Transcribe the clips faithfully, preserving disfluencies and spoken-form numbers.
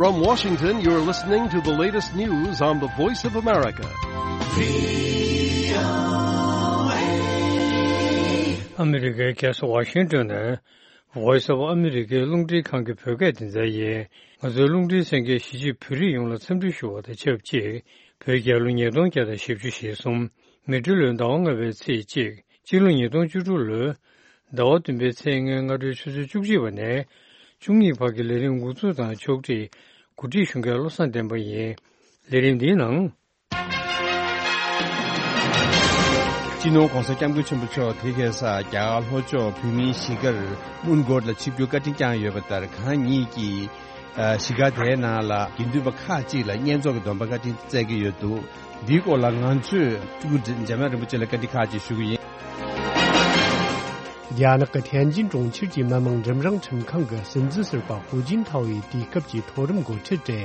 From Washington, you're listening to the latest news on the Voice of America. ཨ་མི་རི་ཀའི་རྒྱལ་ས་ཝ་ཤིང་ཏོན་ནས་Voice of America རླུང་འཕྲིན་ཁང་གི་བོད་སྐད་སྡེ་ཚན་ཡིན། ང་ཚོའི་རླུང་འཕྲིན་གསན་མཁན་གཞིས་བྱེས་བོད་རིགས་ཡོངས་ལ་འཚམས་འདྲི་ཞུ་བ་དང་ཆབས་ཅིག་བོད་རྒྱལ་ལོ་ཉིས་སྟོང་བརྒྱ་དང་བཞི་བཅུ་ཞེ་གསུམ། མེ་སྤྲེལ་ལོའི་ཟླ་བ་ལྔ་པའི་ཚེས་གཅིག་སྤྱི་ལོ་ཉིས་སྟོང་བཅུ་དྲུག་ལོའི་ཟླ་བ་བདུན་པའི་ཚེས་ལྔའི་སྔ་དྲོའི་ཆུ་ཚོད་བཅུ་གཅིག་པ་ནས་བཅུ་གཉིས་བར་གྱི་ལས་རིམ་འགོ་འཛུགས་དང་ཕྱོགས་སྒྲིག་གོ་སྒྲིག་ཞུ་མཁན་བློ་བཟང་བསྟན་པ་ཡིན། ལས་རིམ་འདིའི་ནང་། སྤྱི་ནོར་༧གོང་ས་༧སྐྱབས་མགོན་ཆེན་པོ་མཆོག་དེ་གའི་སར་རྒྱ་གར་ལྷོ་ཕྱོགས་བོད་མིའི་གཞིས་སྒར་མོན་གྷོ་ལ་ཆིབས་བསྒྱུར་བཀའ་དྲིན་བསྐྱངས་ཡོད་པ་ལྟར། གང་ཉིད་ཀྱིས་ཨ་གཞིས་སྒར་དེའི་ནང་ལ་དགེ་འདུན་པ་ཁག་ཅིག་ལ་བསྙེན་རྫོགས་ཀྱི་སྡོམ་པ་བཀའ་དྲིན་སྩལ་གྱི་ཡོད་འདུག་འདིའི་སྐོར་ལ་ང་ཚོས་སྤྲུལ་སྐུ་འཇམ་དབྱངས་རིན་པོ་ཆེ་ལ་བཀའ་འདྲི་ཁག་ཅིག་ཞུ་གི་ཡིན། རྒྱ་ནག་གི་ཐན་ཅིན་གྲོང་ཁྱེར་གྱི་མི་དམངས་འབྲིང་རིམ་ཁྲིམས་ཁང་གི་སྲིད་འཛིན་ཟུར་པ་ཧུའུ་ཅིན་ཐའོ་ཡིས་དུས་སྐབས་ཀྱི་མཐོ་རིམ་འགོ་ཁྲིད་དེ།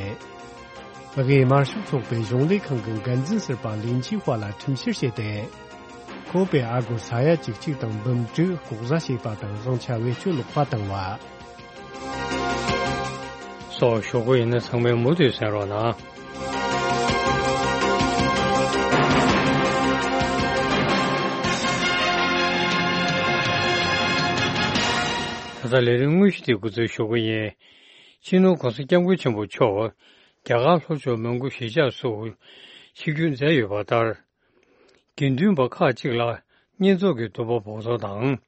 དབུས་དམར་ཤོག་ཚོགས་པའི་གཞུང་ལས་ཁང་གི་འགན་འཛིན་ཟུར་པ་ལིན་ཆི་ཧྭ་ལ་ཁྲིམས་བཤེར་བྱས་ཏེ། ཁོ་པའི་ཨ་སྒོར་ས་ཡ་གཅིག་གཅིག་དང་འབུམ་དྲུག་ལྐོག་ཟ་བྱས་པ་དང་། བཟང་ཆ་བེད་སྤྱོད་ལོག་པ་བཏང་བ་སོགས་ཞུ་གི་ཡིན་ན། ཚང་མས་མུ་མཐུད་གསན་རོགས་གནང་། ད་ལྟ་ལས་རིམ་དངོས་གཞི་དེ་འགོ་འཛུགས་ཞུ་གི་ཡིན། སྤྱི་ནོར་༧གོང་ས་༧སྐྱབས་མགོན་ཆེན་པོ་མཆོག་རྒྱ་གར་ལྷོ་ཕྱོགས་མོན་གྷོ་གཞིས་ཆགས་སུ་ཆིབས་བསྒྱུར་མཛད་ཡོད་པ་ལྟར། དགེ་འདུན་པ་ཁག་ཅིག་ལ་བསྙེན་རྫོགས་ཀྱི་སྡོམ་པ་འབོགས་ཆོག་དང་།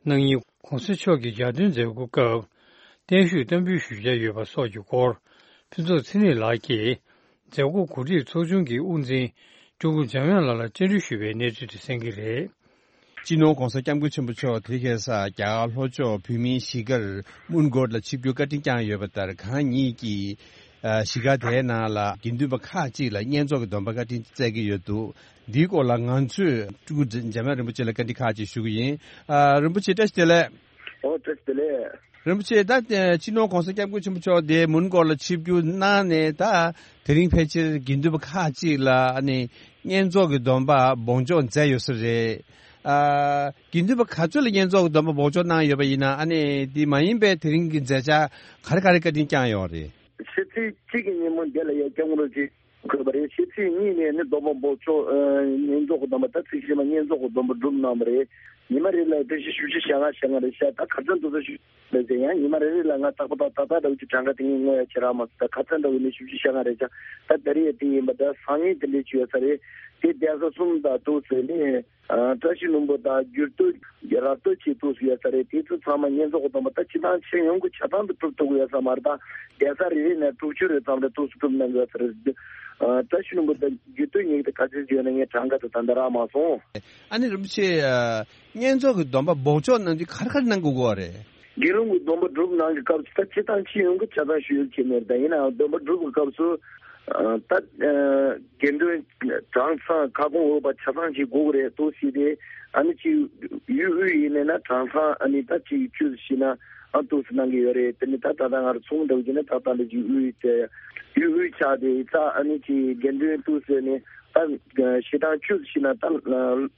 གནངས་ཉིན་༧གོང་ས་མཆོག་གི་ཞལ་འདོན་མཛད་སྒོའི་སྐབས་བརྟན་བཞུགས་བསྟར་འབུལ་ཞུ་འཆར་ཡོད་པ་སོགས་ཀྱི་སྐོར། ཕུན་ཚོགས་ཚེ་རིང་ལགས་ཀྱིས་མཛད་སྒོ་གོ་སྒྲིག་ཚོགས་ཆུང་གི་དབུ་འཛིན་སྤྲུལ་སྐུ་འཇམ་དབྱངས་ལགས་ལ་བཅར་འདྲི་ཞུས་པའི་གནས་ཚུལ་དེ་གསན་གྱི་རེད། སྤྱི་ནོར་༧གོང་ས་༧སྐྱབས་མགོན་ཆེན་པོ་མཆོག་དེ་གའི་སར་རྒྱ་གར་ལྷོ་ཕྱོགས་བོད་མིའི་གཞིས་སྒར་མོན་གྷོ་ལ་ཆིབས་བསྒྱུར་བཀའ་དྲིན་བསྐྱངས་ཡོད་པ་ལྟར། གང་ཉིད་ཀྱིས་ཨ་གཞིས་སྒར་དེའི་ནང་ལ་དགེ་འདུན་པ་ཁག་ཅིག་ལ་བསྙེན་རྫོགས་ཀྱི་སྡོམ་པ་བཀའ་དྲིན་སྩལ་གྱི་ཡོད་འདུག་འདིའི་སྐོར་ལ་ང་ཚོས་སྤྲུལ་སྐུ་འཇམ་དབྱངས་རིན་པོ་ཆེ་ལ་བཀའ་འདྲི་ཁག་ཅིག་ཞུ་གི་ཡིན། ཨ་རིན་པོ་ཆེ་བཀྲ་ཤིས་བདེ་ལེགས། ཨོ་བཀྲ་ཤིས་བདེ་ལེགས། རིན་པོ་ཆེ་ད་ཨ་སྤྱི་ནོར་༧གོང་ས་༧སྐྱབས་མགོན་ཆེན་པོ་མཆོག་དེ་མོན་གྷོ་ལ་ཆིབས་བསྒྱུར་གནང་ནས། ད་དེ་རིང་ཕལ་ཆེར་དགེ་འདུན་པ་ཁག་ཅིག་ལ་ཨ་ནི་བསྙེན་རྫོགས་ཀྱི་སྡོམ་པ་འབོགས་འཇོག་མཛད་ཡོད་ས་རེད། ཨ་དགེ་འདུན་པ་ག་ཚོད་ལ་བསྙེན་རྫོགས་ཀྱི་སྡོམ་པ་འབོགས་འཇོག་གནང་ཡོད་པ་ཡིན་ན། ཨ་ནི་དེ་མ་ཡིན་པའི་དེ་རིང་གི་མཛད་འཆར་ག་རེ་ག་རེ་བཀའ་དྲིན་བསྐྱངས་ཡོད་རེད། ཕྱི་ཚེས་གཅིག་གི་ཉིན་མོ་འདི་ལ་ཡ་སྐྱབས་མགོན་རིན་པོ་ཆེ་འཁོད་པ་རེད། ཕྱི་ཚེས་གཉིས་ནས་ནི་སྡོམ་པ་འབོགས་ཆོག་ཨ་བསྙེན་རྫོགས་ཀྱི་སྡོམ་པ། ད་ཚེས་བཞི་མ་བསྙེན་རྫོགས་ཀྱི་སྡོམ་པ་སྒྲུབ་གནང་བ་རེད། ཉི་མ་རེ་ལ་བཀྲ་ཤིས་བཞི་བཅུ་ཞེ་ལྔ་ཞེ་ལྔ་རེད་ཤག་ད་ག་ཚོད་འདུག་ཟེར་ཞུ་ལ་ཟེར་ཡང་ཉི་མ་རེ་རེ་ལ་ང་རྟག་པར་ད་ད་ད་འདྲ་བོ་ཅིག་གྲངས་ཀ་དེ་ངས་ངོ་ཡ་ཁྱེད་རང་མ་ཟེར། ད་ག་ཚོད་འདྲ་བོ་ནི་བཞི་བཅུ་ཞེ་ལྔ་རེད་ཤག་ད་ད་རེས་དེ་ཡིན་པ་ད་སང་ཉིན་དེ་འདྲས་བྱུང་ཡོད་ས་རེད། དེ་གདན་ས་གསུམ་དང་ཏོག་ཙམ་ནི། ཨ་བཀྲ་ཤིས་ལྷུན་པོ་དང་འགྱུར་རྡོ་ར་སྟོད་ཆེ་ཏོག་ཙམ་ཡོད་ས་རེད། དེ་ཚོ་ཚང་མ་བསྙེན་རྫོགས་ཀྱི་སྡོམ་པ་ད་སྤྱི་བཏང་ཆེད་ཡོང་གི་ཆ་ཚང་དུ་གྲུབ་ཐུབ་ཀྱི་ཡོད་ས་མ་རེད། ད་གདན་ས་རེ་རེ་ནས་དྲུག་ཅུ་རེ་ཙམ་རེ་ཏོག་ཙམ་གྲུབ་གནང་གི་ཡོད་ས་རེད། ཨ་བཀྲ་ཤིས་ལྷུན་པོ་དང་འགྱུར་རྡོ་གཉིས་ཀྱི་ག་ཚོད་ཡོད་ན་ངས་གྲངས་ཀ་དེ་ད་ལྟ་རག་མ་སོང་། ཨ་ནི་རིན་པོ་ཆེ། ཨ་བསྙེན་རྫོགས་ཀྱི་སྡོམ་པ་འབོགས་ཆོག་གནང་དུས་ག་རེ་ག་རེ་གནང་དགོས་ཀྱི་ཡོད་རེད། དགེ་སློང་གི་སྡོམ་པ་སྒྲུབ་གནང་གི་སྐབས་སུ་ད་སྤྱི་བཏང་སྤྱི་ཡོངས་ཀྱི་ཆ་ཚང་ཞུ་ཡག་གི་མེད། ད་ཡིན་ནའང་སྡོམ་པ་སྒྲུབ་ཀྱི་སྐབས་སུ་ཨ་ད་ཨ་དགེ་འདུན་གྲངས་ཚང་ཁ་སྐོང་འོས་པ་ཆ་ཚང་ཞིག་དགོས་ཀྱི་རེད་འདུག་ཟེར་ཏེ། ཨ་ནི་ཅིག་ཡུལ་དབུས་ཡིན་ནས་ན་གྲངས་ཚང་ཨ་ནི་ད་ཅིག་བཅུ་ཙམ་ཞིག་ན་ཨ་འདུག་སེ་གནང་གི་ཡོད་རེད། དེ་ནི་ད་ད་ལྟ་ང་རང་ཚོང་འདྲ་བོ་བྱས་ན་ད་ད་ལྟ་ཅིག་དབུས་དེ་ཡུལ་དབུས་ཆགས་ཏེ་ཡིན་ཙང་ཨ་ནི་ཅིག་དགེ་འདུན་འདུག་ཟེར་ནས། ད་ཞེ་སྡང་བཅུ་ཞིག་ན་ད་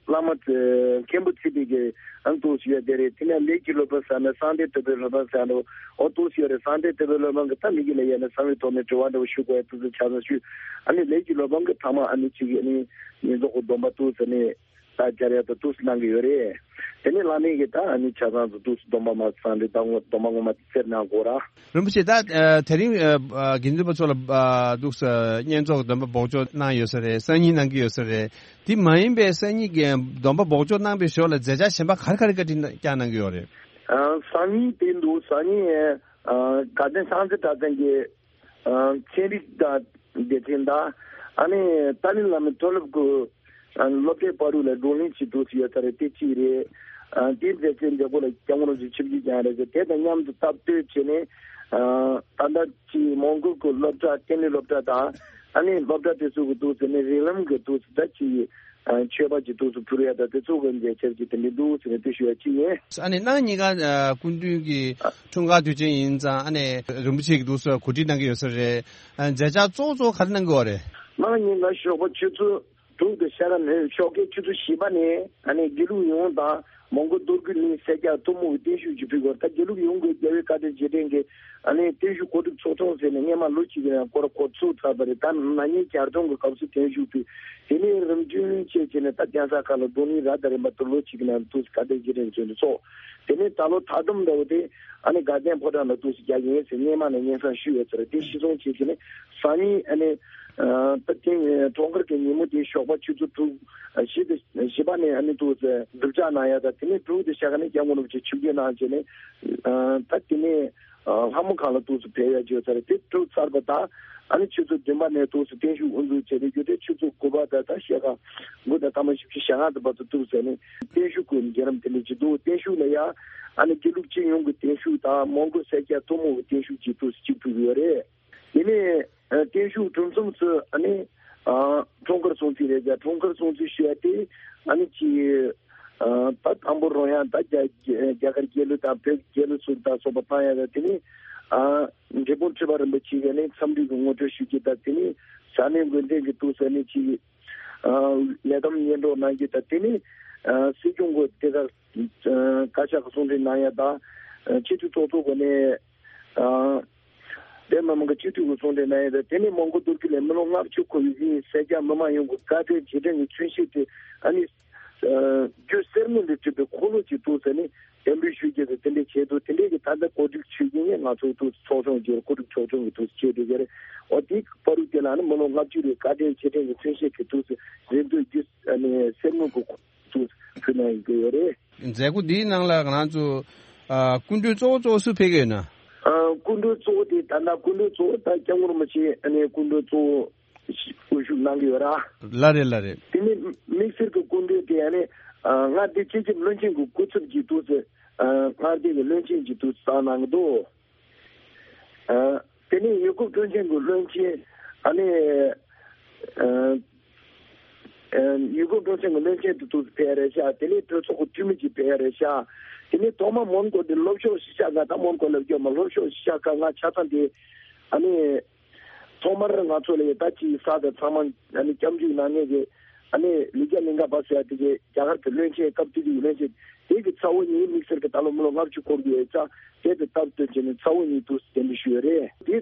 བླ་མ་མཁན་པོ་ཚེ་འཕེལ་གྱི་ཨང་དུ་ཞུ་ཡ་དེ་རེད། དེ་ནས་ལས་ཀྱི་སློབ་དཔོན་ཟེར་ན་གསང་བདེ་དོལ་པོའི་སློབ་དཔོན་ཟེར་ན་ཨོ་དུ་ཞུ་ཡ་རེད། གསང་བདེ་དོལ་པོའི་སློབ་དཔོན་གྱི་ད་མི་གི་ལ་ཡ་ནས་གསང་བའི་ཐོག་ནས་དྲི་བ་འདྲ་བོ་ཞུ་དགོས་ཡ་དུ་ཚོད་ཆ་ཚང་ཞུ། ཨ་ནི་ལས་ཀྱི་སློབ་དཔོན་གྱི་ཐ་མ་ཨ་ནི་ཅིག་ཨ་ནི་ཉིན་རྫོགས་ཀྱི་སྡོམ་པ་དུ་ཟེར་ནས། ད་སྦྱར་ཡ་ད་འདུག་སེ་གནང་གི་ཡོད་རེད། དེ་ནས་བླ་མའི་གི་ད་ཨ་ནི་ཆ་ཚང་དུ་འདུག་སེ་སྡོམ་པ་མ་གསང་རེད། ད་ངོ་སྡོམ་པ་ངོ་མ་དེ་ཚེར་གནང་དགོས་ར། རིན་པོ་ཆེ་ད་ཨ་དེ་རིང་ཨ་དགེ་འདུན་པ་ཚོ་ལ་ཨ་འདུག་སེ་བསྙེན་རྫོགས་སྡོམ་པ་འབོགས་ཆོག་གནང་ཡོད་ས་རེད། སང་ཉིན་གནང་གི་ཡོད་ས་རེད། དེ་མ་ཡིན་པའི་སང་ཉིན་གྱི་སྡོམ་པ་འབོགས་ཆོག་གནང་པའི་ཞོར་ལ་མཛད་འཆར་གཞན་པ་ག་རེ་ག་རེ་བཀའ་དྲིན་བསྐྱངས་གནང་གི་ཡོད་རེད། ཨ་སང་ཉིན་དེ་འདུག་སང་ཉིན་ཨ་དགའ་ལྡན་སངས་རྒྱས་གྲྭ་ཚང་གི་ཨ་ཚན་རིག་དང་སྡེ་ཚན་དང་། ཨ་ནི་ཏཱ་ལའི་བླ་མའི་མཐོ་སློབ་ཀྱི་ཨ་སློབ་གྲྭའི་བར་དུ་ལ་བགྲོ་གླེང་བྱེད་འདུག་ཟེར་ཡོད་ས་རེད། དེ་གཅིག་རེད། ཨ་དེའི་མཛད་འཆར་མཛད་སྒོ་ལ་སྐྱབས་མགོན་རིན་པོ་ཆེ་ཆིབས་བསྒྱུར་བསྐྱངས་རེད་ཟེར། དེ་དང་མཉམ་དུ་སྟབས་བསྟུན་བྱས་ནས་ཨ་ད་ལྟ་ཅིག་མོན་གྷོ་གི་སློབ་གྲྭ་ལྟེ་གནས་སློབ་གྲྭ་དང་། ཨ་ནི་སློབ་གྲྭ་དེ་ཚོ་གི་འདུག་ཟེར་ནས་རིགས་ལམ་གྱི་འདུག་ཟེར་ད་ཅིག་ཨ་མཆོད་པ་ཅིག་འདུག་སེ་ཕུལ་ཡ་ད་དེ་ཚོ་གི་མཛད་འཆར་ཅིག་དེ་འདྲ་འདུག་ཟེར་ནས་དེ་ཞུ་ཡ་གཅིག་ཡིན། ཨ་ནི་གནངས་ཉིན་ཀ་ཨ་སྐུ་མདུན་གྱི་འཁྲུངས་སྐར་དུས་ཆེན་ཡིན་ཙང་། ཨ་ནི་རིན་པོ་ཆེ་གིས་འདུག་སེ་གོ་སྒྲིག་གནང་གི་ཡོད་ས་རེད། ཨ་མཛད་འཆར་གཙོ་བོ་གཙོ་བོ་ག་རེ་གནང་གི་ཡོད་རེད། གནངས་ཉིན་ཀ་ཞོགས་པ་ཆུ་ཚོད་དྲུག་དང་ཕྱེད་ཀ་ནས་ཞོགས་ཀའི་ཆུ་ཚོད་བཞི་པ་ནས་ཨ་ནི་དགེ་ལུགས་ཡོངས་དང་ མོན་གྷོ་རྡོ་རྒུད་གླིང་སེར་སྐྱ་ཐུན་མོང་གི་བརྟན་བཞུགས་ཀྱི་ཕུལ་བར། ད་དགེ་ལུགས་ཡོངས་ཀྱི་རྒྱལ་བའི་བཀའ་དྲིན་རྗེས་དྲན་གྱི་ཨ་ནི་བརྟན་བཞུགས་གོ་སྒྲིག་ཚོགས་ཆུང་ཟེར་ནས་སྔས་མ་ལོ་གཅིག་གི་རིང་སྐོར་གོ་ཚུགས་ཚར་བ་རེད། ད་ན་ནིང་གྱ་སྟོན་གྱི་སྐབས་སུ་བརྟན་བཞུགས་ཕུལ། དེ་ནས་རིམ་བྱོན་བྱས་བྱས་ནས་ད་གདན་ས་ཁག་ལ་རྡོར་གླིང་ར་དང་རིམ་པ་དུ་ལོ་གཅིག་གི་ནང་དུ་བཀའ་དྲིན་རྗེས་དྲན་གྱི་ཚོགས། དེ་ནས་ད་ལོ་ད་དུང་འདྲ་བོ་དེ་ཨ་ནི་དགའ་ལྡན་ཕོ་བྲང་ལ་དུ་རྒྱག་གི་ཡིན་ཟེར་སྔས་མ་ནས་སྙན་སེང་ཞུས་ཡོད་ཟེར། དེ་གཞིར་བཟུང་བྱས་བྱས་ནས་སང་ཉིན་ཨ་ནི་ད་ཐེངས་གྲོངས་ཁར་གྱི་ཉིན་མོ་དེ་ཞོགས་པ་ཆུ་ཚོད་དྲུག་བཞི་དང་བཞི་པ་ནས་ཨ་ནི་དུ་སྒྲུབ་ཕྱག་གནང་ཡ་དང་། དེ་ནས་དྲུག་དང་ཞག་ནས་སྐྱབས་མགོན་རིན་པོ་ཆེ་ཆིབས་བསྒྱུར་གནང་བྱས་ནས་ད་དེ་ནས་ལྷ་མོ་ཁང་ལ་དུ་ཕེབས་ཡ་བྱས་ཡོད་ཟེར། དེ་གྲུབ་ཚར་བ་དང་ཨ་ནི་ཆུ་ཚོད་བདུན་པ་ནས་དུ་བརྟན་བཞུགས་དབུ་འཛུགས་བྱས་ནས་རྒྱུ་དེ་ཆུ་ཚོད་དགུ་པ་དང་ད་ཞག་དགུ་དང་ཐ་མ་བཞི་བཅུ་ཞེ་ལྔ་དང་བར་དུ་དུ་ཟེར་ནས་བརྟན་བཞུགས་ཀྱི་རྒྱུན་རིམ་དེ་འདྲ་ཅིག་འདུག་བརྟན་བཞུགས་ལ་ཡ་ཨ་ནི་དགེ་ལུགས་སྤྱི་ཡོངས་ཀྱི་བརྟན་བཞུགས་དང་མོན་གྷོ་སེར་སྐྱ་ཐུན་མོང་གི་བརྟན་བཞུགས་ཀྱི་དུ་གཅིག་ཕུལ་གྱི་ཡོད་རེད། དེ་ནས་ཨ་བརྟན་བཞུགས་གྲུབ་མཚམས་སུ་ཨ་ནི་ཨ་འཁྲུངས་སྐར་སྲུང་བརྩི་རེད་ཀྱང་། འཁྲུངས་སྐར་སྲུང་བརྩི་ཞུ་ཡ་དེ་ཨ་ནི་ཅིག་ཨ་ད་དང་པོ་རང་ཡང་ད་རྒྱ་རྒྱ་རྒྱ་གར་རྒྱལ་གླུ་དང་བོད་རྒྱལ་གླུ་ཟུར་དང་སོགས་པ་བཏང་ཡ་དང་། དེ་ནས་ཨ་འབྲས་སྤུངས་ཁྲི་པ་རིན་པོ་ཆེ་གིས་ནི་འཚམས་འདྲི་གི་ངོ་སྤྲོད་ཞུ་རྒྱུ་དང་། དེ་ནས་ས་གནས་འགོ་འཛིན་གྱི་དུ་ཟེར་ནས་ཅིག་ཨ་ལས་བསྡོམས་སྙན་སྒྲོན་གནང་རྒྱུ་དང་། དེ་ནས་ཨ་སྲིད་སྐྱོང་གི་དེ་ག་ཨ་བཀའ་ཤག་གི་གསུང་འཕྲིན་གནང་ཡ་དང་། ཨ་སྤྱི་འཐུས་ཚོགས་གཙོ་གི་ནས་ཨ་བོད་མི་མང་གི་སྤྱི་འཐུས་ཀྱི་གསུང་འཕྲིན་གནང་ཡ་དང་། དེ་ནས་མོན་གྷོ་རྡོ་རྒུད་ལ་མི་ལོ་ལྔ་བཅུ་འཁོར་བའི་གཞིས་སེར་སྐྱ་མི་མང་ཡོངས་ཀྱི་བཀའ་དྲིན་རྗེས་དྲན་གྱི་མཚོན་བྱེད་དེ་ཨ་ནི་ཨ་རྒྱུ་གསེར་དངུལ་ལས་གྲུབ་པའི་འཁོར་ལོ་ཅིག་དུ་ཟེར་ནས་འདེམས་སྒྲུག་ཞུ་རྒྱུ་དེ་དེ་འདྲའི་ཆེད་དུ་དེ་འདྲའི་གི་ད་ལྟ་གོ་སྒྲིག་ཞུ་རྒྱུ་ནི་ང་ཚོའི་དུ་ཚོགས་ཆུང་གི་གོ་སྒྲིག་ཚོགས་ཆུང་གི་དུ་བྱེད་དེ་ག་རེད། འོ་དེའི་བར་དུ་དེ་ལ་ནི་མི་ལོ་ལྔ་བཅུ་རེ་བཀའ་དྲིན་རྗེས་དྲན་གྱི་མཚོན་བྱེད་ཀྱི་དུ་རེ་འདོད་རྒྱུ་ཨ་ནི་གསེར་དངུལ་གྱི་འཁོར་ལོ་དུ་ཕུལ་གནང་ཡོད་ཀྱི་ཡོད་རེད། མཛད་སྒོ་འདིའི་ནང་ལ་ང་རང་ཚོ་ཨ་སྐུ་མགྲོན་གཙོ་བོ་གཙོ་བོ་སུ་ཕེབས་ཀྱི་ཡོད་ན། ཨ་སྐུ་མགྲོན་གཙོ་བོ་དེ་ད་ལྟ་སྐུ་མགྲོན་གཙོ་བོ་ད་སྐྱབས་མགོན་རིན་པོ་ཆེ་ཨ་ནི་སྐུ་མགྲོན་གཙོ་བོ་དབུ་བཞུགས་གནང་གི་ཡོད་ར། ལགས་རེད་ལགས་རེད། དེ་ནས་དམིགས་བསལ་གྱི་སྐུ་མགྲོན་དེ་ཨ་ནི་ཨ་མངའ་སྡེ་སྤྱི་ཁྱབ་བློན་ཆེན་གྱི་སྐུ་ཚབ་ཀྱི་དུ་ཟེར་ཨ་མངའ་སྡེ་གི་བློན་ཆེན་གྱི་དུ་བསང་གནང་གི་འདུག་ཨ་དེ་ནས་ཡུལ་སྐོར་སྤྲོ་འཆམ་གྱི་བློན་ཆེན་ཨ་ནི་ཨ་ཨ་ཡུལ་སྐོར་སྤྲོ་འཆམ་གྱི་བློན་ཆེན་དུ་དུ་ཕེབས་རེད་ཤག་དེ་ནས་གྲོས་ཚོགས་ཀྱི་འཐུས་མི་གཅིག་ཕེབས་རེད་ཤག་དེ་ནས་ཐོག་མ་མོན་གྷོ་དེ་ལྷོ་ཕྱོགས་གཞིས་ཆགས་ཁག་དང་མོན་གྷོ་ལ་སྐྱོད་མ་ལྷོ་ཕྱོགས་གཞིས་ཆགས་ཁག་ང་ཆ་ཚང་དེ་ཨ་ནི། ཐོག་མར་ང་ཚོ་ལ་ད་ཅིག་ས་དང་ཚང་མ་ཨ་ནི་སྐྱབས་འཇུག་གནང་མཁན་གྱི་ཨ་ནི་ལི་རྒྱ་གླིང་ཁ་པ་ཟེར་ཡ་དེ་གའི་རྒྱ་གར་གྱི་བློན་ཆེན་སྐབས་དེ་དུས་བློན་ཆེན་དེ་གི་ཚ་བོ་གཉིས་དམིགས་བསལ་གྱི་ད་ལོ་མི་ལོ་ལྔ་བཅུ་འཁོར་གྱི་ཡོད་ཙང་དེ་དང་སྟབས་བསྟུན་བྱས་ནས་ཚ་བོ་གཉིས་དུ་གདན་འདྲེན་ཞུས་ཡོད་རེད། དེ་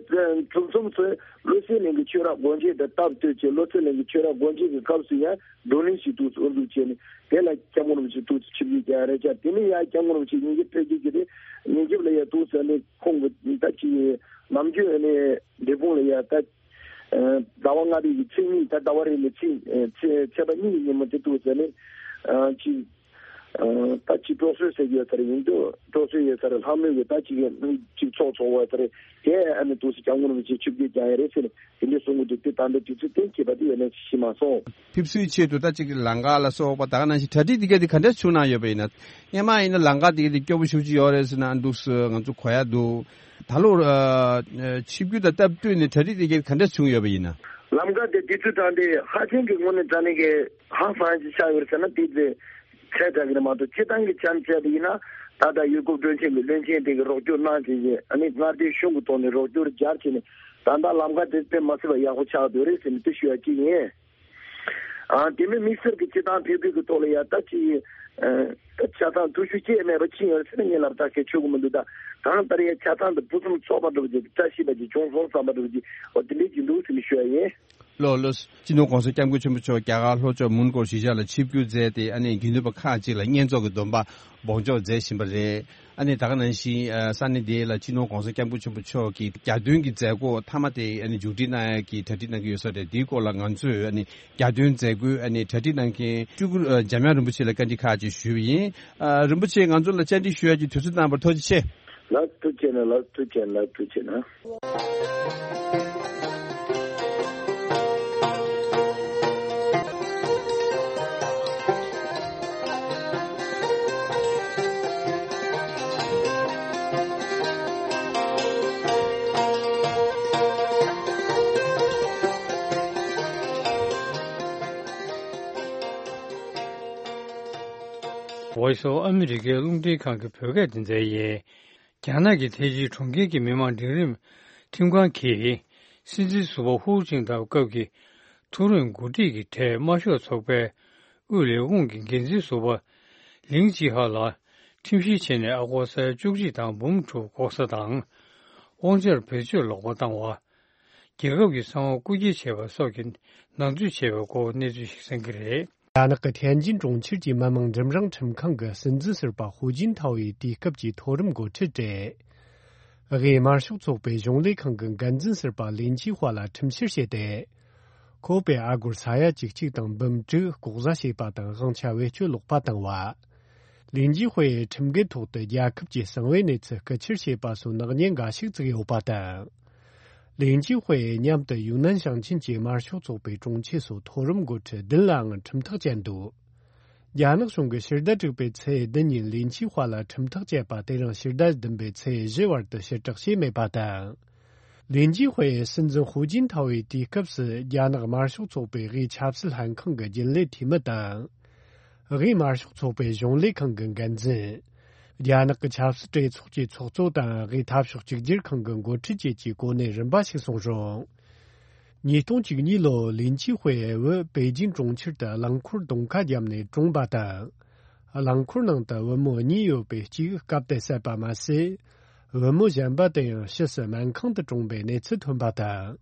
གྲུབ་མཚམས་སུ་བློ་གསལ་གླིང་གི་ཆོས་ར་སྒོ་འབྱེད་དང་སྟབས་བསྟུན་བྱས་བློ་གསལ་གླིང་གི་ཆོས་ར་སྒོ་འབྱེད་ཀྱི་སྐབས་སུ་ཡང་བགྲོ་གླེང་ཞིག་དུ་དབུ་འཛུགས་བྱས་ནས་དེ་ལ་སྐྱབས་མགོན་རིན་པོ་ཆེ་དུ་ཆིབས་བསྒྱུར་རྒྱག་རེད་ཀྱང་། དེ་ནས་ཡང་སྐྱབས་མགོན་རིན་པོ་ཆེ་ཉིན་རྒྱབ་ཕེབས་རྒྱུ་གི་རེད། ཉིན་རྒྱབ་ལ་ཡང་དུ་ཟེར་ནས་ཁོང་གི་ད་ཅིག་ནམ་རྒྱུན་ནས་འབྲས་སྤུངས་ལ་ཡ་ད་ཟླ་བ་ལྔ་པའི་གི་ཚེས་གཉིས། ད་ཟླ་བ་རེ་ནས་ཚེས་ཚེས་ཚེས་པ་གཉིས་ཀྱི་ཉིན་མོ་དེ་འདུག་ཟེར་ནས་ཅིག་ད་ཅིག་སྤྲོ་གསོལ་ཟེར་གྱི་ཡོད་ས་རེད། ཡིན་དུས་སྤྲོ་གསོལ་ཡོད་ས་རེད། ལྷག་མོས་ཀྱི་ད་ཅིག་ཅིག་ཚོགས་ཚོགས་པ་ཡོད་ས་རེད། དེ་ཨ་ནི་འདུག་སེ་སྐྱབས་མགོན་རིན་པོ་ཆེ་ཆིབས་བསྒྱུར་བསྐྱངས་ཡ་རེད་ཟེར་ནས་དེ་འདྲའི་གསུང་གི་འདུག་དེ་ད་ལྟ་དུས་ཚོད་གཏན་འཁེལ་བ་དེ་ཡོད་ནས་ཤེས་མ་སོང་། ཕེབས་བསུའི་ཆེད་དུ་ད་ཅིག་ལམ་ཁ་ལ་སོགས་པ་ད་ག་ནང་བཞིན་གྲ་སྒྲིག་དེ་ག་དེ་ག་འདྲ་བྱུང་གནང་ཡོད་པ་ཡིན་ན། སྔོན་མ་ཡིན་ན་ལམ་ཁ་དེ་ག་དེ་སྐྱོ་པོ་ཞེ་པོ་ཅིག་ཡོད་རེད་ཟེར་ན་འདུག་སེ་ང་ཚོ་གོ་ཡ་འདུག་ད་ལོ་ཨ་ཆིབས་བསྒྱུར་དང་སྟབས་བསྟུན་ནས་གྲ་སྒྲིག་དེ་ག་ག་འདྲ་བྱུང་ཡོད་པ་ཡིན་ན། ལམ་ཁ་དེ་དུས་ཚོད་དྲངས་ཏེ་ཧ་ཅང་གི་དངོས་གནས་དྲང་གནས་ཀྱི་ཧང་སངས་ཅིག་ཆགས་ཡོད་རེད་ཟེར་ན་དེ་ཚོ་ཚད་དྲག་གི་རེད་མ་གཏོགས་སྤྱིར་བཏང་གི་ཆ་ནས་བྱས་པ་ཡིན་ན་ད་ལྟ་ཡུལ་སྐོར་སྤྲོ་འཆམ་གྱི་བློན་ཆེན་དེ་གི་རོགས་སྐྱོར་གནང་བྱས་ཨ་ནི་མངའ་སྡེའི་གཞུང་གི་ཐོག་ནས་རོགས་སྐྱོར་སྦྱར་བྱས་ནས་ད་ལྟ་ལམ་ཁ་དེ་དཔེ་མ་སྲིད་པ་ཡག་པོ་ཆགས་བསྡད་རེད་ཟེར་ནས་དེ་ཞུ་ཡ་གཅིག་ཡིན། ཨ་དེ་མིན་དམིགས་བསལ་གྱི་སྤྱི་བཏང་ཕེབས་འབུལ་གྱི་ཐོག་ལ་ཡ་ད་ཅིག་ཨ་ཆ་ཚང་ཐུགས་ཤུགས་ཆེ་མེད་པ་ཕྱིན་ཡོད་ཟེར་ན་ངས་ལབ་ད་ཁྱད་ཆོད་གི་མི་འདུག་ད་གང་ལྟར་ཡ་ཆ་ཚང་དུ་ཕུན་སུམ་ཚོགས་པ་འདྲ་བོ་ཅིག་བཀྲ་ཤིས་པ་ཅིག་བྱུང་སོང་བསམ་པ་འདྲ་བོ་ཅིག་འོ་དེ་འདྲའི་ཅིག་འདུག་ཟེར་ནས་ཞུ་ཡ་ཡིན། ལགས་ལགས། སྤྱི་ནོར་༸གོང་ས་༸སྐྱབས་མགོན་ཆེན་པོ་མཆོག་རྒྱ་གར་ལྷོ་ཕྱོགས་མོན་གྷོ་གཞིས་ཆགས་ལ་ཆིབས་བསྒྱུར་མཛད་དེ་ཨ་ནི་དགེ་འདུན་པ་ཁག་ཅིག་ལ་བསྙེན་རྫོགས་ཀྱི་སྡོམ་པ་འབོགས་འཇོག་མཛད་བཞིན་པ་རེད། ཨ་ནི་ད་ག་ནང་བཞིན་ས་གནས་དེ་ལ་སྤྱི་ནོར་༸གོང་ས་༸སྐྱབས་མགོན་ཆེན་པོ་མཆོག་གི་གྱ་སྟོན་གྱི་མཛད་སྒོ་མཐའ་མ་དེ་ཨ་ནི་མཇུག་སྒྲིལ་གནང་ཡག་གི་གྲ་སྒྲིག་གནང་གི་ཡོད་ས་རེད། དེའི་སྐོར་ལ་ང་ཚོས་ཨ་ནི་གྱ་སྟོན་མཛད་སྒོའི་ཨ་ནི་གྲ་སྒྲིག་གནང་མཁན་སྤྲུལ་སྐུ་འཇམ་དབྱངས་རིན་པོ་ཆེ་ལ་བཀའ་འདྲི་ཁག་ཅིག་ཞུས་པ་ཡིན། རིན་པོ་ཆེ་ང་ཚོ་ལ་བཅར་འདྲི་ཞུ་ཡག་གི་དུས་ཚོད་གནང་བར་ཐུགས་རྗེ་ཆེ། ལགས་ཐུགས་རྗེ་ཆེ་གནང་། ལགས་ཐུགས་རྗེ་ཆེ་གནང་། ལགས་ཐུགས་རྗེ་ཆེ་གནང་། Voice of America རླུང་འཕྲིན་ཁང་གི་བོད་སྐད་སྡེ་ཚན་ཡིན། རྒྱ་ནག་གི་ཐེ་ཅི་གྲོང་ཁྱེར་གྱི་མི་དམངས་འབྲིང་རིམ་ཁྲིམས་ཁང་གིས་སྲིད་འཛིན་ཟུར་པ་ཧུའུ་ཅིན་ཐའོ་སྐབས་ཀྱི་མཐོ་རིམ་འགོ་ཁྲིད་ཀྱི་གྲས་དམར་ཤོག་ཚོགས་པའི་དབུས་ལས་ཁུངས་ཀྱི་འགན་འཛིན་ཟུར་པ་ ལིང་ཅི་ཧྭ་ལ་ཁྲིམས་བཤེར་བྱས་ནས་ཨ་སྒོར་ས་ཡ་བཅུ་གཅིག་དང་འབུམ་དྲུག་ལྐོག་ཟ་དང་། དབང་ཆར་བེད་སྤྱོད་ལོག་པ་བཏང་བ། རྒྱལ་ཁབ་ཀྱི་གསང་བ་རྐུ་འཁྱེར་བྱས་པ་སོགས་ཀྱི་ནང་འཛུལ་བྱས་པའི་སྐོར་གནས་ཚུལ་ཞིག་གསན་གྱི་རེད། རྒྱ་ནག་གི་ཐན་ཅིན་གྲོང་ཁྱེར་གྱི་མི་དམངས་འབྲིང་རིམ་ཁྲིམས་ཁང་གི་སྲིད་འཛིན་ཟུར་པ་ཧུའུ་ཅིན་ཐའོ་ཡིས་དུས་སྐབས་ཀྱི་མཐོ་རིམ་འགོ་ཁྲིད་བྲལ། དབུས་དམར་ཤོག་ཚོགས་པའི་གཞུང་ལས་ཁང་གི་འགན་འཛིན་ཟུར་པ་ལིན་ཅི་ཧྭ་ལ་ཁྲིམས་བཤེར་བྱས་ཏེ། ཁོ་པས་ཨ་སྒོར་ས་ཡ་བཅུ་གཅིག་དང་འབུམ་དྲུག་ལྐོག་ཟ་བྱས་པ་དང་དབང་ཆ་བེད་སྤྱོད་ལོག་པ་བཏང་བ། ལིན་ཅི་ཧུའེ་ཁྲིམས་འགལ་ཐོག་ཏུ་རྒྱལ་ཁབ་ཀྱི་གསང་བའི་གནས་ཚུལ་རྐུ་འཁྱེར་བྱས་པ་སོགས་ནག་ཉེས་འགའ་ཞིག་བཙུགས་ཡོད་པ་དང་། ལིན་ཅི་ཧུའེ་མཉམ་དུ་ཡུན་ནན་ཞིང་ཆེན་གྱི་དམར་ཤོག་ཚོགས་པའི་དྲུང་ཆེ་སོགས་མཐོ་རིམ་འགོ་ཁྲིད་བདུན་ལའང་ཁྲིམས་ཐག་བཅད་འདུག་རྒྱ་ནག་གཞུང་གིས་ཕྱི་ཟླ་དྲུག་པའི་ཚེས་བདུན་ཉིན་ལིན་ཅི་ཧྭ་ལ་ཁྲིམས་ཐག་བཅད་པ་དེ་རིང་ཕྱི་ཟླ་བདུན་པའི་ཚེས་བཞི་བར་དུ་ཕྱིར་བསྒྲགས་བྱས་མེད་པ་དང་། ལིན་ཅི་ཧུའེ་སྲིད་འཛིན་ཧུའུ་ཅིན་ཐའོ་ཡི་དུས་སྐབས་སུ་རྒྱ་ནག་དམར་ཤོག་ཚོགས་པའི་དབུས་ཆབ་སྲིད་ལྷན་ཁང་གི་རྒྱུན་ལས་འཐུས་མི་དང་། དབུས་དམར་ཤོག་ཚོགས་པའི་གཞུང་ལས་ཁང་གི་འགན་འཛིན། རྒྱ་ནག་གི་ཆབ་སྲིད་གྲོས་ཚོགས་ཀྱི་ཚོགས་གཙོ་དང་དབུས་འཐབ་ཕྱོགས་གཅིག་གྱུར་ཁང་གི་འགོ་ཁྲིད་བཅས་ཀྱི་གོ་གནས་རིམ་པ་ཞིག་སོང་རུང་། ཉིས་སྟོང་བཅུ་གཉིས་ལོར་ལིན་ཅི་ཧུའེ་བུ་པེ་ཅིང་གྲོང་ཁྱེར་དུ་རླངས་འཁོར་གདོང་ཁ་བརྒྱབ་ནས་གྲོངས་པ་དང་། རླངས་འཁོར་ནང་དུ་བུ་མོ་གཉིས་ཡོད་པའི་གཅིག་བཀབ་སྟེ་བསད་པ་མ་ཟད། བུ་མོ་གཞན་པ་དེ་ཡང་ཕྱིས་སུ་སྨན་ཁང་དུ་གྲོངས་པའི་གནས་ཚུལ་ཐོན་པ་དང་།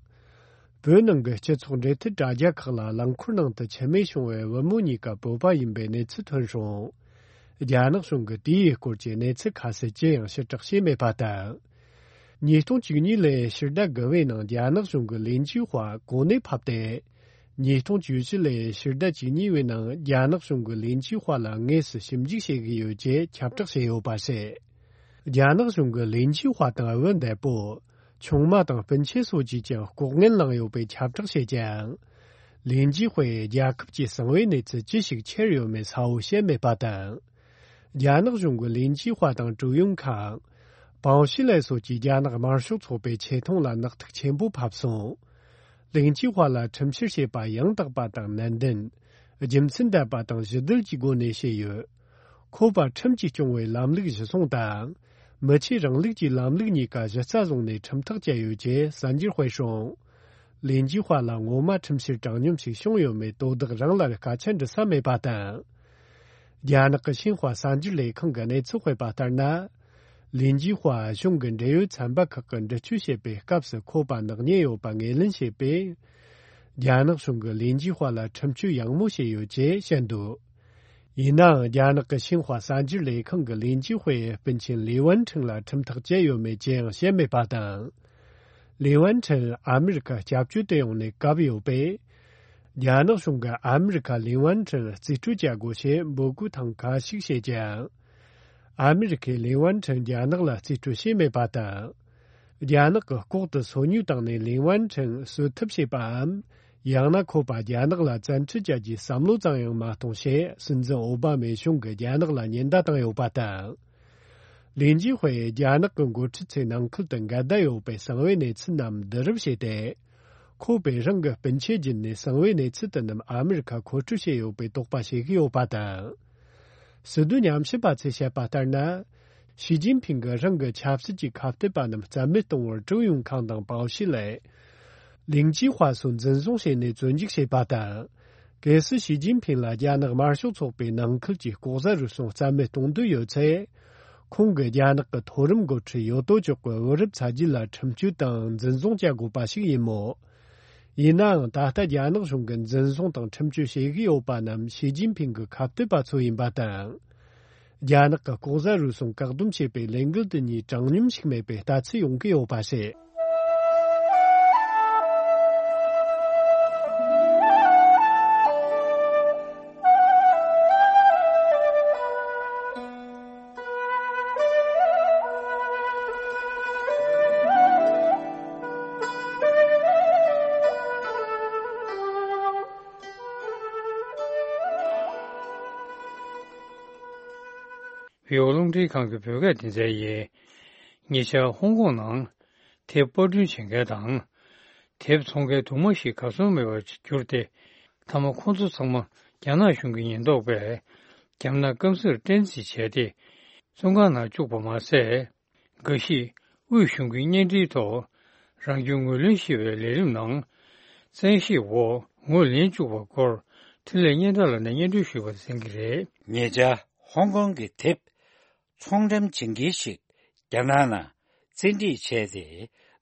བོད་ནང་གི་སྤྱི་ཚོགས་འབྲེལ་མཐུད་དྲ་རྒྱ་ཁག་ལ་རླངས་འཁོར་ནང་དུ་འཆི་རྨས་བྱུང་བའི་བུ་མོ་གཉིས་ཀ་བོད་པ་ཡིན་པའི་གནས་ཚུལ་ཐོན་བྱུང་། རྒྱ་ནག་གཞུང་གིས་དེའི་སྐོར་གྱི་གནས་ཚུལ་ཁ་གསལ་ཅི་ཡང་ཕྱིར་བསྒྲགས་བྱས་མེད་པ་དང་། ཉིས་སྟོང་བཅུ་གཉིས་ལོའི་ཕྱི་ཟླ་དགུ་པའི་ནང་རྒྱ་ནག་གཞུང་གིས་ལིན་ཅི་ཧྭ་གོ་གནས་ཕབ་སྟེ། ཉིས་སྟོང་བཅུ་བཞི་ལོའི་ཕྱི་ཟླ་བཅུ་གཉིས་པའི་ནང་རྒྱ་ནག་གཞུང་གིས་ལིན་ཅི་ཧྭ་ལ་དངོས་སུ་ཞིབ་འཇུག་བྱེད་ཀྱི་ཡོད་ཅེས་ཁྱབ་བསྒྲགས་བྱས་ཡོད་པ་རེད། རྒྱ་ནག་གཞུང་གིས་ལིན་ཅི་ཧྭ་དང་བུ་འདས་པོ། ཆུང་མ་དང་སྤུན་མཆེད་སོགས་ཀྱིས་ཀྱང་ལྐོག་རྔན་བླངས་ཡོད་པའི་ཁྱབ་བསྒྲགས་བྱས་ཀྱང་། ལིན་ཅི་ཧུའེ་རྒྱལ་ཁབ་ཀྱི་གསང་བའི་གནས་ཚུལ་ཅི་ཞིག་འཁྱེར་ཡོད་མེད་གསལ་བོ་བཤད་མེད་པ་དང་། རྒྱ་ནག་གཞུང་གིས་ལིན་ཅི་ཧྭ་དང་ཀྲུའུ་ཡུང་ཁང་། པའོ་ཤི་ལའེ་སོགས་ཀྱིས་རྒྱ་ནག་དམར་ཤོག་ཚོགས་པའི་ཆེ་མཐོང་ལ་ནག་ཐིག་ཆེན་པོ་ཕབ་སོང་། ལིན་ཅི་ཧྭ་ལ་ཁྲིམས་བཤེར་བྱས་པ་ཡང་དག་པ་དང་ནན་ཏན། རྒྱུ་མཚན་ལྡན་པ་དང་གཞི་རྡུལ་གྱི་སྒོ་ནས་བྱས་ཡོད། ཁོ་པ་ཁྲིམས་ཀྱིས་སྐྱོང་བའི་ལམ་ལུགས་གཞི་བཟུང་དང་། མི་ཆོས་རིང་ལུགས་ཀྱི་ལམ་ལུགས་གཉིས་ཀ་གཞི་རྩ་བཟུང་ནས་ཁྲིམས་ཐག་བཅད་ཡོད་ཅེས་གསར་འགྱུར་སྤེལ་བྱུང་། ལིན་ཅི་ཧྭ་ལ་ངོ་མ་ཁྲིམས་བཤེར་དྲང་སྙོམས་ཤིག་བྱུང་ཡོད་མེད་དོ་བདག་རང་ལ་སྐད་ཆ་འདྲི་ས་མེད་པ་དང་། རྒྱ་ནག་གི་ཤིན་ཧྭ་གསར་འགྱུར་ལས་ཁང་གིས་གནས་ཚུལ་སྤེལ་བ་ལྟར་ན། ལིན་ཅི་ཧྭ་གཞུང་གི་འབྲེལ་ཡོད་ཚན་པ་ཁག་གིས་འདྲི་གཅོད་བྱེད་པའི་སྐབས་སུ་ཁོ་པ་ནག་ཉེས་ཡོད་པ་ངོས་ལེན་བྱས་པས། རྒྱ་ནག་གཞུང་གིས་ལིན་ཅི་ཧྭ་ལ་ཁྲིམས་གཅོད་ཡང་མོ་བྱས་ཡོད་ཅེས་བཤད་འདུག་ཡིན་ནའང་རྒྱ་ནག་གི་ཤིན་ཧྭ་གསར་འགྱུར་ལས་ཁང་གིས་ལིན་ཅི་ཧུའེ་ཡི་སྤུན་མཆེད་ལི་ཝན་ཁྲིན་ལ་ཁྲིམས་ཐག་བཅད་ཡོད་མེད་ཅི་ཡང་བཤད་མེད་པ་དང་། ལི་ཝན་ཁྲིན་ཨ་མི་རི་ཁ་སྐྱབས་བཅོལ་དུ་ཡོང་ནས་བཀབ་ཡོད་པས། རྒྱ་ནག་གཞུང་གིས་ཨ་མི་རི་ཁ་ལི་ཝན་ཁྲིན་རྩིས་སྤྲོད་བྱ་དགོས་ཞེས་འབོད་སྐུལ་ཐེངས་ཁ་ཤས་བྱས་ཀྱང་། ཨ་མི་རི་ཁས་ལི་ཝན་ཁྲིན་རྒྱ་ནག་ལ་རྩིས་སྤྲོད་བྱས་མེད་པ་དང་། རྒྱ་ནག་གིས་ལྐོག་ཏུ་སོ་ཉུལ་བཏང་ནས་ལི་ཝན་ཁྲིན་གསོད་ཐབས་བྱས་པའམ། ཡང་ན་ཁོ་པ་རྒྱ་ནག་ལ་བཙན་ཁྲིད་བྱ་རྒྱུའི་བསམ་བློ་ཙམ་ཡང་མ་གཏོང་ཞེས་སྲིད་འཛིན་ཨོ་བྷ་མའི་གཞུང་གིས་རྒྱ་ནག་ལ་ཉེན་བརྡ་བཏང་ཡོད་པ་དང་། ལིན་ཅི་ཧུའེ་རྒྱ་ནག་གི་འགོ་ཁྲིད་ཚོའི་ནང་ཁུལ་དུ་འགལ་ཟླ་ཡོད་པའི་གསང་བའི་གནས་ཚུལ་རྣམས་བསྡུ་རུབ་བྱས་ཏེ། ཁོ་པས་རང་གི་སྤུན་མཆེད་བརྒྱུད་ནས་གསང་བའི་གནས་ཚུལ་དེ་རྣམས་ཨ་མི་རི་ཁར་མཁོ་སྤྲོད་བྱས་ཡོད་པའི་དོགས་པ་བྱེད་ཀྱི་ཡོད་པ་དང་། ཟིན་བྲིས་ཉམས་ཞིབ་པ་ཚོས་བཤད་པ་ལྟར་ན། ཞི་ཅིན་ཕིང་གིས་རང་གི་ཆབ་སྲིད་ཀྱི་ཁ་གཏད་པ་རྣམས་རྩ་མེད་གཏོང་བར་ཀྲུའུ་ཡུང་ཁང་དང་པའོ་ཤི་ལའེ། ལིང་ཅི་ཧྭ་སོགས་འཛིན་བཟུང་བྱས་ནས་བཙོན་འཇུག་བྱས་པ་དང་། གལ་སྲིད་ཞི་ཅིན་ཕིང་ལ་རྒྱ་ནག་དམར་ཤོག་ཚོགས་པའི་ནང་ཁུལ་གྱི་ལྐོག་ཟ་རུལ་སུངས་རྩ་མེད་གཏོང་འདོད་ཡོད་ཚེ། ཁོང་གིས་རྒྱ་ནག་གི་མཐོ་རིམ་འགོ་ཁྲིད་ཡོད་དོ་ཅོག་གི་བུ་རབས་ཚ་རྒྱུད་ལ་ཁྲིམས་གཅོད་དང་འཛིན་བཟུང་བྱ་དགོས་པ་ཞིག་ཡིན་མོད། ཡིན་ནའང་ད་ལྟ་རྒྱ་ནག་གཞུང་གིས་འཛིན་བཟུང་དང་ཁྲིམས་གཅོད་བྱེད་ཀྱི་ཡོད་པ་རྣམས་ཞི་ཅིན་ཕིང་གི་ཁ་གཏད་པ་ཚོ་ཡིན་པ་དང་། རྒྱ་ནག་གི་ལྐོག་ཟ་རུལ་སུངས་བཀག་སྡོམ་བྱེད་པའི་ལས་འགུལ་དེ་གཉིས་དྲང་སྙོམས་ཤིག་མེད་པའི་ལྟ་ཚུལ་ཡོང་གི་ཡོད་པ་རེད། བོད་རླུང་འཕྲིན་ཁང་གི་བོད་སྐད་སྡེ་ཚན་ཡིན། ཉེ་ཆར་ཧོང་ཀོང་ནང་དེབ་པར་སྐྲུན་བྱེད་མཁན་དང་། དེབ་འཚོང་མཁན་དུ་མ་ཞིག་གར་སོང་མེད་པར་གྱུར་ཏེ། མཐའ་མ་ཁོང་ཚོ་ཚང་མ་རྒྱ་ནག་གཞུང་གི་ཉེན་རྟོག་པས་རྒྱ་ནག་སྐམ་སར་བསྟན་རྩིས་བྱས་ཏེ། བཙོན་ཁང་ནང་བཅུག་པ་མ་ཟད། འགའ་ཞིག་དབུས་གཞུང་གི་བརྙན་འཕྲིན་ཐོག་རང་སྐྱོན་ངོས་ལེན་ཞེས་པའི་ལས་རིམ་ནང་། བཙན་ཤེད་འོག་ངོས་ལེན་བཅུག་པའི་སྐོར་འཕྲིན་ལས་སྙན་གྲགས་ལགས་ནས་སྙན་སྒྲོན་ཞུས་པ་གསན་གྱི་རེད། ཉེ་ཆར་ ཧོང་ཀོང་གི་དེབ་ཚོང་འགྲེམས་བྱེད་མཁན་ཞིག་རྒྱ་ནག་ནང་བཙན་ཁྲིད་བྱས་ཏེ།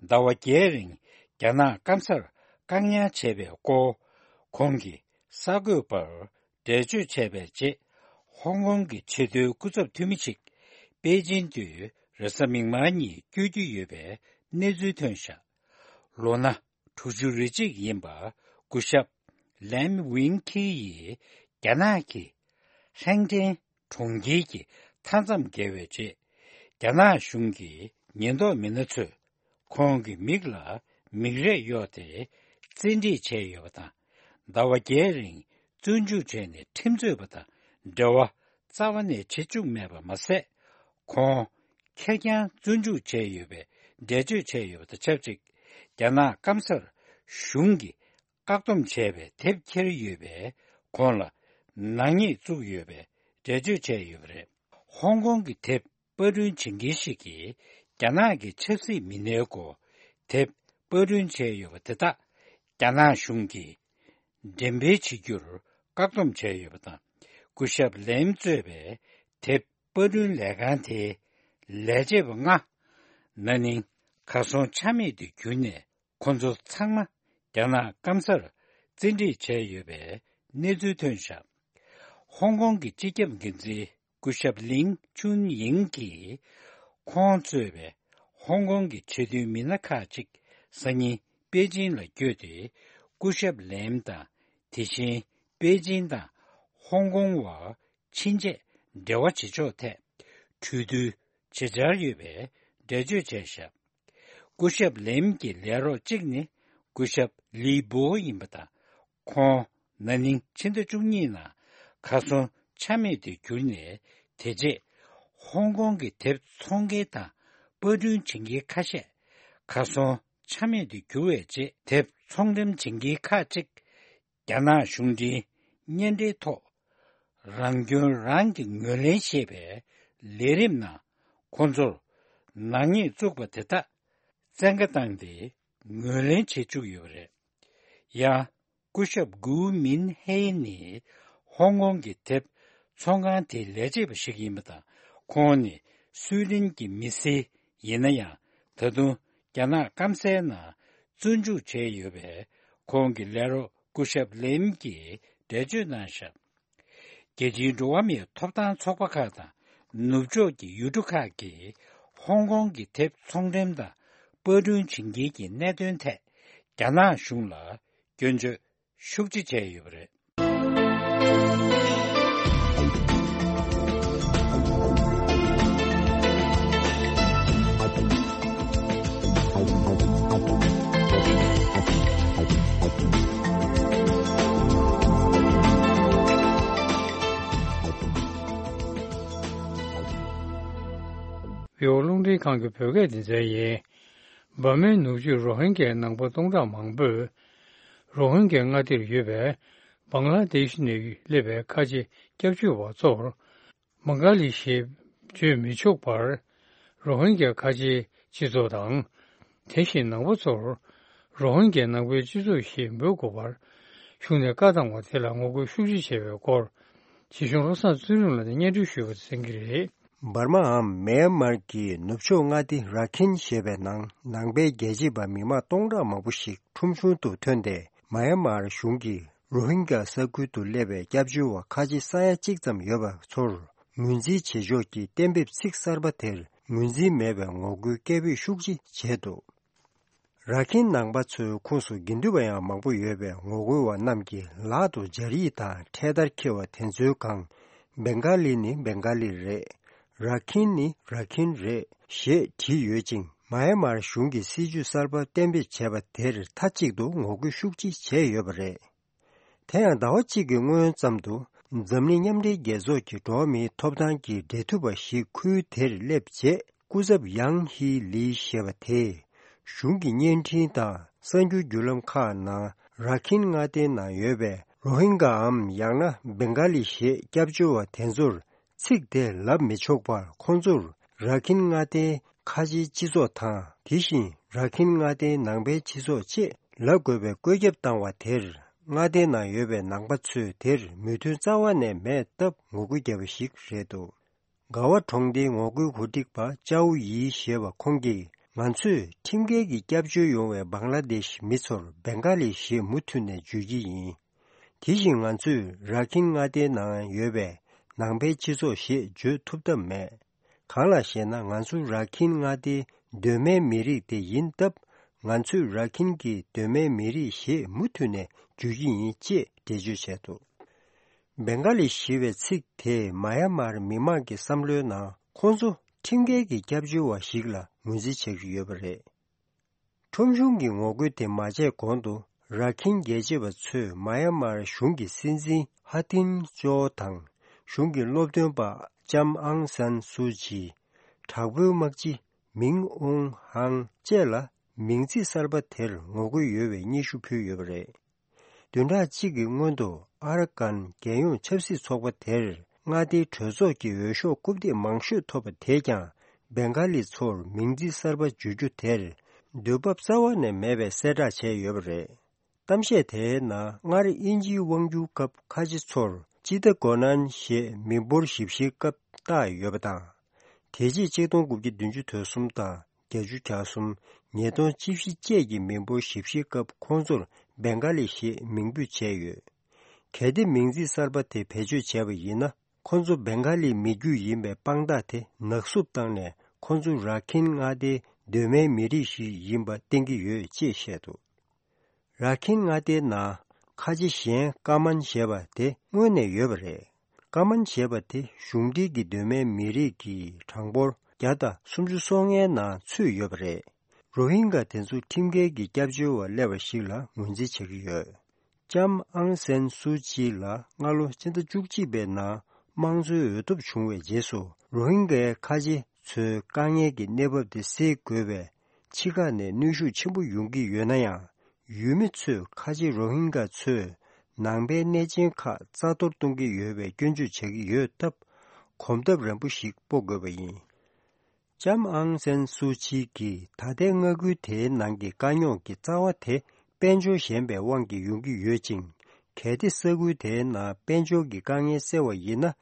ཟླ་བ་བརྒྱད་རིང་རྒྱ་ནག་སྐམ་སར་བཀག་ཉར་བྱས་པའི་སྐོར། ཁོང་གིས་གསར་འགོད་པར་འགྲེལ་བརྗོད་བྱས་པའི་རྗེས། ཧོང་ཀོང་གི་ཆེས་མཐོའི་སྐུ་ཚབ་འཐུས་མི་ཞིག་པེ་ཅིན་དུ་རེས་གཟའ་མིག་དམར་ཉིན་བསྐྱོད་རྒྱུ་ཡོད་པའི་གནས་ཚུལ་ཐོན་བཞག་ལོ་ན་དྲུག་ཅུ་རེ་གཅིག་ཡིན་པ་སྐུ་ཞབས་ལེམ་ཝིང་ཁི་ཡིས་རྒྱ་ནག་གི་ཧྲེང་ཀྲེན་གྲོང་ཁྱེར་གྱི་མཐའ་མཚམས་བརྒལ་བའི་རྗེས། རྒྱ་ནག་གཞུང་གི་ཉེན་རྟོག་མི་སྣ་ཚོས་ཁོང་གི་མིག་ལ་མིག་རས་གཡོགས་ཏེ་བཙན་ཁྲིད་བྱས་ཡོད་པ་དང་། ཟླ་བ་བརྒྱད་རིང་བཙོན་འཇུག་བྱས་ནས་ཁྲིམས་རྩོད་པ་དང་འབྲེལ་བ་རྩ་བ་ནས་བྱེད་བཅུག་མེད་པ་མ་ཟད། ཁོང་ཁེར་རྐྱང་བཙོན་འཇུག་བྱས་ཡོད་པའི་འགྲེལ་བརྗོད་བྱས་ཡོད་པ་དང་ཆབས་ཅིག་རྒྱ་ནག་སྐམ་སར་གཞུང་གིས་བཀག་སྡོམ་བྱས་པའི་དེབ་འཁྱེར་ཡོད་པས་ཁོང་ལ་ནག་ཉེས་བཙུགས་ཡོད་པའི་འགྲེལ་བརྗོད་བྱས་ཡོད་པ་རེད། ཧོང་ཀོང་གི་དེབ་པར་སྐྲུན་བྱེད་མཁན་ཞིག་གིས་རྒྱ་ནག་གི་ཆབ་སྲིད་མི་སྣའི་སྐོར་དེབ་པར་སྐྲུན་བྱས་ཡོད་པ་དེ་དག་རྒྱ་ནག་གཞུང་གིས་འགྲེམས་སྤེལ་བྱེད་རྒྱུར་བཀག་སྡོམ་བྱས་ཡོད་པ་དང་། སྐུ་ཞབས་ལེམ་གཙོས་པའི་དེབ་པར་སྐྲུན་ལས་ཁང་དེའི་ལས་བྱེད་པ་ལྔ་ན་ནིང་གར་སོང་ཆ་མེད་དུ་གྱུར་ནས། ཁོ་ཚོ་ཚང་མ་རྒྱ་ནག་སྐམ་སར་བཙན་ཁྲིད་བྱས་ཡོད་པའི་གནས་ཚུལ་ཐོན་བཞག་ཧོང་ཀོང་གི་སྤྱི་ཁྱབ་འགན་འཛིན་སྐུ་ཞབས་ལིང་ཆུན་ཡིང་གིས། ཁོང་གཙོས་པའི་ཧོང་ཀོང་གི་ཆེས་མཐོའི་མི་སྣ་ཁག་ཅིག་སང་ཉིན་པེ་ཅིན་ལ་བསྐྱོད་དེ། སྐུ་ཞབས་ལེམ་དང་། དེ་བཞིན་པེ་ཅིན་དང་ཧོང་ཀོང་བར་ཕྱིན་ཆད་འབྲེལ་བ་བྱེད་ཕྱོགས་ཐད་གྲོས་བསྡུར་བྱེད་འཆར་ཡོད་པའི་འགྲེལ་བརྗོད་བྱས་བཞག་སྐུ་ཞབས་ལེམ་གྱི་ལས་རོགས་གཅིག་ནི་སྐུ་ཞབས་ལི་པོ་ཡིན་པ་དང་། ཁོང་ན་ནིང་ཕྱི་ཟླ་བཅུ་གཉིས་ནང་གར་སོང་ཆ་མེད་དུ་གྱུར་ནས། དེ་རྗེས་ཧོང་ཀོང་གི་དེབ་ཚོང་མཁན་དང་པར་སྐྲུན་བྱེད་མཁན་ཁ་ཤས་གར་སོང་ཆ་མེད་དུ་གྱུར་བའི་རྗེས། དེབ་ཚོང་འགྲེམས་བྱེད་མཁན་ཁག་ཅིག་རྒྱ་ནག་གཞུང་འབྲེལ་བརྙན་འཕྲིན་ཐོག་རང་སྐྱོན་རང་གིས་ངོས་ལེན་ཞེས་པའི་ལས་རིམ་ནང་ཁོང་ཚོར་ནག་ཉེས་བཙུགས་པ་དེ་དག་བཙན་བཀའ་བཏང་སྟེ་ངོས་ལེན་བྱེད་བཅུག་ཡོད་པ་རེད། ཡང་སྐུ་ཞབས་གུའུ་མིན་ཧེ་ནི་ཧོང་ཀོང་གི་དེབ་ཚོང་ཁང་དེའི་ལས་བྱེད་པ་ཞིག་ཡིན་པ་དང་། ཁོང་ནི་སུའེ་ཏེན་གྱི་མི་སེར་ཡིན་ན་ཡང་། ད་དུང་རྒྱ་ནག་སྐམ་སའི་ནང་བཙོན་འཇུག་བྱས་ཡོད་པས། ཁོང་གི་ལས་རོགས་སྐུ་ཞབས་ལེམ་གྱིས་འགྲེལ་བརྗོད་གནང་བཞག་རྒྱལ་སྤྱིའི་འགྲོ་བ་མིའི་ཐོབ་ཐང་ཚོགས་པ་ཁག་དང་ནུབ་ཕྱོགས་ཀྱི་ཡུལ་གྲུ་ཁག་གིས་ཧོང་ཀོང་གི་དེབ་ཚོང་འགྲེམས་དང་པར་སྐྲུན་བྱེད་མཁན་གྱི་གནད་དོན་ཐད་རྒྱ་ནག་གཞུང་ལ་སྐྱོན་བརྗོད་ཤུགས་ཆེ་བྱས་ཡོད་པ་རེད། བོད་རླུང་འཕྲིན་ཁང་གི་བོད་སྐད་སྡེ་ཚན་ཡིན། འབར་མའི་ནུབ་ཕྱོགས་རོ་ཧིན་གྱའི་ནང་པ་སྟོང་ཕྲག་མང་པོས། རོ་ཧིན་གྱའི་མངའ་སྡེར་ཡོད་པའི་བང་ལ་དེཤ་ནས་སླེབས་པའི་ཁ་ཆེ་སྐྱབས་བཅོལ་བ་ཚོར། མང་ག་ལི་ཞེས་བརྗོད་མི་ཆོག་པར། རོ་ཧིན་གྱ་ཁ་ཆེའི་སྤྱི་ཚོགས་དང་། དེ་བཞིན་ནང་པ་ཚོར། རོ་ཧིན་གྱ་ནང་པའི་སྤྱི་ཚོགས་ཞེས་འབོད་དགོས་པར། གཞུང་ནས་བཀའ་བཏང་བ་དེ་ལ་ངོ་རྒོལ་ཤུགས་ཆེ་བྱས་པའི་སྐོར། ཇི་གཞུང་བློ་བཟང་ཚུལ་ཁྲིམས་ལགས་ནས་སྙན་སྒྲོན་ཞུས་པ་དེ་གསན་གྱི་རེད། འབར་མའམ་མེན་མར་གྱི་ནུབ་ཕྱོགས་མངའ་སྡེ་ར་ཁིན་ཞེས་པའི་ནང་ནང་པའི་རྒྱལ་གཅེས་པ་མི་མང་སྟོང་ཕྲག་མང་པོ་ཞིག་ཁྲོམ་གཞུང་དུ་ཐོན་ཏེ། མ་ཡན་མར་གཞུང་གིས་རོ་ཧིན་གྱ་ས་ཁུལ་དུ་སླེབས་པའི་སྐྱབས་བཅོལ་བ་ཁ་ཆེ་ས་ཡ་གཅིག་ཙམ་ཡོད་པ་ཚོར་ངོས་འཛིན་བྱེད་ཕྱོགས་ཀྱི་གཏན་འབེབས་ཚིག་གསར་པ་དེར་ངོས་འཛིན་མེད་པའི་ངོ་རྒོལ་སྐད་འབོད་ཤུགས་ཆེ་བྱས་འདུག་ར་ཁིན་ནང་པ་ཚོའི་ཁོངས་སུ་དགེ་འདུན་པ་ཡང་མང་པོ་ཡོད་པས། ངོ་རྒོལ་བ་རྣམས་ཀྱིས་ལག་ཏུ་སྦྱར་ཡིག་དང་འཕྲེད་དར་འཁྱེར་བ་དེ་ཚོའི་སྒང་། བེང་ག་ལི་ནི་བེང་ག་ལི་རེད། ར་ཁིན་ནི་ར་ཁིན་རེད། ཞེས་བྲིས་ཡོད་ཅིང་། མ་ཡན་མར་གཞུང་གིས་སྲིད་ཇུས་གསར་པ་གཏན་འབེབས་བྱས་པ་དེར་མཐའ་གཅིག་ཏུ་ངོ་རྒོལ་ཤུགས་ཆེ་བྱས་ཡོད་པ་རེད། དེ་ཡང་ཟླ་བ་གཅིག་གི་སྔོན་ཙམ་དུ། འཛམ་གླིང་མཉམ་འབྲེལ་རྒྱལ་ཚོགས་ཀྱི་འགྲོ་བ་མིའི་ཐོབ་ཐང་གི་འབྲེལ་མཐུད་པ་ཞིག་ཁུལ་དེར་སླེབས་རྗེས། སྐུ་ཚབ་ཡང་ཧི་ལི་ཞེས་པ་དེས། གཞུང་གི་བརྙན་འཕྲིན་དང་གསར་འགྱུར་བརྒྱུད་ལམ་ཁག་ནང་། ར་ཁིན་མངའ་སྡེའི་ནང་ཡོད་པའི་རོ་ཧིན་གའམ་ཡང་ན་བེང་ག་ལི་ཞེས་སྐྱབས་བཅོལ་བ་དེ་ཚོར། ཚིག་དེ་ལབ་མི་ཆོག་པར། ཁོང་ཚོར་ར་ཁིན་མངའ་སྡེའི་ཁ་ཆེའི་སྤྱི་ཚོགས་དང་། དེ་བཞིན་ར་ཁིན་མངའ་སྡེའི་ནང་པའི་སྤྱི་ཚོགས་ཅེས་ལབ་དགོས་པའི་བཀོད་ཁྱབ་བཏང་བ་དེར། མངའ་སྡེའི་ནང་ཡོད་པའི་ནང་པ་ཚོས་དེར་མོས་མཐུན་རྩ་བ་ནས་མེད་སྟབས་ངོ་རྒོལ་བརྒྱབ་པ་ཞིག་རེད་འདུག། ག་བ་གྲོང་སྡེའི་ངོ་རྒོལ་གོ་སྒྲིག་པ་ཅའོ་ཡི་ཞེས་པ་ཁོང་གིས། ང་ཚོས་ཁྲིམས་འགལ་གྱི་སྐྱབས་བཅོལ་ཡོང་བའི་བང་ལ་དེཤ་མི་ཚོར་བེང་ག་ལི་ཞེས་མུ་མཐུད་ནས་བརྗོད་ཀྱི་ཡིན། དེ་བཞིན་ང་ཚོས་ར་ཁིན་མངའ་སྡེའི་ནང་ཡོད་པའི་ནང་པའི་སྤྱི་ཚོགས་ཞེས་བརྗོད་ཐུབ་ཐབས་མེད། གང་ལགས་ཤེ་ན། ང་ཚོ་ར་ཁིན་མངའ་སྡེའི་གདོད་མའི་མི་རིགས་དེ་ཡིན་སྟབས། ང་ཚོས་ར་ཁིན་གྱི་གདོད་མའི་མི་རིགས་ཞེས་མུ་མཐུད་ནས་བརྗོད་ཀྱི་ཡིན་ཅེས་འགྲེལ་བརྗོད་བྱས་འདུག། བེང་ག་ལི་ཞེས་པའི་ཚིག་དེས་མཱ་ཡན་མར་མི་མང་གི་བསམ་བློའི་ནང་ཁོང་ཚོ་ཁྲིམས་འགལ་གྱི་སྐྱབས་བཅོལ་བ་ཞིག་ལ་ངོས་འཛིན་བྱེད་ཀྱི་ཡོད་པ་རེད། ཁྲོམ་གཞུང་གི་ངོ་རྒོལ་དེ་མ་བྱས་གོང་དུ། ར་ཁིན་རྒྱལ་གཅེས་པ་ཚོས་མཱ་ཡན་མར་གཞུང་གི་སྲིད་འཛིན་ཧ་ཏིན་ཅོ་དང་། གཞུང་གི་སློབ་སྟོན་པ་ལྕམ་ཨང་སན་སུའུ་ཅི། དྲག་པོའི་དམག་སྤྱི་མིང་ཨུང་ཧང་བཅས་ལ་མིང་ཚིག་གསར་པ་དེར་ངོ་རྒོལ་ཡོད་པའི་སྙན་ཞུ་ཕུལ་ཡོད་པ་རེད། བདུན་ཕྲག་གཅིག་གི་སྔོན་དུ་ཨ་ར་ཀན་རྒྱལ་ཡོངས་ཆབ་སྲིད་ཚོགས་པ་དེར་མངའ་སྡེའི་གྲོས་ཚོགས་ཀྱི་འོས་ཤོག་རྐུབ་སྟེགས་མང་ཤོས་ཐོབ་པ་དེས་ཀྱང་། བེང་ག་ལི་ཚོར་མིང་ཚིག་གསར་པ་བརྗོད་རྒྱུ་དེར་འདོད་འབབ་རྩ་བ་ནས་མེད་པའི་གསལ་བསྒྲགས་བྱས་ཡོད་པ་རེད། གཏམ་བཤད་དེའི་ནང་སྔར་དབྱིན་ཇིའི་དབང་སྒྱུར་སྐབས་ཁ་ཆེ་ཚོར་ཅི་ཏཱ་གོ་ནན་ཞེས་མི་འབོར་ཞིབ་བཤེར་སྐབས་བཏགས་ཡོད་པ་དང་། དེ་རྗེས་ཆིག་སྟོང་དགུ་བརྒྱ་བདུན་ཅུ་དོན་གསུམ་དང་བརྒྱད་ཅུ་གྱ་གསུམ། ཉིས་སྟོང་བཅུ་བཞི་བཅས་ཀྱི་མི་འབོར་ཞིབ་བཤེར་སྐབས་ཁོང་ཚོར་བེང་ག་ལི་ཞེས་མིང་འབོད་བྱས་ཡོད། གལ་ཏེ་མིང་ཚིག་གསར་པ་དེ་བེད་སྤྱོད་བྱས་པ་ཡིན་ན། ཁོང་ཚོ་བེང་ག་ལི་མི་རྒྱུད་ཡིན་པའི་དཔང་རྟགས་དེ་ནག་བསུབ་བཏང་ནས། ཁོང་ཚོ་ར་ཁིན་མངའ་སྡེའི་གདོད་མའི་མི་རིགས་ཤིག་ཡིན་པ་བསྟན་གྱི་ཡོད་ཅེས་བཤད་འདུག། ར་ཁིན་མངའ་སྡེའི་ནང་ཁ་ཆེ་གཞན་ཀ་མན་ཞེས་པ་དེ་སྔོན་ནས་ཡོད་པ་རེད། ཀ་མན་ཞེས་པ་དེ་གཞུང་འབྲེལ་གྱི་གདོད་མའི་མི་རིགས་ཀྱི་གྲངས་འབོར་བརྒྱ་དང་སུམ་ཅུ་སོ་ལྔའི་ནང་ཚུད་ཡོད་པ་རེད། རོ་ཧིན་ག་དེ་ཚོ་ཁྲིམས་འགལ་གྱི་སྐྱབས་བཅོལ་བ་སླེབས་པ་ཞིག་ལ་ངོས་འཛིན་བྱེད་ཀྱི་ཡོད། ལྕམ་ཨང་སན་སུའུ་ཅི་ལ་སྔ་ལོ་ཕྱི་ཟླ་བཅུ་གཅིག་པའི་ནང་དམངས་གཙོའི་འོས་ཐོབ་བྱུང་བའི་རྗེས་སུ། རོ་ཧིན་གའི་ཁ་ཆེ་ཚོའི་དཀའ་ངལ་གྱི་གནས་བབ་དེ་སེལ་དགོས་པའི་ཕྱི་ཁ་ནས་གནོན་ཤུགས་ཆེན་པོ་ཡོང་གི་ཡོད་ན་ཡང་། ཡུལ་མི་ཚོས་ཁ་ཆེ་རོ་ཧིན་ག་ཚོས་ནང་པའི་གནས་ཆེན་ཁག་རྩ་གཏོར་གཏོང་གི་ཡོད་པའི་སྐྱོན་བརྗོད་བྱེད་ཀྱི་ཡོད་སྟབས། གོམ་སྟབས་རན་པོ་ཞིག་སྤོ་དགོས་པ་ཡིན། ལྕམ་ཨང་སན་སུའུ་ཅི་གིས་ད་ལྟའི་མངའ་ཁུལ་དེའི་ནང་གི་དཀའ་རྙོག་གི་རྩ་བ་དེ་དཔལ་འབྱོར་ཞན་པའི་དབང་གིས་ཡོང་གི་ཡོད་ཅིང་། གལ་ཏེ་ས་ཁུལ་དེའི་ནང་དཔལ་འབྱོར་གྱི་དཀའ་ངལ་སེལ་བ་ཡིན་ན།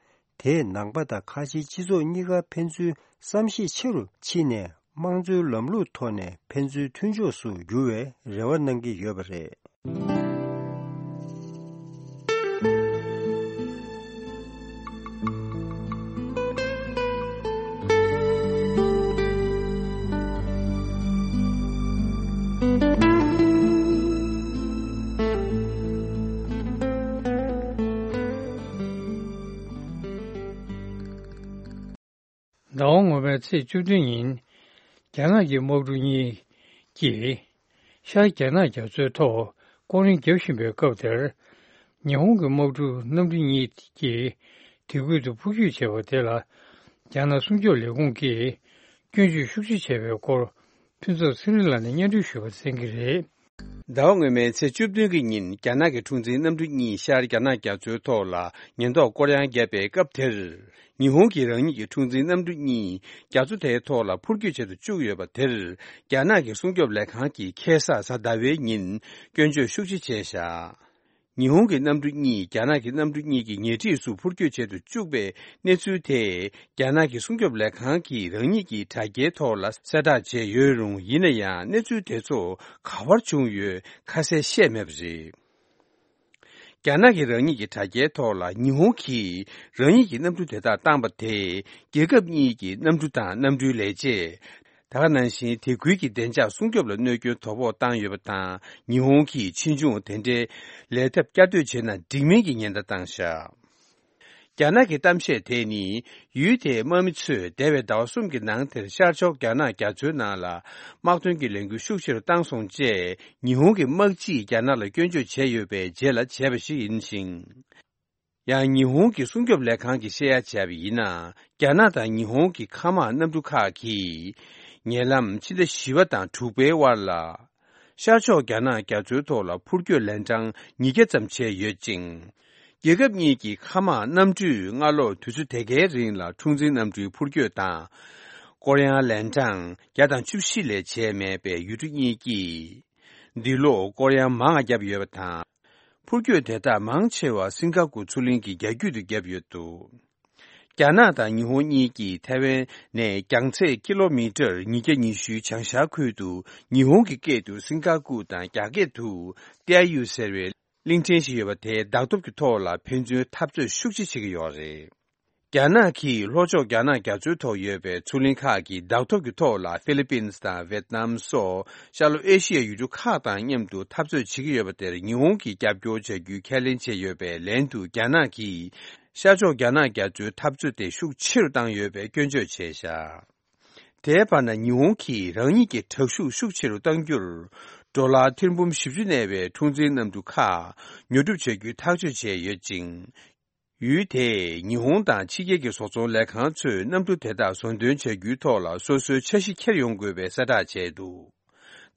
དེས་ནང་པ་དང་ཁ་ཆེའི་སྤྱི་ཚོགས་གཉིས་ཀ་ཕན་ཚུན་བསམ་ཤེས་ཆེ་རུ་ཕྱིན་ནས། དམངས་གཙོའི་ལམ་ལུགས་ཐོག་ནས་ཕན་ཚུན་མཐུན་ཕྱོགས་སུ་འགྱུར་བའི་རེ་བ་གནང་གི་ཡོད་པ་རེད། ཟླ་བ་སྔོན་མའི་ཚེས་བཅུ་བདུན་ཉིན། རྒྱ་ནག་གི་དམག་གྲུ་གཉིས་ཀྱིས་ཤར་རྒྱ་ནག་རྒྱ་མཚོའི་ཐོག་སྐོར་རིམ་བརྒྱབ་བཞིན་པའི་སྐབས་དེར། ཉི་ཧོང་གི་དམག་གྲུ་གནམ་གྲུ་གཉིས་ཀྱིས་དེ་ཁུལ་དུ་འཕུར་སྐྱོད་བྱས་པ་དེ་ལ། རྒྱ་ནག་སྲུང་སྐྱོབ་ལས་ཁུངས་ཀྱིས་སྐྱོན་བརྗོད་ཤུགས་ཆེ་བྱས་པའི་སྐོར། ཕུན་ཚོགས་ཚེ་རིང་ལགས་ནས་སྙན་སྒྲོན་ཞུས་པ་གསན་གྱི་རེད། ཟླ་བ་སྔོན་མའི་ཚེས་བཅུ་བདུན་གྱི་ཉིན། རྒྱ་ནག་གི་འཁྲུག་འཛིང་གནམ་གྲུ་གཉིས་ཤར་རྒྱ་ནག་རྒྱ་མཚོའི་ཐོག་ལ་ཉེན་རྟོག་སྐོར་གཡང་བརྒྱབ་པའི་སྐབས་དེར། ཉི་ཧོང་གིས་རང་ཉིད་ཀྱི་འཁྲུག་འཛིང་གནམ་གྲུ་གཉིས་རྒྱ་མཚོ་དེའི་ཐོག་ལ་འཕུར་སྐྱོད་བྱེད་དུ་བཅུག་ཡོད་པ་དེར། རྒྱ་ནག་གི་སྲུང་སྐྱོབ་ལས་ཁང་གིས་ཁ་སང་གཟའ་ཟླ་བའི་ཉིན་སྐྱོན་བརྗོད་ཤུགས་ཆེ་བྱས་བཞག། ཉི་ཧོང་གི་གནམ་གྲུ་གཉིས་རྒྱ་ནག་གི་གནམ་གྲུ་གཉིས་ཀྱི་ཉེ་འཁྲིས་སུ་འཕུར་སྐྱོད་བྱེད་དུ་བཅུག་པའི་གནས་ཚུལ་དེ། རྒྱ་ནག་གི་སྲུང་སྐྱོབ་ལས་ཁང་གིས་རང་ཉིད་ཀྱི་དྲ་རྒྱའི་ཐོག་ལ་གསལ་བསྒྲགས་བྱས་ཡོད་རུང་། ཡིན་ན་ཡང་གནས་ཚུལ་དེ་ཚོ་ག་པར་བྱུང་ཡོད་ཁ་གསལ་བཤད་མེད་པ་རེད། རྒྱ་ནག་གིས་རང་ཉིད་ཀྱི་དྲ་རྒྱའི་ཐོག་ལ། ཉི་ཧོང་གིས་རང་ཉིད་ཀྱི་གནམ་གྲུ་དེ་དག་བཏང་པ་དེས། རྒྱལ་ཁབ་གཉིས་ཀྱི་གནམ་གྲུ་དང་གནམ་གྲུའི་ལས་བྱེད། ད་ག་ནང་བཞིན་དེ་ཁུལ་གྱི་བདེ་འཇགས་སྲུང་སྐྱོབ་ལ་གནོད་སྐྱོན་དོ་ཕོག་བཏང་ཡོད་པ་དང་། ཉི་ཧོང་གིས་ཕྱིས་འབྱུང་དེ་འདྲའི་ལས་ཐབས་བསྐྱར་ཟློས་བྱས་ན་འགྲིག་མིན་གྱི་ཉེན་བརྡ་བཏང་བཞག། རྒྱ་ནག་གི་གཏམ་བཤད་དེ་ནི། ཡུལ་དེའི་དམག་མི་ཚོས་འདས་པའི་ཟླ་བ་གསུམ་གྱི་ནང་དེར་ཤར་ཕྱོགས་རྒྱ་ནག་རྒྱ་མཚོའི་ནང་ལ་དམག་དོན་གྱི་ལས་འགུལ་ཤུགས་ཆེ་རུ་བཏང་སོང་ཅེས། ཉི་ཧོང་གི་དམག་སྤྱིས་རྒྱ་ནག་ལ་སྐྱོན་བརྗོད་བྱས་ཡོད་པའི་རྗེས་ལ་བྱས་པ་ཞིག་ཡིན་ཞིང་། ཡང་ཉི་ཧོང་གི་སྲུང་སྐྱོབ་ལས་ཁང་གིས་བཤད་ཡ་བྱས་པ་ཡིན་ན། རྒྱ་ནག་དང་ཉི་ཧོང་གི་མཁའ་དམག་གནམ་གྲུ་ཁག་གིས་ཉེ་ལམ་ཕྱི་ཟླ་བཞི་པ་དང་དྲུག་པའི་དབར་ལ། ཤར་ཕྱོགས་རྒྱ་ནག་རྒྱ་མཚོའི་ཐོག་ལ་འཕུར་སྐྱོད་ལན་གྲངས་ཉིས་བརྒྱ་ཙམ་བྱས་ཡོད་ཅིང་། རྒྱལ་ཁབ་གཉིས་ཀྱི་མཁའ་དམག་གནམ་གྲུས་སྔ་ལོགས་དུས་ཚོད་དེ་གའི་རིང་ལ་འཁྲུག་འཛིང་གནམ་གྲུའི་འཕུར་སྐྱོད་དང་། སྐོར་གཡང་ལན་གྲངས་བརྒྱ་དང་བཅུ་བཞི་ལས་བྱས་མེད་པའི་ཡུལ་གྲུ་གཉིས་ཀྱིས། འདི་ལོ་སྐོར་གཡང་མང་བ་བརྒྱབ་ཡོད་པ་དང་། འཕུར་སྐྱོད་དེ་དག་མང་ཆེ་བ་སིང་ག་པུར་མཚོ་གླིང་གི་རྒྱ་རྒྱུད་དུ་བརྒྱབ་ཡོད་འདུག་རྒྱ་ནག་དང་ཉི་ཧོང་གཉིས་ཀྱིས་ཐའེ་ཝན་ནས་རྒྱང་ཚད་ཀི་ལོ་མི་ཊར་ཉིས་བརྒྱ་ཉི་ཤུའི་བྱང་ཤར་ཁུལ་དུ་ཉི་ཧོང་གི་སྐད་དུ་སིང་ག་པུར་དང་རྒྱ་སྐད་དུ་ཏེ་ཨ་ཡུ་ཟེར་བའི་གླིང་ཕྲན་ཞིག་ཡོད་པ་དེའི་བདག་ཐོབ་ཀྱི་ཐོག་ལ་ཕན་ཚུན་འཐབ་རྩོད་ཤུགས་ཆེ་བྱེད་ཀྱི་ཡོད་རེད། རྒྱ་ནག་གིས་ལྷོ་ཕྱོགས་རྒྱ་ནག་རྒྱ་མཚོའི་ཐོག་ཡོད་པའི་མཚོ་གླིང་ཁག་གི་བདག་ཐོབ་ཀྱི་ཐོག་ལ་ཧྥི་ལི་པིན་དང་ཝེད་ནམ་སོགས་ཤར་ལྷོ་ཨེ་ཤི་ཡའི་ཡུལ་གྲུ་ཁག་དང་མཉམ་དུ་འཐབ་རྩོད་བྱེད་ཀྱི་ཡོད་པ་དེར་ཉི་ཧོང་གིས་རྒྱབ་སྐྱོར་བྱ་རྒྱུའི་ཁས་ལེན་བྱས་ཡོད་པའི་ལན་དུ། རྒྱ་ནག་གིས་ཤར་ཕྱོགས་རྒྱ་ནག་རྒྱ་མཚོའི་འཐབ་རྩོད་དེ་ཤུགས་ཆེ་རུ་བཏང་ཡོད་པའི་སྐྱོན་བརྗོད་བྱས་བཞག་དེའི་བར་ན་ཉི་ཧོང་གིས་རང་ཉིད་ཀྱི་དྲག་ཤུགས་ཤུགས་ཆེ་རུ་གཏང་རྒྱུར་ཌོ་ལར་ཐེར་འབུམ་བཞི་བཅུ་གནས་པའི་འཁྲུག་འཛིང་གནམ་གྲུ་ཁག་ཉོ་སྒྲུབ་བྱ་རྒྱུའི་ཐག་གཅོད་བྱས་ཡོད་ཅིང་། ཡུལ་དེས་ཉི་ཧོང་དང་ཕྱི་རྒྱལ་གྱི་བཟོ་ཚོང་ལས་ཁང་ཚོས་གནམ་གྲུ་དེ་དག་བཟོ་འདོན་བྱ་རྒྱུའི་ཐོག་ལ་སོ་སོའི་འཆར་གཞི་འཁྱེར་ཡོང་དགོས་པའི་གསལ་བསྒྲགས་བྱས་འདུག་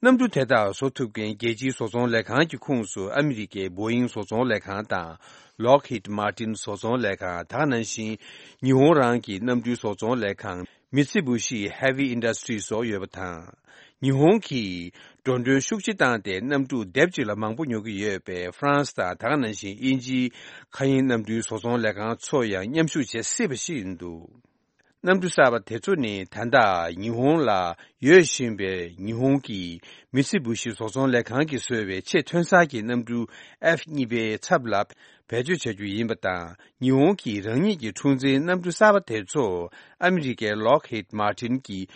གནམ་གྲུ་དེ་དག་བཟོ་ཐུབ་མཁན་རྒྱལ་སྤྱིའི་བཟོ་ཚོང་ལས་ཁང་གི་ཁོངས་སུ་ཨ་མི་རི་ཀའི་བོ་ཡིང་བཟོ་ཚོང་ལས་ཁང་དང་། ལོག་ཧིད་མར་ཏིན་བཟོ་ཚོང་ལས་ཁང་། དེ་ག་ནང་བཞིན་ཉི་ཧོང་རང་གི་གནམ་གྲུའི་བཟོ་ཚོང་ལས་ཁང་མི་ཚི་བུ་ཤི་ཧེ་ཝི་ཨིན་ཌ་སི་ཊི་རི་སོགས་ཡོད་པ་དང་། ཉི་ཧོང་གིས་འགྲོ་གྲོན་ཤུགས་ཆེ་བཏང་སྟེ་གནམ་གྲུ་ལྡེབ་གཅིག་ལ་མང་པོ་ཉོ་གི་ཡོད་པས། ཧྥ་རན་སི་དང་དེ་ག་ནང་བཞིན་དབྱིན་ཇིའི་མཁའ་དབྱིངས་གནམ་གྲུའི་བཟོ་ཚོང་ལས་ཁང་ཚོ་ཡང་མཉམ་ཞུགས་བྱེད་སྲིད་པ་ཞིག་ཡིན་འདུག་གནམ་གྲུ་གསར་པ་དེ་ཚོ་ནི་ད་ལྟ་ཉི་ཧོང་ལ་ཡོད་བཞིན་པའི་ཉི་ཧོང་གི་མི་ཚི་བུ་ཤི་བཟོ་ཚོང་ལས་ཁང་གིས་བཟོས་པའི་ཆེས་ཐོན་གསར་གྱི་གནམ་གྲུ་ཨེཕ་གཉིས་པའི་ཚབ་ལ་བེད་སྤྱོད་བྱ་རྒྱུ་ཡིན་པ་དང་། ཉི་ཧོང་གིས་རང་ཉིད་ཀྱི་འཁྲུག་འཛིང་གནམ་གྲུ་གསར་པ་དེ་ཚོ་ཨ་མི་རི་ཀའི་ལོག་ཧིད་མར་ཏིན་གྱིས་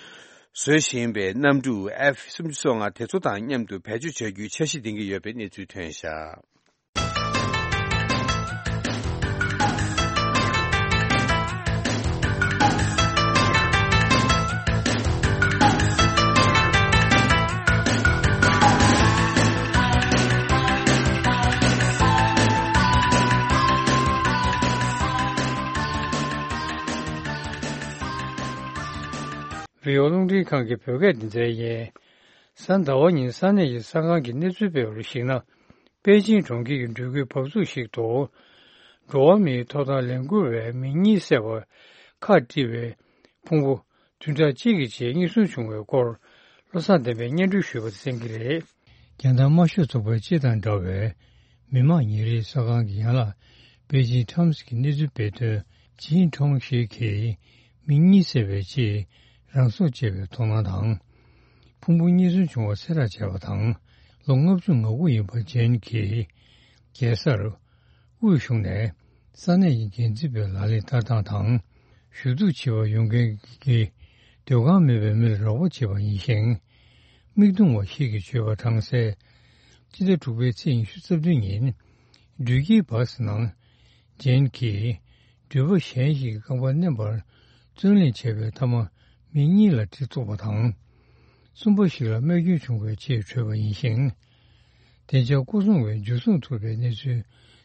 བཟོ་བཞིན་པའི་གནམ་གྲུ་ཨེཕ་སུམ་ཅུ་སོ་ལྔ་དེ་ཚོ་དང་མཉམ་དུ་བེད་སྤྱོད་བྱ་རྒྱུའི་འཆར་གཞི་འདིང་གི་ཡོད་པའི་གནས་ཚུལ་ཐོན་བཞག་བི་ཨོ་རླུང་འཕྲིན་ཁང་གི་བོད་སྐད་སྡེ་ཚན་ཡིན། གཟའ་ཟླ་བ་ཉིན་ས་གནས་ཀྱི་ས་ཁང་གི་གནས་ཚུལ་སྤེལ་བར་གཞིགས་ན། པེ་ཅིང་གྲོང་ཁྱེར་གྱི་འགྲུལ་སྐྱེལ་བབས་ཚུགས་ཤིག་ཏུ། འགྲོ་བ་མིའི་ཐོབ་ཐང་ལས་འགུལ་བས་མི་གཉིས་བསད་པར་ཁག་དཀྲིས་པའི་ཕུང་པོ་བདུན་ཕྲག་གཅིག་གི་རྗེས་རྙེད་སོན་བྱུང་བའི་སྐོར། བློ་བཟང་བསྟན་པས་སྙན་སྒྲོན་ཞུས་པ་གསན་གྱི་རེད། རྒྱལ་དར་དམར་ཤོག་ཚོགས་པ་སྤྱི་དང་འདྲ་བའི་མི་དམངས་ཉིན་རེའི་གསར་ཁང་གི་ཡན་ལག་པེ་ཅིང་ཊའེམ་སི་གི་གནས་ཚུལ་སྤེལ་དོན། ཅིན་ཁྲོང་ཞིག་གིས་མི་གཉིས་བསད་པའི་རྗེས་རང་སྲོག་བཅད་པའི་དོགས་སྣང་དང་། ཕུང་པོ་རྙེད་སོན་བྱུང་བ་གསལ་བསྒྲགས་བྱས་པ་དང་། ལོ་ལྔ་བཅུ་ང་དགུ་ཡིན་པ་ཅན་གྱིས་རྒྱལ་སར་དབུས་གཞུང་ནས་ས་གནས་ཀྱི་འགན་འཛིན་པའི་ལག་ལེན་བསྟར་སྟངས་དང་། ཞུ་གཏུག་བྱེད་པར་ཡོང་མཁན་གྱི་སྡོད་ཁང་མེད་པའི་མིར་རོགས་པ་བྱེད་པ་ཡིན་ཞིང་། མིག་མཐོང་བ་ཞིག་གིས་བརྗོད་པར་གྲངས་གསལ། སྤྱི་ཟླ་དྲུག་པའི་ཚེས་ཉི་ཤུ་རྩ་བདུན་ཉིན། འགྲུལ་སྐྱེལ་བྷ་སི་ནང་ཇེན་གྱིས་འགྲུལ་པ་གཞན་ཞིག་གི་རྐང་པ་མནན་པར་བརྩོན་ལེན་བྱས་པའི་མཐའ་མ་མི་གཉིས་ལ་གྲི་གཏུགས་པ་དང་། གསུམ་པ་ཞིག་ལ་རྨས་སྐྱོན་བྱུང་བའི་རྗེས་བྲོས་པ་ཡིན་ཞིང་། བདེ་འཇགས་སྐོར་སྲུང་བས་འཇུ་བཟུང་ཐུབ་པའི་གནས་ཚུལ་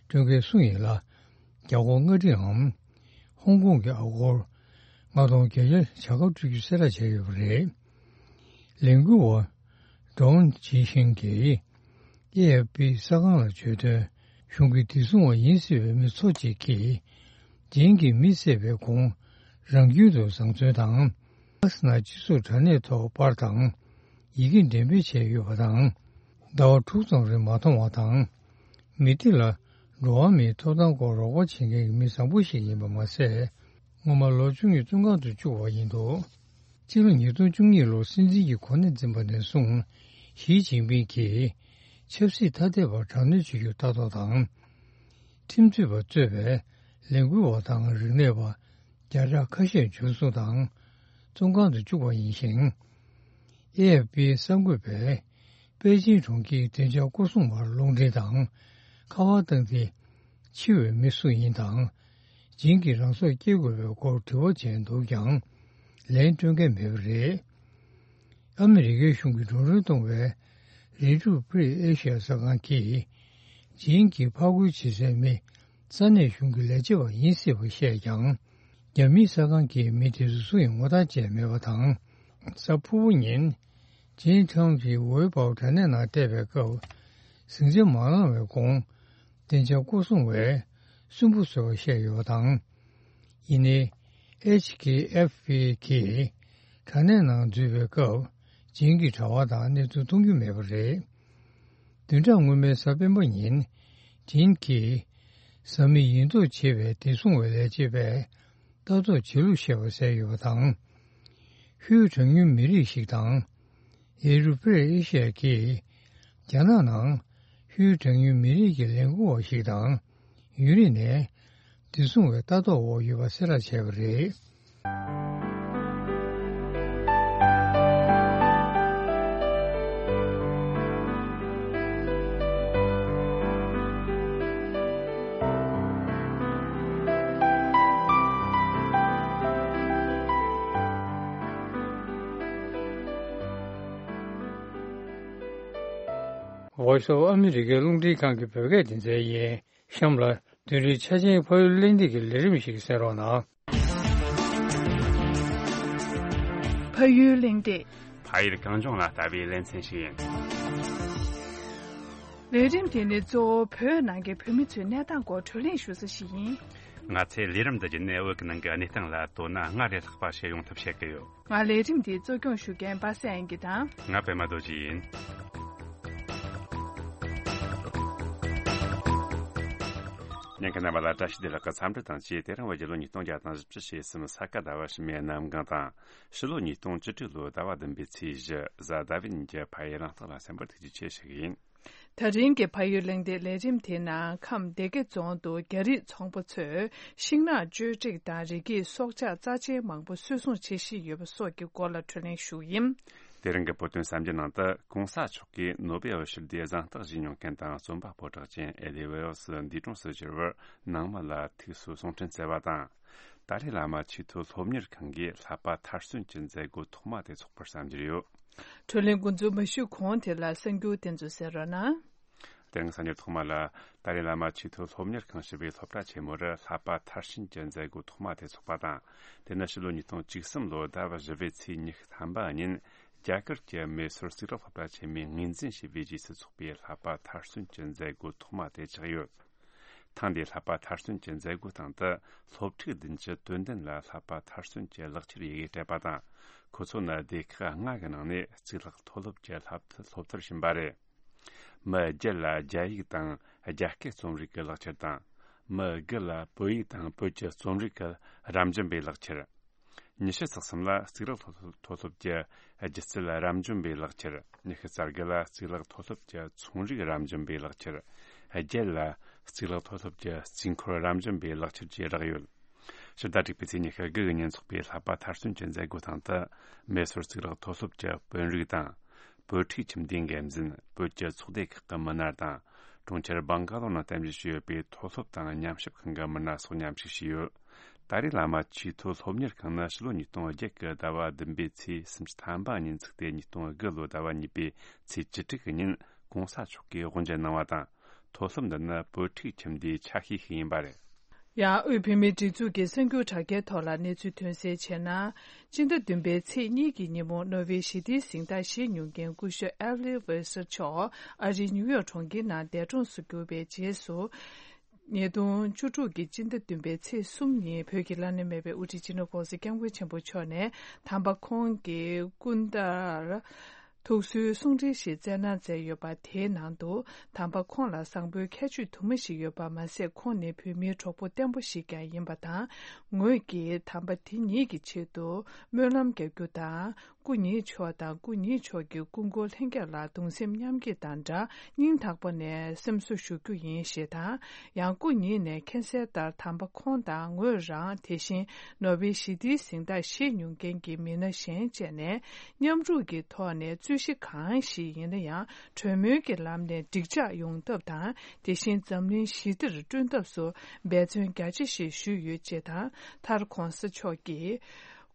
སྤྲོད་མཁན་སུ་ཡིན་ལ། རྒྱ་ཁོག་ལྔ་སྒྲིལ་འམ། ཧོང་ཀོང་གི་ཨ་སྒོར་ལྔ་སྟོང་བརྒྱད་བརྒྱ་བྱ་དགའ་སྤྲོད་རྒྱུ་གསལ་བསྒྲགས་བྱས་ཡོད་པ་རེད། ལས་འགུལ་བ་ཌོན་ཇི་ཤིང་གིས་ཨེ་ཨེཕ་པི་གསར་ཁང་ལ་བརྗོད་དོན། གཞུང་གི་བདེ་སྲུང་བ་ཡིན་སྲིད་པའི་མི་ཚོ་གཅིག་གིས་ཇིན་གྱིས་མི་བསད་པའི་གོང་རང་རྒྱུད་དུ་བཟང་བཙོན་དང་། ཨ་སི་ན་སྤྱི་ཚོགས་དྲ་གནས་ཐོག་པར་དང་ཡི་གེ་འགྲེམས་སྤེལ་བྱས་ཡོད་པ་དང་། ཟླ་བ་དྲུག་ཙམ་རིང་མ་མཐོང་བ་དང་། མི་དེ་ལ་འགྲོ་བ་མིའི་ཐོབ་ཐང་སྐོར་རོགས་པ་བྱེད་མཁན་གྱི་མི་བཟང་པོ་ཞིག་ཡིན་པ་མ་ཟད། སྔོན་མ་ལོ་བཅུ་གཉིས་བཙོན་ཁང་དུ་བཅུག་པ་ཡིན་འདུག་སྤྱི་ལོ་ཉིས་སྟོང་བཅུ་གཉིས་ལོར་སྲིད་འཛིན་གྱི་གོ་གནས་འཛིན་པ་ནས་བཟུང་། ཞི་ཅིན་ཕིང་གིས་ཆབ་སྲིད་ཐ་དད་པར་དྲག་གནོན་བྱེད་རྒྱུར་ལྟ་རྟོག་དང་། ཁྲིམས་རྩོད་པ་གཙོས་པའི་ལས་འགུལ་བ་དང་རིག་གནས་པ་བརྒྱ་ཕྲག་ཁ་ཤས་འཇུ་བཟུང་དང་བཙོན་ཁང་དུ་བཅུག་པ་ཡིན་ཞིང་། ཨེ་ཨེཕ་པིའི་གསར་འགོད་པས་པེ་ཅིང་གྲོང་ཁྱེར་བདེ་འཇགས་སྐོར་སྲུང་བར་རླུང་འཕྲིན་དང་ཁ་པར་བཏང་སྟེ། འཆི་བའི་མི་སུ་ཡིན་དང་། ཇིན་གྱིས་རང་སྲོག་སྐྱེལ་དགོས་པའི་སྐོར་དྲི་བ་བྱས་འདུག་ཀྱང་། ལན་སྤྲོད་མཁན་མེད་པ་རེད། ཨ་མི་རི་ཀའི་གཞུང་གིས་འགྲོ་གྲོན་གཏོང་བའི་རི་ཀྲུག་ཕི་རི་ཨེ་ཤི་ཡ་གསར་ཁང་གིས། ཇིན་གྱི་ཕར་རྒོལ་བྱེད་སའི་མི་ས་གནས་གཞུང་གི་ལས་བྱེད་པ་ཡིན་སྲིད་པ་བཤད་ཀྱང་། རྒྱ་མིའི་གསར་ཁང་གིས་མི་དེ་ཚོ་སུ་ཡིན་ངོ་ཐག་བཅད་མེད་པ་དང་། གཟའ་ཕུར་བུ་ཉིན། ཅིན་ཁྲང་གིས་ཝེ་པའོ་དྲ་གནས་ནང་བལྟས་པའི་སྐབས། ཟིང་ཆ་མ་ལངས་བའི་གོང་། བདེ་འཇགས་སྐོར་སྲུང་བས་སུན་པོ་བཟོས་པ་བཤད་ཡོད་པ་དང་། ཡིན་ནའི། ཨེཆ་ཀེ་ཨེཕ་པི་གིས་དྲ་གནས་ནང་འཛུལ་བའི་སྐབས། ཇིན་གྱི་དྲ་བ་དང་གནས་ཚུལ་མཐོང་རྒྱུ་མེད་པ་རེད། བདུན་ཕྲག་སྔོན་མའི་གཟའ་སྤེན་པ་ཉིན། ཇིན་གྱིས་བཟའ་མི་ཡིན་མདོག་བྱེད་པའི་བདེ་སྲུང་བའི་ལས་བྱེད་པས་ལྟ་རྟོག་བྱེད་ལུགས་བཤད་པ་གསལ་ཡོད་པ་དང་། ཧུའུ་གྲངས་ཉུང་མི་རིགས་ཤིག་དང་། ཨེ་རུ་པེ་ཨེ་ཤི་ཡ་གིས་རྒྱ་ནག་ནང་ཧུའུ་གྲངས་ཉུང་མི་རིགས་ཀྱི་ལས་འགུལ་བ་ཞིག་དང་ཡུན་རིང་ནས་བདེ་སྲུང་བའི་ལྟ་རྟོག་འོག་ཡོད་པ་གསལ་བསྒྲགས་བྱས་པ་རེད། Voice of America རླུང་འཕྲིན་ཁང་གི་བོད་སྐད་སྡེ་ཚན་ཡིན། གཤམ་ལ་བདུན་རེའི་ཆ་ཆེན་ཕ་ཡུལ་གླེང་སྟེགས་ཀྱི་ལས་རིམ་ཞིག་གསན་རོགས་གནང་། ཕ་ཡུལ་གླེང་སྟེགས། ཕ་ཡུལ་གངས་ལྗོངས་ལ་ལྟ་བའི་ལེ་ཚན་ཞིག་ཡིན། ལས་རིམ་དེ་ནི་གཙོ་བོ་བོད་ནང་གི་བོད་མི་ཚོའི་གནས་སྟངས་སྐོར་བགྲོ་གླེང་ཞུ་ས་ཞིག་ཡིན། ང་ཚོས་ལས་རིམ་འདི་བརྒྱུད་ནས་བོད་ཀྱི་ནང་གི་གནས་སྟངས་ལ་དོ་སྣང་སྔར་ལས་ལྷག་པ་བྱེད་ཡོང་ཐབས་བྱེད་ཀྱི་ཡོད། ང་ལས་རིམ་འདིའི་གཙོ་སྐྱོང་ཞུ་མཁན་པ་སངས་དབྱངས་སྐྱིད་དང་། ང་པད་མ་རྡོ་རྗེ་ཡིན། ཉན་མཁན་རྣམ་པ་ལ་བཀྲ་ཤིས་བདེ་ལེགས་ཀྱི་འཚམས་འདྲི་དང་བཅས། དེ་རིང་བོད་རྒྱལ་ལོ་ཉིས་སྟོང་བརྒྱ་དང་བཞི་བཅུ་ཞེ་གསུམ་ས་ག་ཟླ་བ་ཕྱི་མའི་གནམ་གང་དང་། ཕྱི་ལོ་ཉིས་སྟོང་བཅུ་དྲུག་ལོའི་ཟླ་བ་བདུན་པའི་ཚེས་བཞི་གཟའ་ཟླ་བའི་ཉིན་གྱི་ཕ་ཡུལ་གླེང་སྟེགས་ལ་གསན་པར་ཐུགས་རྗེ་ཆེ་ཞུ་གི་ཡིན། ད་རིང་གི་ཕ་ཡུལ་གླེང་སྟེགས་ལས་རིམ་དེའི་ནང་ཁམས་སྡེ་དགེ་རྫོང་དུ་རྒྱ་རིགས་ཚོང་པ་ཚོས་ཤིང་ནགས་གཅོད་བྲེག་དང་རི་སྐྱེས་སྲོག་ཆགས་རྩ་ཆེན་མང་པོ་སུད་སྲུང་བྱེད་བཞིན་ཡོད་པ་སོགས་ཀྱི་སྐོར་ལ་བགྲོ་གླེང་ཞུ་གི་ཡིན། དེ་རིང་གི་བོད་དོན་གསར་འགྱུར་ནང་དུ་གོང་ས་མཆོག་གིས་ནོ་བེལ་ཞི་བདེའི་གཟེངས་རྟགས་བཞེས་མྱོང་མཁན་དང་རྩོམ་པ་པོ་གྲགས་ཅན་ཨེ་ལི་ཝེལ་སི་འདས་གྲོངས་སུ་གྱུར་བར་ནང་མི་ལ་ཐུགས་གསོ་གསུང་འཕྲིན་བསྩལ་བ་དང་། ཏཱ་ལའི་བླ་མ་ཆེས་མཐོའི་སློབ་གཉེར་ཁང་གིས་བསླབ་པ་མཐར་སོན་གྱི་མཛད་སྒོ་ཐོག་མ་དེ་འཚོགས་པར་བསམ་གྱི་ཡོད། བགྲོ་གླེང་འགོ་འཛུགས་མ་ཞུས་གོང་དེ་ལ་གསར་འགྱུར་དེ་ཚོ་གསན་རོགས་གནང་། དེ་རིང་གསར་འགྱུར་ཐོག་མ་ལ། ཏཱ་ལའི་བླ་མ་ཆེས་མཐོའི་སློབ་གཉེར་ཁང་ཞེས་པའི་སློབ་གྲྭ་ཆེན་མོར་བསླབ་པ་མཐར་ཕྱིན་གྱི་མཛད་སྒོ་ཐོག་མ་དེ་འཚོགས་པ་དང་། དེ་ནི་ཕྱི་ལོ་ཉིས་སྟོང་བཅུ་གསུམ་ལོའི་ཟླ་བ་བཞི་པའི་ཚེས་ཉི་ཤུ་ཐམ་པ་ཉིན། རྒྱ་གར་གྱི་མེ་སོར་གཙུག་ལག་སློབ་གྲྭ་ཆེན་མོས་ངོས་འཛིན་བྱས་པའི་རྗེས་སུ་འཚོགས་པའི་བསླབ་པ་མཐར་སོན་གྱི་མཛད་སྒོ་ཐོག་མ་དེ་ཆགས་ཡོད། ཐེངས་འདིའི་བསླབ་པ་མཐར་སོན་གྱི་མཛད་སྒོའི་སྟེང་དུ་སློབ་ཕྲུག་བདུན་ཅུ་དོན་བདུན་ལ་བསླབ་པ་མཐར་སོན་གྱི་ལག་ཁྱེར་ཡི་གེ་སྤྲད་པ་དང་། ཁོ་ཚོ་ནི་སྡེ་ཁག་ལྔ་གི་ནང་ནས་གཙུག་ལག་མཐོ་སློབ་ཀྱི་བསླབ་སློབ་མཐར་ཕྱིན་པ་རེད། མི་བརྒྱད་ལ་རྒྱ་ཡིག་དང་རྒྱ་སྐད་རྩོམ་རིག་གི་ལག་ཁྱེར་དང་། མི་དགུ་ལ་བོད་ཡིག་དང་བོད་ཀྱི་རྩོམ་རིག་གི་རབ་འབྱམས་པའི་ལག་ཁྱེར། ཉི་ཤུ་རྩ་གསུམ་ལ་གཙུག་ལག་མཐོ་སློབ་ཀྱི་སྒྱུ་རྩལ་རབ་འབྱམས་པའི་ལག་ཁྱེར། ཉི་ཤུ་རྩ་དགུ་ལ་གཙུག་ལག་མཐོ་སློབ་ཀྱི་ཚོང་རིག་རབ་འབྱམས་པའི་ལག་ཁྱེར། བརྒྱད་ལ་གཙུག་ལག་མཐོ་སློབ་ཀྱི་རྩིས་འཁོར་རབ་འབྱམས་པའི་ལག་ཁྱེར་བཅས་རག་ཡོད། ཕྱི་ཟླ་དྲུག་པའི་ཚེས་ཉི་ཤུ་དགུ་གི་ཉིན་འཚོགས་པའི་བསླབ་པ་མཐར་སོན་གྱི་མཛད་སྒོའི་སྟེང་དུ། མེ་སོར་གཙུག་ལག་མཐོ་སློབ་ཀྱི་དཔོན་རིགས་དང་། བོད་ཕྲུག་ཁྱིམ་སྡེའི་འགན་འཛིན། བོད་ཀྱི་ཚོགས་སྡེ་ཁག་གི་མི་སྣ་དང་། གྲོང་ཁྱེར་བང་ག་ལོ་ནང་རྟེན་གཞི་བྱས་ཡོད་པའི་མཐོ་སློབ་དང་ཉམས་ཞིབ་ཁང་གི་མི་སྣ་སོགས་མཉམ་ཞུགས་བྱས་ཡོད། ཏཱ་ལའི་བླ་མ་ཆེས་མཐོའི་སློབ་གཉེར་ཁང་ནི་ཕྱི་ལོ་ཉིས་སྟོང་བརྒྱད་ཀྱི་ཟླ་བ་བདུན་པའི་ཚེས་སུམ་ཅུ་ཐམ་པ་ཉིན་ཚུགས་ཏེ། ཉིས་སྟོང་དགུ་ལོའི་ཟླ་བ་གཉིས་པའི་ཚེས་བཅུ་དྲུག་གི་ཉིན་གོང་ས་མཆོག་གིས་དབུ་འབྱེད་གནང་བ་དང་། མཐོ་སློབ་འདི་ནི་བོད་ཕྲུག་ཁྱིམ་སྡེའི་ཆ་ཤས་ཤིག་ཡིན་པ་རེད། ཡང་དབུས་བོད་མིའི་སྒྲིག་འཛུགས་ཀྱི་གསར་འགྱུར་དྲ་རྒྱའི་ཐོག་ལ་གནས་ཚུལ་ཐོན་གསལ་བྱས་ན། སྤྱི་ཟླ་བདུན་པའི་ཚེས་གཉིས་ཀྱི་ཉིན་མོ་ནོ་བྷེལ་ཞི་བདེའི་གཟེངས་རྟགས་བཞེས་མྱོང་མཁན་སྐུ་ཞབས་ཨེ་ལི་ཝེ་སར་མཆོག་ཨ་རིའི་ནིའུ་ཡོག་གྲོང་ཁྱེར་ནང་འདས་གྲོངས་སུ་གྱུར་བའི་རྗེས་སུ། ཉིས་སྟོང་བཅུ་དྲུག་གི་སྤྱི་ཟླ་བདུན་པའི་ཚེས་གསུམ་ཉིན་བོད་ཀྱི་བླ་ན་མེད་པའི་དབུ་ཁྲིད་སྤྱི་ནོར་༸གོང་ས་༸སྐྱབས་མགོན་ཆེན་པོ་མཆོག་ནས་དམ་པ་ཁོང་གི་སྐུ་འདྲར་ཐུགས་གསོའི་གསུང་འཕྲིན་ཞིག་བསྩལ་གནང་མཛད་ཡོད་པ། དེའི་ནང་དུ་དམ་པ་ཁོང་ལ་བཟང་པོའི་ཁྱད་ཆོས་དུ་མ་ཞིག་ཡོད་པ་མ་ཟད། ཁོང་ནི་བོད་མིའི་གྲོགས་པོ་བརྟན་པོ་ཞིག་ཀྱང་ཡིན་པ་དང་། ངོས་ཀྱིས་དམ་པ་དེ་ཉིད་ཀྱི་ཆེད་དུ་སྨོན་ལམ་རྒྱག་རྒྱུ་དང་། སྐུ་ཉིད་མཆོག་དང་སྐུ་ཉིད་མཆོག་གི་སྐུ་འཁོར་ལྷན་རྒྱས་ལ་གདུང་སེམས་མཉམ་སྐྱེད་དང་སྦྲགས། སྙིང་ཐག་པ་ནས་སེམས་གསོ་ཞུ་རྒྱུ་ཡིན་ཞེས་དང་། ཡང་སྐུ་ཉིད་ནས་མཁྱེན་གསལ་ལྟར་དམ་པ་ཁོང་དང་ངོས་རང་། དེ་བཞིན་ནོ་བྷེལ་ཞི་བདེའི་གཟེངས་རྟགས་བཞེས་མྱོང་མཁན་གྱི་མི་སྣ་གཞན་བཅས་ནས་མཉམ་རུབ་ཀྱི་ཐོག་ནས་རྩོད་གཞི་གང་ཞིག་ཡིན་ན་ཡང་གྲོས་མོལ་གྱི་ལམ་ནས་འགྲིག་འཇགས་ཡོང་ཐབས་དང་། དེ་བཞིན་འཛམ་གླིང་ཞི་བདེར་བསྐྲུན་ཐབས་སུ་འབད་བརྩོན་རྒྱ་ཆེ་ཞིག་ཞུས་ཡོད་ཅེས་དང་། མཐར་༸གོང་ས་མཆོག་གིས།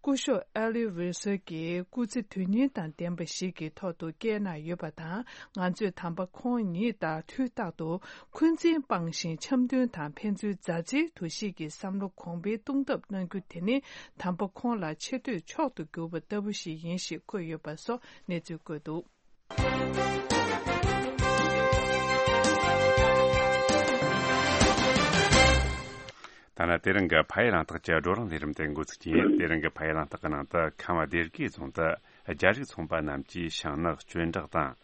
སྐུ་ཞབས་ཨེ་ལི་ཝེ་སར་གྱིས་སྐུ་ཚེ་དོན་སྙིང་དང་ལྡན་པ་ཞིག་གི་ཐོག་ཏུ་བསྐྱལ་གནང་ཡོད་པ་དང་། ང་ཚོས་དམ་པ་ཁོང་ཉིད་ལྟར་དུས་རྟག་ཏུ་འཁོན་འཛིན་སྤངས་ཤིང་འཆམ་མཐུན་དང་ཕན་ཚུན་མཛའ་བརྩེའི་འདུ་ཤེས་ཀྱི་བསམ་བློ་གོང་འཕེལ་གཏོང་ཐབས་གནང་རྒྱུ་དེ་ནི་དམ་པ་ཁོང་ལ་ཆེ་བསྟོད་མཆོག་ཏུ་གྱུར་པ་ལྟ་བུ་ཞིག་ཡིན་ཞེས་འཁོད་ཡོད་པ་སོགས་གནས་ཚུལ་བཀོད་འདུག། ད་ནི་དེ་རིང་གི་ཕ་ཡུལ་གླེང་སྟེགས་ཀྱི་བགྲོ་གླེང་ལས་རིམ་དེ་འགོ་ཚུགས་ཀྱི་ཡིན། དེ་རིང་གི་ཕ་ཡུལ་གླེང་སྟེགས་ཀྱི་ནང་དུ་ཁམས་སྡེ་དགེ་རྫོང་དུ་རྒྱ་རིགས་ཚོང་པ་རྣམས་ཀྱིས་ཤིང་ནགས་གཅོད་འབྲེག་དང་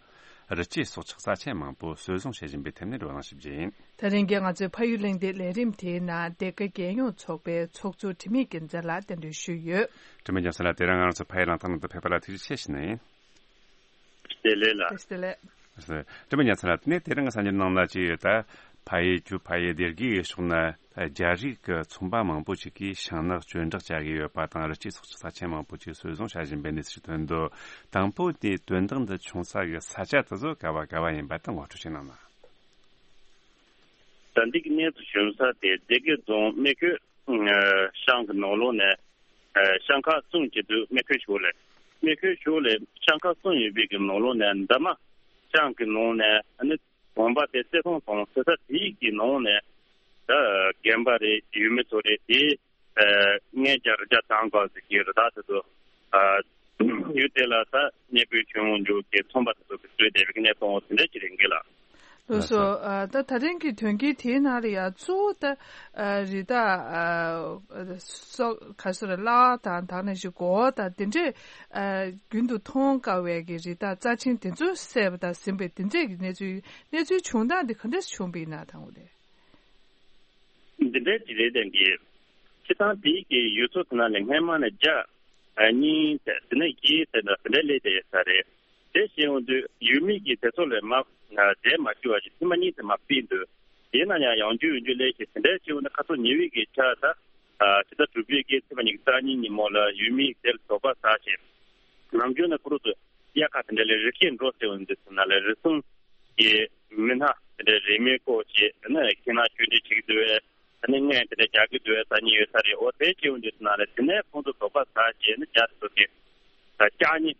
རི་སྐྱེས་སྲོག་ཆགས་རྩ་ཆེན་མང་པོ་གསོ་བཟུང་བྱེད་བཞིན་པའི་ཐད་ནས་བགྲོ་གླེང་ཞིབ་རྒྱས་ཡིན། དེ་རིང་གི་ང་ཚོའི་ཕ་ཡུལ་གླེང་སྟེགས་ལས་རིམ་དེའི་ནང་སྡེ་དགེ་རྒྱལ་ཡོངས་ཚོགས་པའི་ཚོགས་གཙོ་དྲི་མེད་རྒྱལ་མཚན་ལགས་གདན་འདྲེན་ཞུས་ཡོད། དྲི་མེད་རྒྱལ་མཚན་ལགས། དེ་རིང་ང་རང་ཚོ་ཕ་ཡུལ་གླེང་སྟེགས་ནང་དུ་ཕེབས་པ་ལ་ཐུགས་རྗེ་ཆེ་ཞུ་ནི་ཡིན། བདེ་ལེགས་ལགས། བདེ་ལེགས། དྲི་མེད་རྒྱལ་མཚན་ལགས། དེ་ནས་དེ་རིང་གི་གསར་འགྱུར་ནང་ན་ཅི་ཡོད། ད་ཕ་ཡུལ་ཆུ་ཕ་ཡུལ་སྡེ་དགེ་ཡི་ཕྱོགས་ན་རྒྱ་རིགས་ཀྱི་ཚོང་པ་མང་པོ་ཞིག་གིས་ཤིང་ནགས་གཅོད་འབྲེག་བྱ་གི་ཡོད་པ་དང་། རི་སྐྱེས་སྲོག་ཆགས་རྩ་ཆེན་མང་པོ་ཞིག་གསོ་བཟུང་བྱ་བཞིན་པའི་གནས་ཚུལ་ཐོན་འདུག། དང་པོ་དེ་དོན་དག་འདི་བྱུང་ས་གི་ས་ཆ་དེ་ཚོ་ག་བ་ག་བ་ཡིན་པ་དེ་ངོ་སྤྲོད་བྱེད་གནང་ན། ད་འདི་གི་གནས་ཚུལ་བྱུང་ས་དེ་སྡེ་དགེ་རྫོང་སྨད་ཁོད་ཤང་གི་ནང་ལོགས་ནས། ཨ། ཤང་ཁག་གསུམ་གྱི་འདུག། སྨད་ཁོད་ཕྱོགས་ལས། སྨད་ཁོད་ཕྱོགས་ལས་ཤང་ཁག་གསུམ་ཡོད་པའི་གི་ནང་ལོགས་ནས་འདབ་མ་ཤང་གི་ནང་ནས། ཨ་ནི་དགོན་པ་དེ་བརྩེ་ཐང་དང་ཟེར་ས་དེའི་གི་ནང་ནས། ད་རྒན་པ་རེད། ཡུལ་མི་ཚོ་རེད། དེ་ཨ་ལྔ་བརྒྱ་རེ་བརྒྱ་ཐམ་པ་ཟིག་གི་རི་དྭགས་དེ་ཚོ། ཨ། ཡུལ་དེ་ལ་ད་གནས་སྤོས་བྱུང་འཇུག་གི་ཚོང་པ་དེ་ཚོ་གི་གཙོས་བསྡད་པའི་གནས་སྟངས་དེ་འདྲ་ཅིག་རེད་འགི་ལ། ལགས་སོ། ལགས་སོ། ཨ། ད་ད་རིང་གི་དོན་རྐྱེན་དེའི་ནང་ལ་ཡང་གཙོ་བོ་ད་ཨ་རི་དྭགས་ཨ་སོགས་ག་སོ་རེད། གླ་བ་དང་དེ་ནང་བཞིན་སྒོ་དང་དེ་འདྲས་ཨ་རྒྱུན་དུ་མཐོང་དཀའ་བའི་གི་རི་དྭགས་རྩ་ཆེན་དེ་ཚོ་བསད་པ་དང་ཟིན་པའི་དེ་འདྲས་ཀྱི་གནས་ཚུལ། གནས་ཚུལ་བྱུང་སྟངས་དེ་ག་འདྲས་བྱུང་བ་ཡིན་ན་དང་པོ་དེ། འདི་འདྲའི་ཅིག་རེད་དེ་གི། སྤྱིར་བཏང་དེའི་གི་ཡུལ་ཚོ་དེ་ནང་ལ་སྔས་མ་ནས་བརྒྱ་གཉིས་ཟེར། དེ་ནས་བཞི་ཟེར་འདྲ་དེ་འདྲ་སླེབས་བསྡད་ཡོད་ས་རེད། དེ་བྱས་ཡོང་དུས་ཡུལ་མི་གི་དེ་ཚོ་ལ་མ་འདྲེས་མ་བཅུག་པ་ཞིག་ཐེངས་མ་གཉིས་ཙམ་མ་སྤེལ་འདུག། དེས་ན་ཡང་ཡང་བསྐྱར་ཡང་བསྐྱར་སླེབས་ཤིང་། དེ་འདྲ་བྱས་ཡོང་ན་ཁ་སང་ཉི་འོད་ཀྱི་ཆར་ད་ཕྱི་ཟླ་དྲུག་པའི་གི་ཚེས་པ་ཉི་ཤུ་རྩ་གཉིས་ཉིན་མོ་ལ་ཡུལ་མི་དེ་ལ་དོགས་པ་ཟ་བྱས། ནམ་རྒྱུན་ནས་ཁོ་རང་ཚོ་དབྱར་ཁ་དེ་འདྲ་ལ་རི་སྐྱེས་འགྲོ་ཟེར་བ་འདི་ཚོ་ནང་ལ་རི་སྲུང་གི་མི་སྣ་དེ་འདྲ་རེས་མོས་སྐོར་བྱས། ཨ་ནི་ཁྱིམ་ནང་སྐྱོན་བྲལ་བྱེད་ཀྱི་འདུག་པས། ཨ་ནི་རྔན་དེ་འདྲ་རྒྱག་གི་འདུག་པས་ཟེར་མཁན་ཡོད་ས་རེད། འོ་དེ་བྱས་ཡོང་དུས་ཚོ་ནང་ལ་དེ་ནས་ཁོང་ཚོ་དོགས་པ་ཟ་བྱས། ཨ་ནི་རྒྱ་དེ་ཚོ་གི་ལྕགས་རྙི་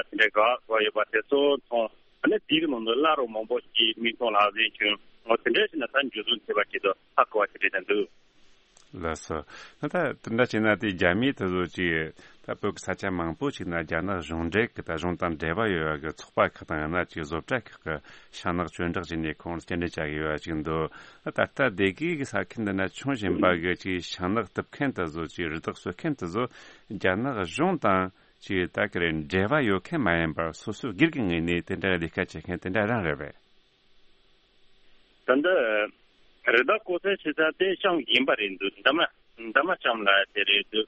དེ་འདྲ་འགག་འགྲོ་ཡོད་པ་དེ་ཚོ་མཐོང་། ཨ་ནི་དེའི་ནང་དུ་གླ་རོགས་མང་པོ་ཞིག་མིག་མཐོང་ལག་ཟིན་བྱུང་། འོ་དེ་འདྲ་ཞིག་ན་ད་འཇུ་བཟུང་བྱས་པ་ཞིག་ཏུ་ཧ་གོ་བ་ཞིག་རེད་དྲན་འདུག། ལགས་སོ། ད་དེ་འདྲ་བྱས་ན་དེ་རྒྱ་མིས་དེ་ཚོ་ཅིག་ད་བོད་ཀྱི་ས་ཆ་མང་པོ་ཞིག་ན་རྒྱ་ནག་གཞུང་འབྲེལ་གྱི་ད་གཞུང་དང་འབྲེལ་བ་ཡོད་པ་གི་ཚོགས་པ་ཁག་དང་། ཡང་ན་ཅིག་བཟོ་གྲྭ་ཁག་གི་ཤིང་ནགས་གཅོད་འབྲེག་བྱས་ནས་ཁོང་ལ་སྐྱེལ་འདྲེན་བྱ་གི་ཡོད་པ་ཅིག་འདུག། ད་ལྟ་སྡེ་དགེ་གི་ས་ཁུལ་འདི་ན་བྱུང་བཞིན་པ་གི་ཅིག་ཤིང་ནགས་གཏུབ་མཁན་དེ་ཚོ། ཅིག་རི་དྭགས་གསོད་མཁན་དེ་ཚོ་རྒྱ་ནག་གཞུང་དང་ཅིག་ད་ག་རེ་འབྲེལ་བ་ཡོད་མཁན་མ་ཡིན་པར་སོ་སོའི་སྒེར་གྱི་ངོས་ནས་དེ་འདྲ་ལས་ཀ་བྱེད་མཁན་དེ་འདྲ་རང་རེད་པས། ད་ལྟ་རི་དྭགས་བཀོག་ཚད་བྱེད་ས་དེ་ཤང་ཡིན་པ་རེད་འདུག། འདབ་མ་འདབ་མ་ཤང་ལ་དེ་རེད་འདུག།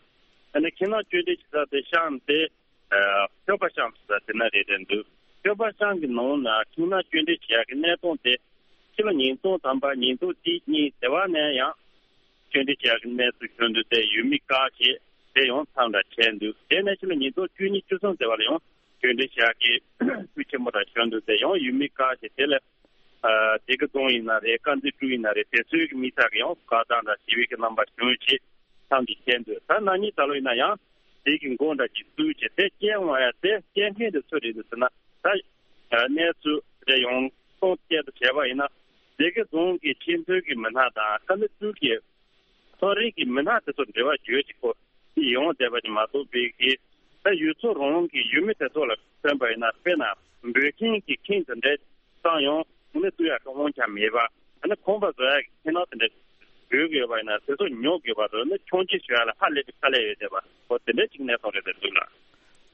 ཨ་ནི་ཁྱིམ་ནང་སྐྱོན་བྲལ་བྱེད་ས་དེ་ཤང་དེ་ཨ་ཤོ་པ་ཤང་ཟེར་ས་དེ་ན་རེད་དྲན་འདུག། ཤོ་པ་ཤང་གི་ནང་ན་ཁྱིམ་ནང་སྐྱོན་བྲལ་བྱེད་ཡག་གི་གནས་སྟངས་དེ་ཕྱི་ལོ་ཉིས་སྟོང་ཐམ་པ་ཉིས་སྟོང་གཅིག་གཉིས་དེ་བ་ནས་ཡང་སྐྱོན་བྲལ་བྱེད་ཡག་གི་གནས་ཚུལ་བྱུང་འདུག་སྟེ། ཡུལ་མི་བཀག་བྱས་དེ་ཡང་མཚམས་འདྲ་བྱས་འདུག། དེ་ནས་ཕྱི་ལོ་ཉིས་སྟོང་བཅུ་གཉིས་བཅུ་གསུམ་དེ་བ་ལ་ཡང་སྐྱོན་བྲལ་བྱེད་ཡག་གི་ཤུགས་ཆེན་པོ་འདྲ་བྱུང་འདུག་སྟེ། ཡང་ཡུལ་མི་བཀག་བྱས་དེ་ལ་ཨ་སྡེ་དགེ་རྫོང་ཡིན་ན་རེད། དཀར་མཛེས་ཀྲོའུ་ཡིན་ན་རེད། དེ་ཚོའི་གི་མི་དག་གིས་ཡང་དགའ་སྡང་འདྲ་ཞི་བའི་གི་རྣམ་པ་བྱུང་བྱས་མཚམས་འདྲ་བྱས་འདུག། ད་ན་ནིང་ད་ལོ་ཡིན་ན་ཡང་དེ་གི་འགོ་འདྲ་ཅིག་བཙུགས་བྱས་དེ་སྐྱེལ་འོང་ཡ། དེ་སྐྱེལ་མཁན་དེ་སུ་རེད་འདུག་ཟེར་ན། ད་གནས་ཚུལ་དེ་ཡང་སྟོང་སྐད་དུ་བྱས་པ་ཡིན་ན། སྡེ་དགེ་རྫོང་གི་ཆེས་མཐོའི་གི་མི་སྣ་དང་ས་གནས་ཚུལ་གྱི་ཚོང་རིགས་ཀྱི་མི་སྣ་དེ་ཚོ་འབྲེལ་བ་བརྗོད་ཅིག་པོ་ཡོང་བསྡད་པ་ཅིག་མ་གཏོགས། པའི་གི་ད་ཡུལ་ཚོ་རང་གི་ཡུལ་མི་དེ་ཚོ་ལ་མཚོན་པ་ཡིན་ན། དཔེར་ན་འབོད་མཁན་གྱི་ཁྱིམ་དེ་འདྲའི་བཏང་ཡང་ནི་བཙུགས་ཡག་གི་དབང་ཆ་མེད་པ། ཨ་ནི་ཁང་པ་བཟོ་ཡག་གི་ཁྱིམ་ནང་དེ་འདྲ་འབོད་དགོས་པ་ཡིན་ན་དེ་ཚོ་ཉོ་དགོས་པ་དང་། ནི་ཆུང་ཆེ་ཞུ་ཡག་ལ་ཧ་ལས་པའི་དཀའ་ལས་ཡོད་བསྡད་པ། འོ་དེ་འདྲའི་ཅིག་གནས་སྟངས་རེད་བསྡད་འདུག་ལགས།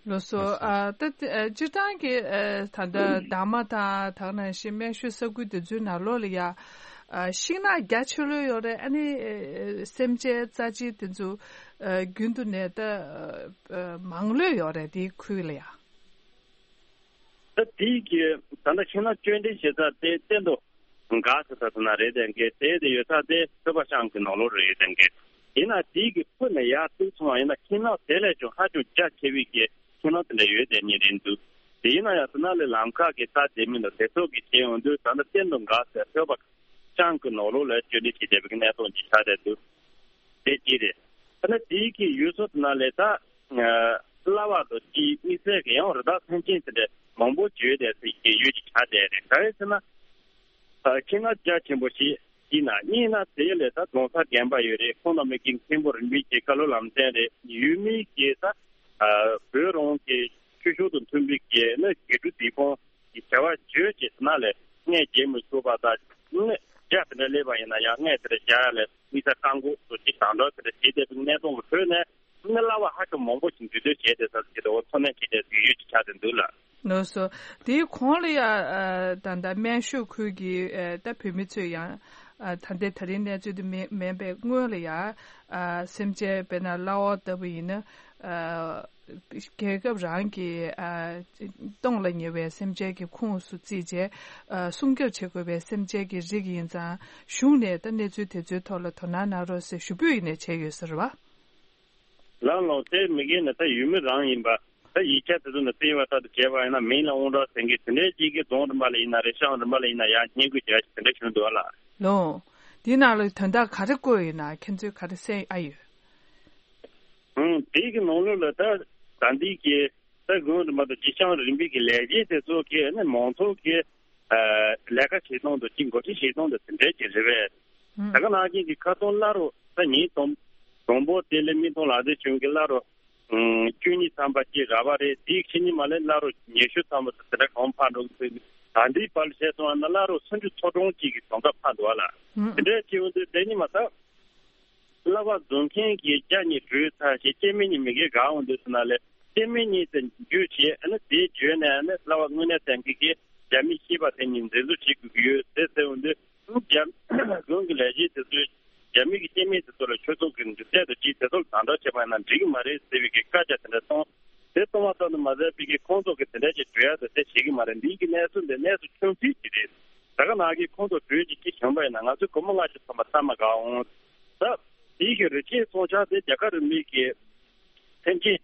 ལགས་སོ། ལགས་སོ། ཨ་ད་ཨ་སྤྱིར་བཏང་གི་ཨ་ད་ལྟ་འདབ་མ་དང་དེ་ནང་བཞིན་སྨན་ཤོད་ས་ཁུལ་དེ་ཚོའི་ནང་ལོགས་ལ་ཡ་ཨ་ཤིང་ནགས་རྒྱ་ཆེ་ལོས་ཡོད་རེད། ཨ་ནི་ཨ་སེམས་ཅན་རྩ་ཆེ་དེ་ཚོ་ཨ་རྒྱུན་དུ་ནས་ད་ཨ་མང་ལོས་ཡོད་རེད། དེའི་ཁུལ་ལ་ཡ། ད་དེའི་གི་ད་ལྟ་ཤིང་ནགས་གཅོད་འབྲེག་བྱེད་ས་དེ་གཏན་དུ་འགག་ཟེར་ས་དེ་ན་རེད་དྲན་གི། དེ་དེ་ཡོད་ས་དེ་ཆོས་པ་ཤང་གི་ནང་ལོགས་རེད་དྲན་གི། ཡིན་ན་དེའི་གི་ཕུ་ནས་ཡར་ཏོག་ཙམ་ཡིན་ན་ཤིང་ནགས་དེ་ལས་ཀྱང་ཧ་ཅང་རྒྱ་ཆེ་བའི་གི་ཤིང་ནགས་དེ་འདྲ་ཡོད་བསྡད་མཁན་རེད་འདུག། དེ་ཡིན་ན་ཡང་དེ་ན་ལས་ལམ་ཁ་གི་ད་དེ་མིན་ལ་དེ་ཚོ་གི་བྱས་ཡོང་དུས། ད་ལྟ་གཏན་དུ་འགག་ཟེར་ཆོས་པ་ཤང་གི་ནང་ལོགས་ལ་གཅོད་འབྲེག་བྱེད་བསྡད་པའི་གི་གནས་སྟངས་ཅིག་ཆགས་བསྡད་འདུག། དེ་གཅིག་རེད། ད་ནི་དེའི་གི་ཡུལ་ཚོ་དེ་ན་ལས་ད་ཨ་གླ་བ་དང་དེའི་དམིགས་བསལ་གི་ཡང་རི་དྭགས་སེམས་ཅན་དེ་འདྲ་མང་པོ་བྱོས་བསྡད་སའི་གི་ཡུལ་ཅིག་ཆགས་བསྡད་རེད། ག་རེ་ཟེར་ན། ཨ་ཁྱིམ་ནགས་རྒྱ་ཆེན་པོ་ཞིག་ཡིན་ན། གཉིས་ན་དེ་ལས་ད་རྫོང་སར་དགོན་པ་ཡོད་རེད། ཁོང་རྣམ་པའི་གི་མཁན་པོ་རིན་པོ་ཆེ་བཀའ་སློབ་ལམ་སྟོན་རེད། ཡུལ་མིའི་གི་ད་ཨ་བོད་རང་གི་ཆོས་ཕྱོགས་དང་མཐུན་པའི་གི་ནི་དགེ་ཕྲུག་འདུས་ཁང་གི་བྱ་བ་བྱོས་བྱས་དེ་ན་ལས་རྔན་རྒྱག་མི་ཆོག་པ་དང་། ནི་རྒྱ་དེ་འདྲ་སླེབས་པ་ཡིན་ན་ཡང་རྔན་དེ་འདྲ་རྒྱག་ཡ་ལས་དམིགས་བསལ་བཀག་འགོག་སོགས་ཀྱི་དང་དོད་དེ་འདྲ་བྱས་བསྡད་པའི་གནས་སྟངས་ལ་ཐོས་ནས། ནི་གླ་བ་ཧ་ཅང་མང་པོ་ཞིག་འདུས་སྡོད་བྱས་བསྡད་ས་ཞིག་དང་འཚོ་གནས་བྱས་བསྡད་སའི་ཡུལ་ཅིག་ཆགས་བསྡད་འདུག་ལགས། ལགས་སོ། དེའི་གོང་ལ་ཡ་ཨ་ད་ལྟ་སྨན་ཤོད་ཁུལ་གྱི་ཨ་ད་བོད་མི་ཚོས་ཡང་ཨ་ད་ལྟའི་ད་རིང་གནས་ཚུལ་དེ་མིན་མིན་པའི་སྔོན་ལ་ཡ་ཨ་སེམས་ཅན་དཔེར་ན་གླ་འོག་ལྟ་བུ་ཡིན་ན་ཨ་རྒྱལ་ཁབ་རང་གི་ཨ་སྟོངས་ལ་ཉེ་བའི་སེམས་ཅན་གྱི་ཁོངས་སུ་བརྩིས་རྗེས་ཨ་སྲུང་སྐྱོབ་བྱེད་དགོས་པའི་སེམས་ཅན་གྱི་རིགས་ཡིན་ཙང་གཞུང་ནས་ད་གནས་ཚུལ་དེ་ཚོའི་ཐོག་ལ་དོ་སྣང་གནང་རོགས་ཟེར་ཞུ་འབོད་ཡིན་ནས་བྱས་ཡོད་ཟེར་བ། ལགས་ལགས། དེ་མི་སྒེར་ནས་ད་ཡུལ་མི་རང་ཡིན་པ། ད་ཡིག་ཆ་དེ་ཚོ་ནས་བསྟན་པ་ལྟར་དུ་བྱས་པ་ཡིན་ན་མིང་ལ་དབང་གྲགས་ཟེར་མཁན་དེ་འདྲའི་ཅིག་གི་རྫོང་རིམ་པ་ལ་ཡིན་ན་རེད། ཤང་རིམ་པ་ལ་ཡིན་ན་ཡང་སྙན་སྐུལ་བྱས་དེ་འདྲ་བྱུང་འདུག་ཨ་ལགས། ལོ། འདིའི་ནང་ལ་དོན་དག་ག་རེ་བཀོད་ཡོད་ན་ཁྱེད་ཚོས་ག་རེ་གསན་ཨ་ཡོད། ཨང་། དེའི་གི་ནང་ལོགས་ལ་ད་ད་འདི་གི་ད་རྫོང་རིམ་པ་དང་ཅིག་ཤང་རིམ་པའི་གི་ལས་བྱེད་དེ་ཚོ་གི་ཨ་ནི་མང་ཚོགས་ཀྱི་ལས་ཀ་བྱེད་སྟངས་དང་ཅིག་འགོ་ཁྲིད་བྱེད་སྟངས་དང་དེ་འདྲའི་ཅིག་རེད་པས། ད་ག་ནང་བཞིན་གྱི་ཁ་སང་སླར་རུ་ད་ཉིན་དང་དང་པོ་དེ་ལས་མི་ཐོང་ལག་རྩལ་ཆུང་གི་སླར་རུ་བཅུ་གཉིས་ཐམ་པ་ཅིག་རག་པ་རེད། དེའི་ཕྱི་ཉིན་མ་ལས་སླར་རུ་ཉི་ཤུ་ཐམ་པ་དེ་འདྲ་གང་འཕར་འགྲོ་གི་འདུག་ད་འདིའི་བར་ལ་བྱས་སོང་བ་ན་སླར་རུ་སུམ་ཅུ་ཚོ་གྲངས་ཅིག་གི་གྲངས་ཀ་འཕར་འདུག་བ་ལ། དེ་འདྲའི་ཅིག་འོན་ཏེ་དེ་ཉིན་མ་ད་གླ་བ་བཟོ་མཁན་གྱི་བརྒྱ་གཉིས་བགྲོས་ཚར་རྗེས་སྐྱེ་དམན་གཉིས་མི་སྒེར་གང་འོང་འདུག་ཟེར་ན་ལས་སྐྱེ་དམན་གཉིས་དེ་འཇུས་བྱས་ཨ་ནི་དེའི་བརྗོད་ནས་ཨ་ནི་གླ་བ་དངོས་གནས་ཙམ་གྱི་གི་རྒྱ་མི་ཤེས་པ་དེ་གཉིས་འཛིན་བཟུང་བྱེད་དགོས་ཀྱི་ཡོད་ཟེར་ཟེར་འོང་དུས། རྒྱ་རྫོང་གི་ལས་བྱེད་དེ་ཚོས་རྒྱ་མི་གི་སྐྱེ་དམན་དེ་ཚོ་ལ་ཆོས་ཚོགས་ཀྱི་མཇུག་འབྲས་དང་ཅིག་དེ་ཚོ་ལ་དམ་དྲག་བྱས་པ་ཡིན་ན་འགྲིག་གི་མ་རེད་ཟེར་བའི་གི་བཀའ་རྒྱ་དེ་འདྲ་གཏོང་། དེ་གཏོང་བ་ཙམ་དུ་མ་ཟད་པའི་གི་ཁོང་ཚོ་གི་དེ་འདྲ་ཅིག་གྲོས་ཡ་དེ་དེ་བྱེད་ཀྱི་མ་རེད། འདིའི་གི་གནས་ཚུལ་འདི་གནས་ཚུལ་ཆུང་ཙིག་ཅིག་རེད། ད་ག་ནང་གི་ཁོང་ཚོ་གྲོས་ཅིག་ཅིག་བྱུང་པ་ཡིན་ན་ང་ཚོའི་སྒོར་མོ་ལྔ་བཅུ་ཐམ་པ་ལྟ་མ་དགའ་འོང་། ད་དེའི་གི་རི་སྐྱེས་ཚོང་ཆ་དེ་རྒྱ་གར་རིན་མེད་ཀྱི་ཐེམ་ཆེན་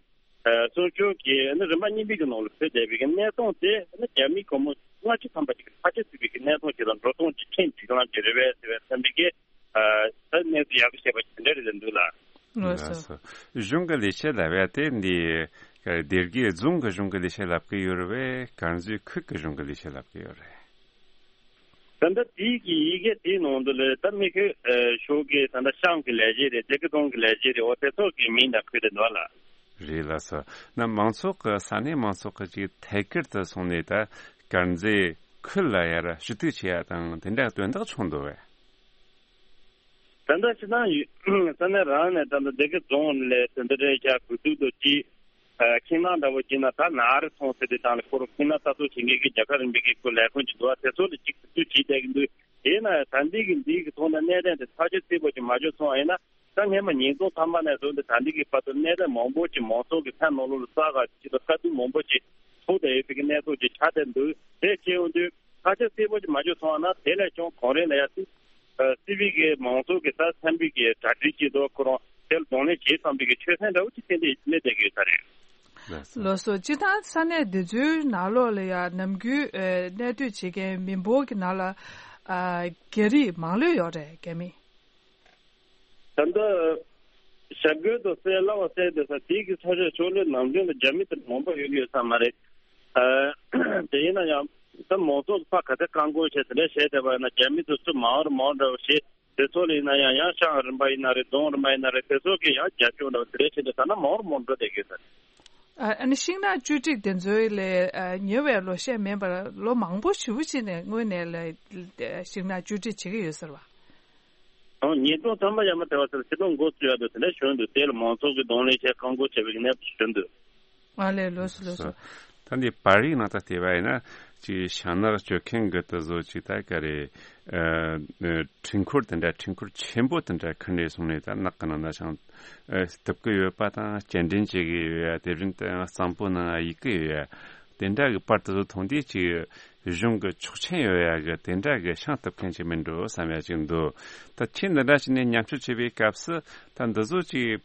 གསུང་ཆོས་ཀྱི་ནི་རིམ་པ་གཉིས་པའི་གི་ནང་ལ་ཕེབས་བསྡད་པའི་གི་གནས་སྟངས་དེ་ནི་རྒྱ་མིའི་སྒོར་མོ་ལྔ་བཅུ་ཐམ་པ་ཅིག་ཕལ་ཆེར་སྲིད་པའི་གི་གནས་སྟངས་ཅིག་དང་འགྲོ་སྟངས་ཀྱི་ཁྲིམས་སྒྲིག་ལམ་གྱི་རེ་བས་ཟེར་བའི་བསམ་པའི་གི་ད་གནས་ཚུལ་ཡག་པོ་བཤད་པ་དེ་འདྲ་རེད་འདུག་ལ། ལགས་སོ། གཞུང་གི་ལས་བྱེད་ལབ་ཡ་དེ་འདི་སྡེ་དགེ་རྫོང་གི་གཞུང་གི་ལས་བྱེད་ལབ་གི་ཡོད་རེད་པས། དཀར་མཛེས་ཁུལ་གྱི་གཞུང་གི་ལས་བྱེད་ལབ་གི་ཡོད་རེད། ད་ལྟ་དེའི་གི་ཡི་གེ་དེའི་ནང་དུ་ལས་ད་མི་ཁོས་ཤོག་གི་ད་ལྟ་ཤང་གི་ལས་བྱེད་རེད། སྡེ་དགེ་རྫོང་གི་ལས་བྱེད་རེད། འོ་དེ་ཚོ་གི་མིང་དང་ཁོས་དེ་འདུག་ལ། རེད་ལགས་སོ། ན་མང་ཚོགས་ཀྱི་ས་གནས་མང་ཚོགས་ཀྱི་ཅིག་ཐད་ཀར་དུ་སོང་ནས་ད་དཀར་མཛེས་ཁུལ་ལ་ཡར་ཞུ་གཏུག་བྱེད་ཡ་དང་དེ་འདྲ་དོན་དག་བྱུང་འདུག་བས། ད་ལྟ་སྤྱི་བཏང་ཡུལ་ས་གནས་རང་ནས་ད་ལྟ་སྡེ་དགེ་རྫོང་ལས་དེ་འདྲ་རེད་ཤག་གུ་དུ་དུ་ཅི་ཁྱིམ་ནང་འདྲ་བོ་ཅི་ན་ད་ན་རེ་སོང་ཟེར་དེ་དང་ལས་ཁོ་རང་ཁྱིམ་ནང་ལྟ་རྟོག་བྱེད་མཁན་གྱི་རྒྱ་གར་རིམ་པའི་གི་ཁོ་ལས་ཁུངས་ཅིག་འདུག་བ། དེ་ཚོ་ལ་ཅིག་གུ་དུ་ཅི་བསྡད་ཀྱི་འདུག་དེས་ན་ད་འདི་གི་འདི་གི་ཐོག་ནས་གནད་དོན་དེ་ཐག་གཅོད་རྩིས་པོ་ཅིག་མ་བྱུང་སོང་བ་ཡིན་ན། ད་སྔས་མ་ཉིས་སྟོང་ཐམ་པ་ནས་བཟུང་སྟེ་ད་འདི་གི་བར་དུ་གནད་དོན་མང་པོ་ཅིག་མང་ཚོགས་ཀྱི་ཕན་ནང་ལོགས་ལ་ས་ག་ཅིག་དང་དཀའ་སྡུག་མང་པོ་ཅིག་ཐུག་བསྡད་ཡོད་པའི་གི་གནས་ཚུལ་ཅིག་ཆགས་བསྡད་འདུག་དེ་བྱས་ཡོང་དུས་ཁ་ཆ་གསལ་པོ་ཅིག་མ་བྱུང་སོང་བ་ན་དེ་ལས་ཀྱང་གོང་རིམ་ལ་ཡ་སྲིད་སྲིད་པའི་གི་མང་ཚོགས་ཀྱི་ད་འཚམ་པའི་གི་གྲ་སྒྲིག་ཅིག་འདུག་ཁོ་རང་དེ་ལ་གདོང་ལེན་བྱེད་བསམ་པའི་གི་ཆོད་སེམས་འདྲ་བོ་ཅིག་ཏན་ཏན་གནས་བསྡད་ཀྱི་ཡོད་ས་རེད། ལགས་སོ། ལགས་སོ། སྤྱིར་བཏང་ས་གནས་འདི་ཚོའི་ནང་ལོགས་ལ་ཡ་ནམ་རྒྱུན་ཨ་གནས་སྡོད་བྱེད་མཁན་མི་འབོར་གྱི་ནང་ལ་ཨ་རྒྱ་རིགས་མང་ལོས་ཡོད་རེད། རྒྱ་མི། ད་ལྟ་ཞབས་རྒྱུན་དུ་གསལ་སླ་བ་གསལ་བསྡད་ས་དེའི་གི་ས་ཆ་ཕྱོགས་ལས་ནམ་རྒྱུན་ལ་རྒྱ་མི་དེ་མང་པོ་ཡོད་ཡོད་ས་མ་རེད། ཨ་དེ་ཡིན་ན་ཡང་ད་མང་ཚོགས་ཀྱི་ཕ་ག་ཚད་བཀག་འགོག་བྱས་དེ་འདྲ་བྱས་བསྡད་པ་ཡིན་ན་རྒྱ་མི་དེ་ཚོ་མང་རུ་མང་འདྲ་བོ་ཞིག་དེ་ཚོ་ལ་ཡིན་ན་ཡང་ཡང་ཤང་རིམ་པ་ཡིན་ན་རེད། རྫོང་རིམ་པ་ཡིན་ན་རེད། དེ་ཚོ་གི་ཡང་རྒྱབ་སྐྱོར་འདྲ་བོ་དེ་འདྲ་བྱས་ཏེ་ད་ན་མང་རུ་མང་འགྲོ་བསྡད་ཀྱི་ཡོད་ས་རེད། ཨ་ནི་ཤིང་ནགས་བཅོས་སྒྲིག་དེ་ཚོའི་ལས་ཉེ་བའི་ལོ་ཤས་མིན་པར་ལོ་མང་པོ་ཞེ་པོ་ཅིག་ནས་སྔོན་ནས་ལས་ཤིང་ནགས་བཅོས་སྒྲིག་བྱེད་ཀྱི་ཡོད་ཟེར་བ། ཨོ་ཉིས་སྟོང་ཐམ་པ་ཡར་མར་དེ་བ་ཟེར་ཆེད་དོན་འགོ་བཙུགས་ཡག་དེ་དེ་འདྲ་བྱུང་འདུག་དེ་ལ་མང་ཚོགས་ཀྱི་གདོང་ལེན་བྱས་བཀག་འགོག་བྱས་པའི་གནས་བབ་བྱུང་འདུག་ཨ་ལས་ལོས་སོ་ལོས་སོ། ད་འདི་པར་རིས་ནང་ད་བལྟས་པ་ཡིན་ན་ཅིག་ཤིང་ནགས་གཅོད་མཁན་གྱི་དེ་ཚོ་ཅིག་ད་ག་རེ་ཨ་འཕྲུལ་འཁོར་དེ་འདྲ་འཕྲུལ་འཁོར་ཆེན་པོ་དེ་འདྲ་ཁུར་ནས་སོང་ནས་ད་ནགས་ཀྱི་ནང་ན་ཤིང་ཨ་གཏུབ་ཀྱི་ཡོད་པ་དང་སྐྱེལ་འདྲེན་བྱེད་ཀྱི་ཡོད་ཡ། དེ་བཞིན་དུ་གཙང་པོ་ནང་གཡུག་གི་ཡོད་ཡ། དེ་འདྲ་གི་པར་དེ་ཚོ་མཐོང་དུས་ཅིག་གཞུང་གི་ཆོག་མཆན་ཡོད་ཡ་གི་དེ་འདྲ་གི་ཤིང་གཏུབ་མཁན་ཅིག་མིན་འགྲོ་བསམ་ཡ་ཅིག་འདུག་ད་ཁྱེད་འདི་འདྲ་ཞིག་ནས་མཉམ་ཞུགས་བྱེད་པའི་སྐབས་སུ་ད་འདི་ཚོ་ཅིག་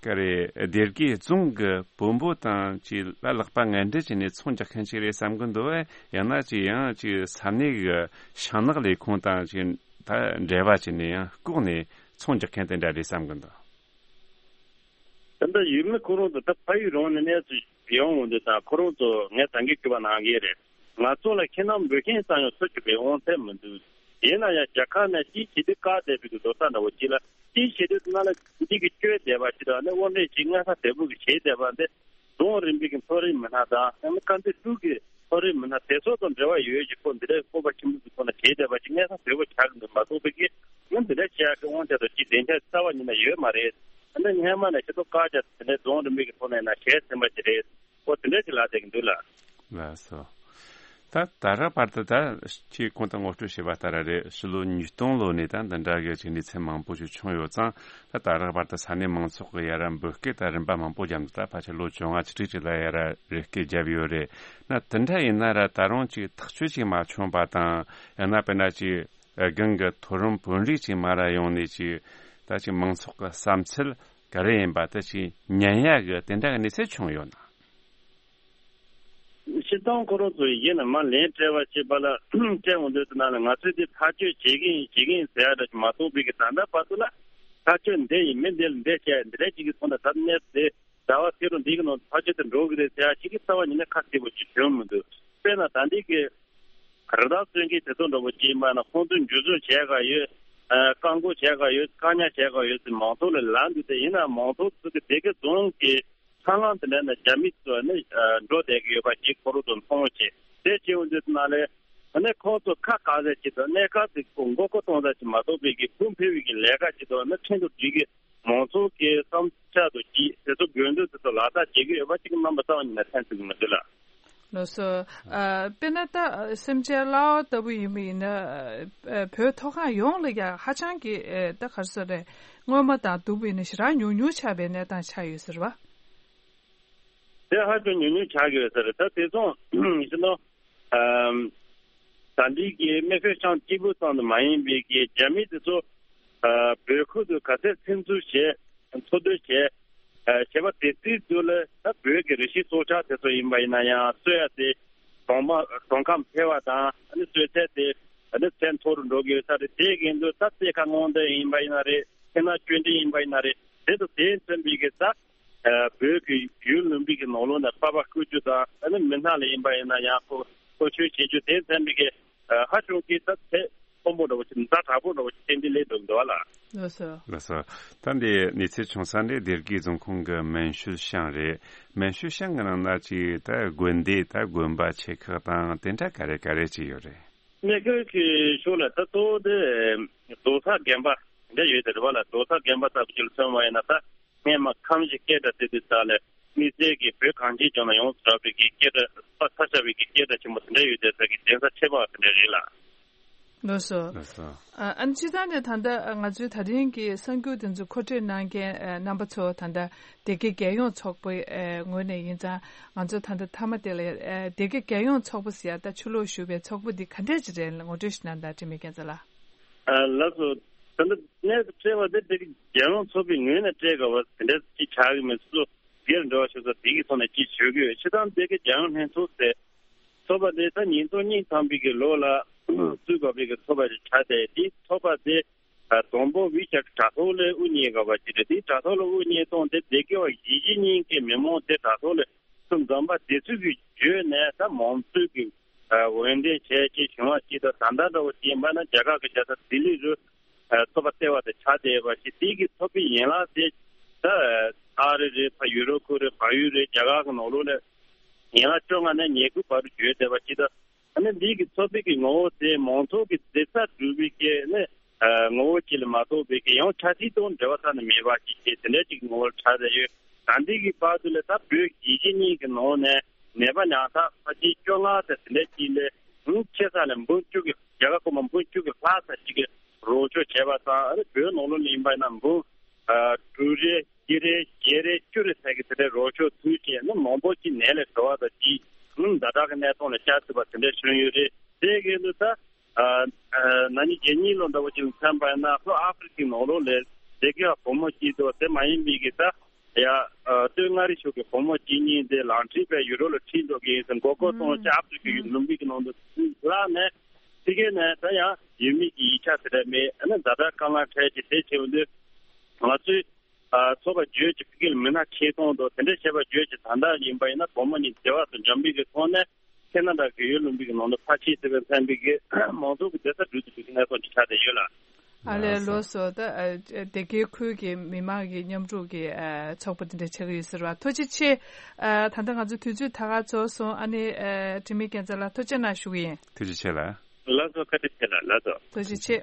ག་རེ་སྡེ་དགེ་རྫོང་གི་བོན་པོ་དང་ཅིག་ལ་ལག་པ་ངན་འབྲེལ་བྱས་ནས་ཚོང་རྒྱག་མཁན་ཅིག་རེད་བསམ་གི་འདུག་བས། ཡང་ན་ཅིག་ཡང་ཅིག་ས་གནས་གི་ཤིང་ནགས་ལས་ཁུངས་དང་ཅིག་ད་འབྲེལ་བ་བྱས་ནས་ཡང་ལྐོག་ནས་ཚོང་རྒྱག་མཁན་དེ་འདྲ་རེད་བསམ་གི་འདུག་ད་ལྟ་ཡུལ་མི་ཁོ་རང་ཚོ་ད་ཕ་ཡུལ་རང་ནས་གནས་སུ་ཡོང་འོང་དུས་དང་ཁོ་རང་ཚོ་ངས་ད་གིན་སྐྱོ་བ་གནང་གི་རེད། ང་ཚོ་ལ་ཁྱིམ་ནང་འབོད་མཁན་ཙམ་ཡང་འཚོལ་ཐུབ་པའི་དབང་ཚད་མི་འདུག་ཡིན་ན་ཡང་རྒྱལ་ཁབ་ནས་ཅིའི་ཕྱིར་དུ་བཀག་བསྡད་པའི་འདུག་ལོ་ས་འདྲ་བོ་ཅིག་ལ་ཅིའི་ཕྱིར་དུ་ན་ལ་འདི་གི་བཅོས་བསྡད་པ་ཅིག་དང་ནི་དབོར་འདྲེན་ཅིག་སྔ་ས་དལ་བུ་གི་བྱས་བསྡད་པ་འདི་རྫོང་རིམ་པའི་གི་མཐོ་རིམ་མི་སྣ་དང་ཡང་ན་དཀར་མཛེས་ཁུལ་གི་མཐོ་རིམ་མི་སྣ་དེ་ཚོ་དང་འབྲེལ་བ་ཡོད་ཅིག་ཁོ་འདི་འདྲའི་སྤོབས་པ་ཆེན་པོ་གི་ཐོག་ནས་བྱས་བསྡད་པ་ཅིག་སྔ་ས་དལ་བུ་ཆགས་གི་འདུག་མ་གཏོགས་པའི་གི་ང་འདི་འདྲ་བྱེད་ཡག་གི་དབང་ཆ་དང་ཅིག་སྡིངས་ཆ་རྩ་བ་ཉིད་ནས་ཡོད་མ་རེད། ཨ་ནི་སྔན་མ་ནས་ཤེས་རྟོགས་བཀག་རྒྱ་དེ་འདྲའི་རྫོང་རིམ་པའི་གི་ཐོག་ནས་ན་བྱས་ཟིན་པ་ཅིག་རེད། ཨོ་དེ་འདྲ་ཅིག་ལབ་བསྡད་ཀྱི་འདུག་ལ། ལགས་སོ། ད་ད་རག་བར་དུ་ད་ཅིག་གོང་དུ་ངོ་སྤྲོད་བྱས་པ་ལྟར་རེད། ཕྱི་ལོ་ཉིས་སྟོང་ལོ་ནས་ད་འདི་འདྲ་གི་ཅིག་གནས་ཚུལ་མང་པོ་ཞིག་བྱུང་ཡོད་ཙང་། ད་ད་རག་བར་དུ་ས་གནས་མང་ཚོགས་ཀྱི་ཡ་ར་འབོད་སྐུལ་ད་རིམ་པ་མང་པོ་བརྒྱབ་འདུག་ད་ཕལ་ཆེར་ལོ་བཅོ་ལྔ་ཅིག་ཁྲི་ཁྲི་ལ་ཡ་ར་རེ་སྐུལ་བརྒྱབ་ཡོད་རེད། ན་དེ་འདྲ་ཡིན་ན་ར་ད་རུང་ཅིག་ཐག་གཅོད་ཅིག་མ་བྱུང་བ་དང་། ཡང་ན་དཔེར་ན་ཅིག་སྒང་གི་མཐོ་རིམ་དཔོན་རིགས་ཅིག་མ་ར་ཡོང་ནས་ཅིག་ད་ཅིག་མང་ཚོགས་ཀྱི་བསམ་ཚུལ་ག་རེ་ཡིན་པ་དེ་ཅིག་ཉན་ཡ་གི་དེ་འདྲ་གི་གནས་ཚུལ་བྱུང་ཡོད་ན། སྤྱིར་བཏང་ཁོ་རང་ཚོ་ཡིན་ན་མ་ལན་སྤྲད་པ་བྱེད་པ་ལ་སྤྲད་འོང་དུས་ཙམ་ན་ལ་ང་ཚོས་དེ་ཐག་གཅོད་བྱེད་ཀྱི་ཡིན་བྱེད་ཀྱི་ཡིན་ཟེར་ཡ་འདྲ་ཞིག་མ་གཏོགས་པའི་གི་ད་ལྟ་བར་དུ་ལ་ཐག་གཅོད་འདི་ཡིན་མི་འདི་ལ་འདི་བྱས་འདི་འདྲ་ཅིག་གི་ཐོག་ནས་ད་གནས་ཚུལ་ཟླ་བ་ཕྱི་རུ་འདི་གི་ནང་ཐག་གཅོད་དུ་འགྲོ་གི་རེད་ཟེར་ཡ་ཞིག་གི་རྩ་བ་ཉིད་ནས་ཁ་གསལ་པོ་ཞིག་བྱུང་མི་འདུག་དཔེར་ན་ད་འདི་གི་རི་དྭགས་གསོད་མཁན་དེ་ཚོ་འདྲ་པོ་ཅིག་ཡིན་པ་ན་ཁོང་ཚོས་འཇུ་བཟུང་བྱས་ག་ཡོད། ཨ་བཀག་འགོག་བྱས་ག་ཡོད། བཀག་ཉར་བྱས་ག་ཡོད་ཟེར་མང་ཚོགས་ལ་ལབ་འདུག་དེ་ཡིན་ན་མང་ཚོགས་ཚོ་གི་སྡེ་དགེ་རྫོང་གི་ཚང་ལམ་དེ་འདྲ་ན་རྒྱ་མི་ཚོ་ནི་འགྲོ་བསྡད་ཀྱི་ཡོད་པ་ཞིག་ཁོ་རང་ཚོ་མཐོང་བྱས། དེ་བྱས་འོང་དུས་ཙམ་ལ་ཨ་ནི་ཁོང་ཚོ་ཁ་བཀག་ས་ཅིག་དང་གནས་སྐབས་དེ་མགོ་སྐོར་གཏོང་ས་ཅིག་མ་གཏོགས་པའི་གི་བུ་འཕེར་བའི་གི་ལས་ཀ་ཅིག་དང་ནི་ཁྲིན་ཏུ་སྒྲིག་གི་མང་ཚོགས་ཀྱི་བསམ་འཆར་དང་གཅིག་དེ་ཚོ་དགོས་འདུན་དེ་ཚོ་ལག་བསྟར་བྱེད་ཀྱི་ཡོད་པ་ཅིག་རྣམ་པ་རྩ་བ་ཉིད་ནས་ཐོན་ཐུབ་ཀྱི་མི་འདུག་ལ། ལགས་སོ། ཨ་དཔེར་ན་ད་སེམས་ཅན་གླ་བ་ལྟ་བུ་ཡིན་པ་ཡིན་ན་ཨ་བོད་མཐོ་སྒང་ཡོངས་ལ་ཡ་ཧ་ཅང་གི་ཨ་ད་ག་རེ་ཟེར་རེད། སྔོན་མ་དང་བསྡུར་བ་ཡིན་ན་ཞེ་དྲག་ཉུང་ཉུང་ཆགས་པའི་གནས་སྟངས་ཆགས་ཡོད་ཟེར་བ། དེ་ཧ་ཅང་ཉུང་ཉུང་ཆགས་ཀྱི་ཡོད་ས་རེད། ད་དེ་ཚོ་ཡིན་ན་ཨམ་ད་འདི་གི་མེ་ཤོད་ཤང་གཅིག་པུ་ཙམ་དུ་མ་ཡིན་པའི་གི་རྒྱ་མི་དེ་ཚོ་ཨ་བོད་ཁུལ་དུ་ག་ཚད་ཚིག་འཛུགས་བྱས། འཚོ་སྡོད་བྱས། ཨ་བྱས་པ་དེ་དུས་ཚོད་ལ་ད་བོད་ཀྱི་རི་ཤིང་སྲོག་ཆགས་དེ་ཚོ་ཡིན་པ་ཡིན་ན་ཡང་གསོད་ཡ་དེ་གྲོང་པ་གྲོང་ཁྱེར་འཕེལ་བ་དང་ཨ་ནི་གསོད་ཚད་དེ་ཨ་ནི་ཚད་མཐོ་རུ་འགྲོ་གི་ཡོད་ས་རེད། དེ་གི་འདུག་ད་རྩེ་ཁ་སྔོན་འདི་ཡིན་པ་ཡིན་ན་རེད། ཁྱེད་ན་ཆོས་འབྲེལ་ཡིན་པ་ཡིན་ན་རེད། དེ་ཚོ་དེ་མཚོན་པའི་གི་ད་ཨ་བོད་ཀྱི་ཡུལ་ལུང་པའི་གི་ནང་ལོགས་ནས་པ་པ་བཀོད་རྒྱུ་དང་ཨ་ནི་མི་སྣ་ལ་ཡིན་པ་ཡིན་ན་ཡང་ཁོ་ཁོ་ཆོས་བྱེད་རྒྱུ་དེ་མཚོན་པའི་གི་ཨ་ཧ་ཅང་གི་ད་ཚད་མཐོན་པོ་འདྲ་བོ་ཞིག་ཛ་དྲག་པོ་འདྲ་བོ་ཞིག་ཏན་ཏན་སླེབས་འདུག་འདུག་བ་ལ། ལགས་སོ། ལགས་སོ། ད་འདི་གནས་ཚུལ་བྱུང་ས་འདི་སྡེ་དགེ་རྫོང་ཁོངས་ཀྱི་མན་ཤུལ་ཤང་རེད། མན་ཤུལ་ཤང་གི་ནང་ན་ཅིག་ད་དགོན་སྡེ་ད་དགོན་པ་ཆེ་ཁག་དང་དེ་འདྲ་ག་རེ་ག་རེ་ཅིག་ཡོད་རེད། གནས་སྐབས་ཀྱི་ཕྱོགས་ལ་ད་གཙོ་བོ་དེ་རྡོ་གསར་དགོན་པ་འདྲ་ཡོད་དེ་རེད་བ་ལ། རྡོ་གསར་དགོན་པ་ལྟ་བུ་ཅིག་ལ་མཚོན་པ་ཡིན་ན་ད། སྔས་མ་ཁམས་བཞི་སྐད་གྲགས་ཟེར་དུས་ཙམ་ལ་དམིགས་བསལ་གྱི་བོད་གངས་ཅན་ལྗོངས་ལ་ཡོངས་སུ་གྲགས་པའི་གི་སྐད་གྲགས་དཔའ་མཐའ་ཤར་བའི་གི་སྐད་གྲགས་ཆེན་པོ་དེ་འདྲ་ཡོད་དེ་ས་གི་གདན་ས་ཆེ་བ་དེ་འདྲ་རེད་ལ། ལགས་སོ། ལགས་སོ། ཨ་ཨ་ནི་སྤྱིར་བཏང་ནས་ད་ལྟ་ང་ཚོའི་ད་ཐེངས་ཀྱི་གསར་འགྱུར་དེ་ཚོ་མཁོ་སྤྲོད་གནང་མཁན་ཨ་རྣམ་པ་ཚོ་ད་ལྟ་སྡེ་དགེ་རྒྱལ་ཡོངས་ཚོགས་པའི་ཨ་ངོས་ནས་ཡིན་ཙང་ང་ཚོ་ད་ལྟ་མཐའ་མ་དེ་ལ་ཨ་སྡེ་དགེ་རྒྱལ་ཡོངས་ཚོགས་པ་ཟེར་ཡ་ད་ཕྱི་ལོགས་བཞུགས་པའི་ཚོགས་པ་འདི་ག་འདྲས་ཅིག་རེད་ལ་ངོ་སྤྲོད་ཞིག་གནང་དང་དྲི་མེད་རྒྱལ་མཚན་ལགས། ཨ་ལགས་སོ། ད་ལྟ་གནས་སུ་སྤྲད་པ་དེ་སྡེ་དགེ་རྒྱལ་ཡོངས་ཚོགས་པའི་ངོས་ནས་སྤྲད་དགོས་པ་དེ་འདྲ་ཅིག་ཆགས་ཀྱི་མེད། སོ་སོ་སྒེར་འབྲེལ་བ་ཞུ་ས་དེ་གི་ཐོག་ནས་ཅིག་ཞུ་གི་ཡོད། སྤྱིར་བཏང་སྡེ་དགེ་རྒྱལ་ཡོངས་ལྷན་ཚོགས་ཟེར་ཚོགས་པ་དེ་ད་ཉིས་སྟོང་གཉིས་ཐམ་པའི་གི་ལོ་ལ་བཙུགས་དགོས་པའི་གི་ཚོགས་པ་ཞིག་ཆགས་ཏེ། དེའི་ཚོགས་པ་དེ་དང་པོ་ཝི་ཤ་དྲ་ཐོག་ལ་དབུ་བརྙེས་དགོས་པ་ཅིག་རེད། དེའི་དྲ་ཐོག་ལ་དབུ་བརྙེས་སྟངས་དེ་སྡེ་དགེ་བ་གཞིས་བྱེས་གཉིས་ཀྱི་མི་མང་དེ་དྲ་ཐོག་ལ་ཚུར་འཛོམས་པ་དེ་ཚོ་གི་བརྒྱུད་ནས་ད་མང་གཙོའི་གི་འོས་འདེམས་བྱས་ཅིག་བྱུང་བ་ཅིག་དང་། ད་ལྟ་འདྲ་བོ་ཅིག་ཡིན་པ་ན་རྒྱ་གར་གི་རྒྱལ་ས་ལྡི་ལི་རུ་ཚོགས་པ་ལྟེ་བ་དེ་ཆགས་བསྡད་ཡོད་པ་ཞིག་དེའི་གི་ཚོགས་པའི་ཡན་ལག་དེ་ད་ཨ་རི་རེད། ཕ་ཡུ་རོབ་ཁུལ་རེད། བལ་ཡུལ་རེད། རྒྱ་གར་གི་ནང་ལོགས་ལ་ཡན་ལག་བཅོ་ལྔ་ནས་ཉེར་དགུ་བར་དུ་བརྗོད་བསྡད་པ་ཅིག་དང་། ཨ་ནི་འདི་གི་ཚོགས་པའི་གི་ངོ་བོ་དེ་མང་ཚོགས་ཀྱི་མཛེས་རྩལ་སྒྲུབ་པའི་གི་ནི་ཨ་ངོ་བོ་ཅིག་ལ་མ་གཏོགས་པའི་གི་ཡང་ཆ་སྲིད་དང་འབྲེལ་བ་རྩ་ནས་མེད་པ་ཞིག་བྱས། དེ་འདྲ་ཅིག་ངོ་བོར་ཆགས་བསྡད་ཡོད། ད་འདི་གི་བར་དུ་ལ་ད་བོད་གཞིས་བྱེས་གཉིས་ཀྱི་ནང་ནས་ནད་པ་ཉག་ཕྲ་ཕལ་ཆེར་བཅོ་ལྔ་དང་དེ་འདྲ་ཅིག་ལས་ཆེ་ས་ལ་འབུམ་བཅུ་གི་རྒྱ་གར་སྐོར་མ་འབུམ་བཅུ་གི་ལྷག་ཙམ་ཞིག་གི་རོགས་སྐྱོར་བྱས་པ་དང་། ཨ་ནི་བོད་ནང་ལོགས་ལ་ཡིན་པ་ཡིན་ན་འབུམ་ཨ་དྲུག་རེ་བཞི་རེ་བརྒྱད་རེ་བཅུ་རེ་ཙམ་གྱི་དེ་འདྲའི་རོགས་སྐྱོར་ཚུལ་བྱས་ན་མང་པོ་ཅིག་ནད་ལས་གྲོལ་བ་དང་ཅིག་ཨང་ཛ་དྲག་གི་གནས་སྟངས་ལ་བཅར་ཐུབ་པ་དེ་འདྲ་བྱུང་ཡོད་རེད། དེ་གི་ལུགས་ད་ཨ་ཨ་ན་ནིང་གཞེས་ནིང་ལོ་འདྲ་བོ་ཅིག་ལ་མཚོན་པ་ཡིན་ན་ལྷོ་ཨ་ཧྥི་རི་ཀའི་ནང་ལོགས་ལ་སྡེ་དགེ་བ་བུ་མོ་གཅིག་འདུག་དེ་མ་ཡིན་པའི་གི་ད་ཡ་ཨ་སྟོད་མངའ་རིས་ཕྱོགས་ཀྱི་བུ་མོ་གཅིག་གཉིས་དེ་ལག་འཁྲིད་པའི་ཡུ་རོབ་ལ་ཁྲིད་འགྲོ་གི་ཡིན་ཟེར་མགོ་སྐོར་གཏོང་བྱས་ཨ་ཧྥི་རི་ཀའི་ཡུལ་ལུང་པའི་གི་ནང་དུ་བརླགས་ནས་དེ་གས་ནས་ད་ཡང་ཡུལ་མི་གི་ཡིག་ཆ་དེ་འདྲ་མེད། ཨ་ནི་ཛ་དྲག་དཀའ་ངལ་འཕྲད་ཀྱི་དེ་བྱེད་འདོད་ང་ཚོས། ཨ་ཚོགས་པ་བརྗོད་ཀྱི་ཕ་གི་ལ་མི་སྣ་ཆེད་གཏོང་དང་དེ་འདྲ་བྱས་པ་བརྗོད་ཀྱི་ད་ལྟ་ཡིན་པ་ཡིན་ན་བུ་མོ་གཉིས་འབྲེལ་བ་དང་འཇམ་པའི་གི་ཐོག་ནས་ཁེ་ན་ཌ་གི་ཡུལ་ལུང་པའི་གི་ནང་དུ་ཕར་ཕྱིན་བྱས་པའི་ཕན་པའི་གི་མང་ཚོགས་ཀྱི་བདེ་རྩ་སྒྲུབ་ཐུབ་པའི་གི་གནས་སྟངས་ཅིག་ཆགས་བསྡད་ཡོད་ལ། ཨ་ལས། ལགས་སོ། ལགས་སོ། ད་ཨ་སྡེ་དགེ་ཁུལ་གྱི་མི་མང་གི་མཉམ་རུབ་ཀྱི་ཨ་ཚོགས་པ་དེ་འདྲ་ཆགས་ཀྱི་ཡོད་ཟེར་བ། ཐུགས་རྗེ་ཆེ། ཨ་ད་ལྟ་ང་ཚོ་དུས་ཚོད་ད་ག་ཚོད་སོང་། ཨ་ནི་ཨ་དྲི་མེད་རྒྱལ་མཚན་ལགས་ཐུགས་རྗེ་གནང་ཞུ་གི་ཡིན། ཐུགས་རྗེ་ཆེ་ལགས། ལགས་སོ། བཀའ་དྲིན་ཆེ་ལགས། ལགས་སོ། ཐུགས་རྗེ་ཆེ།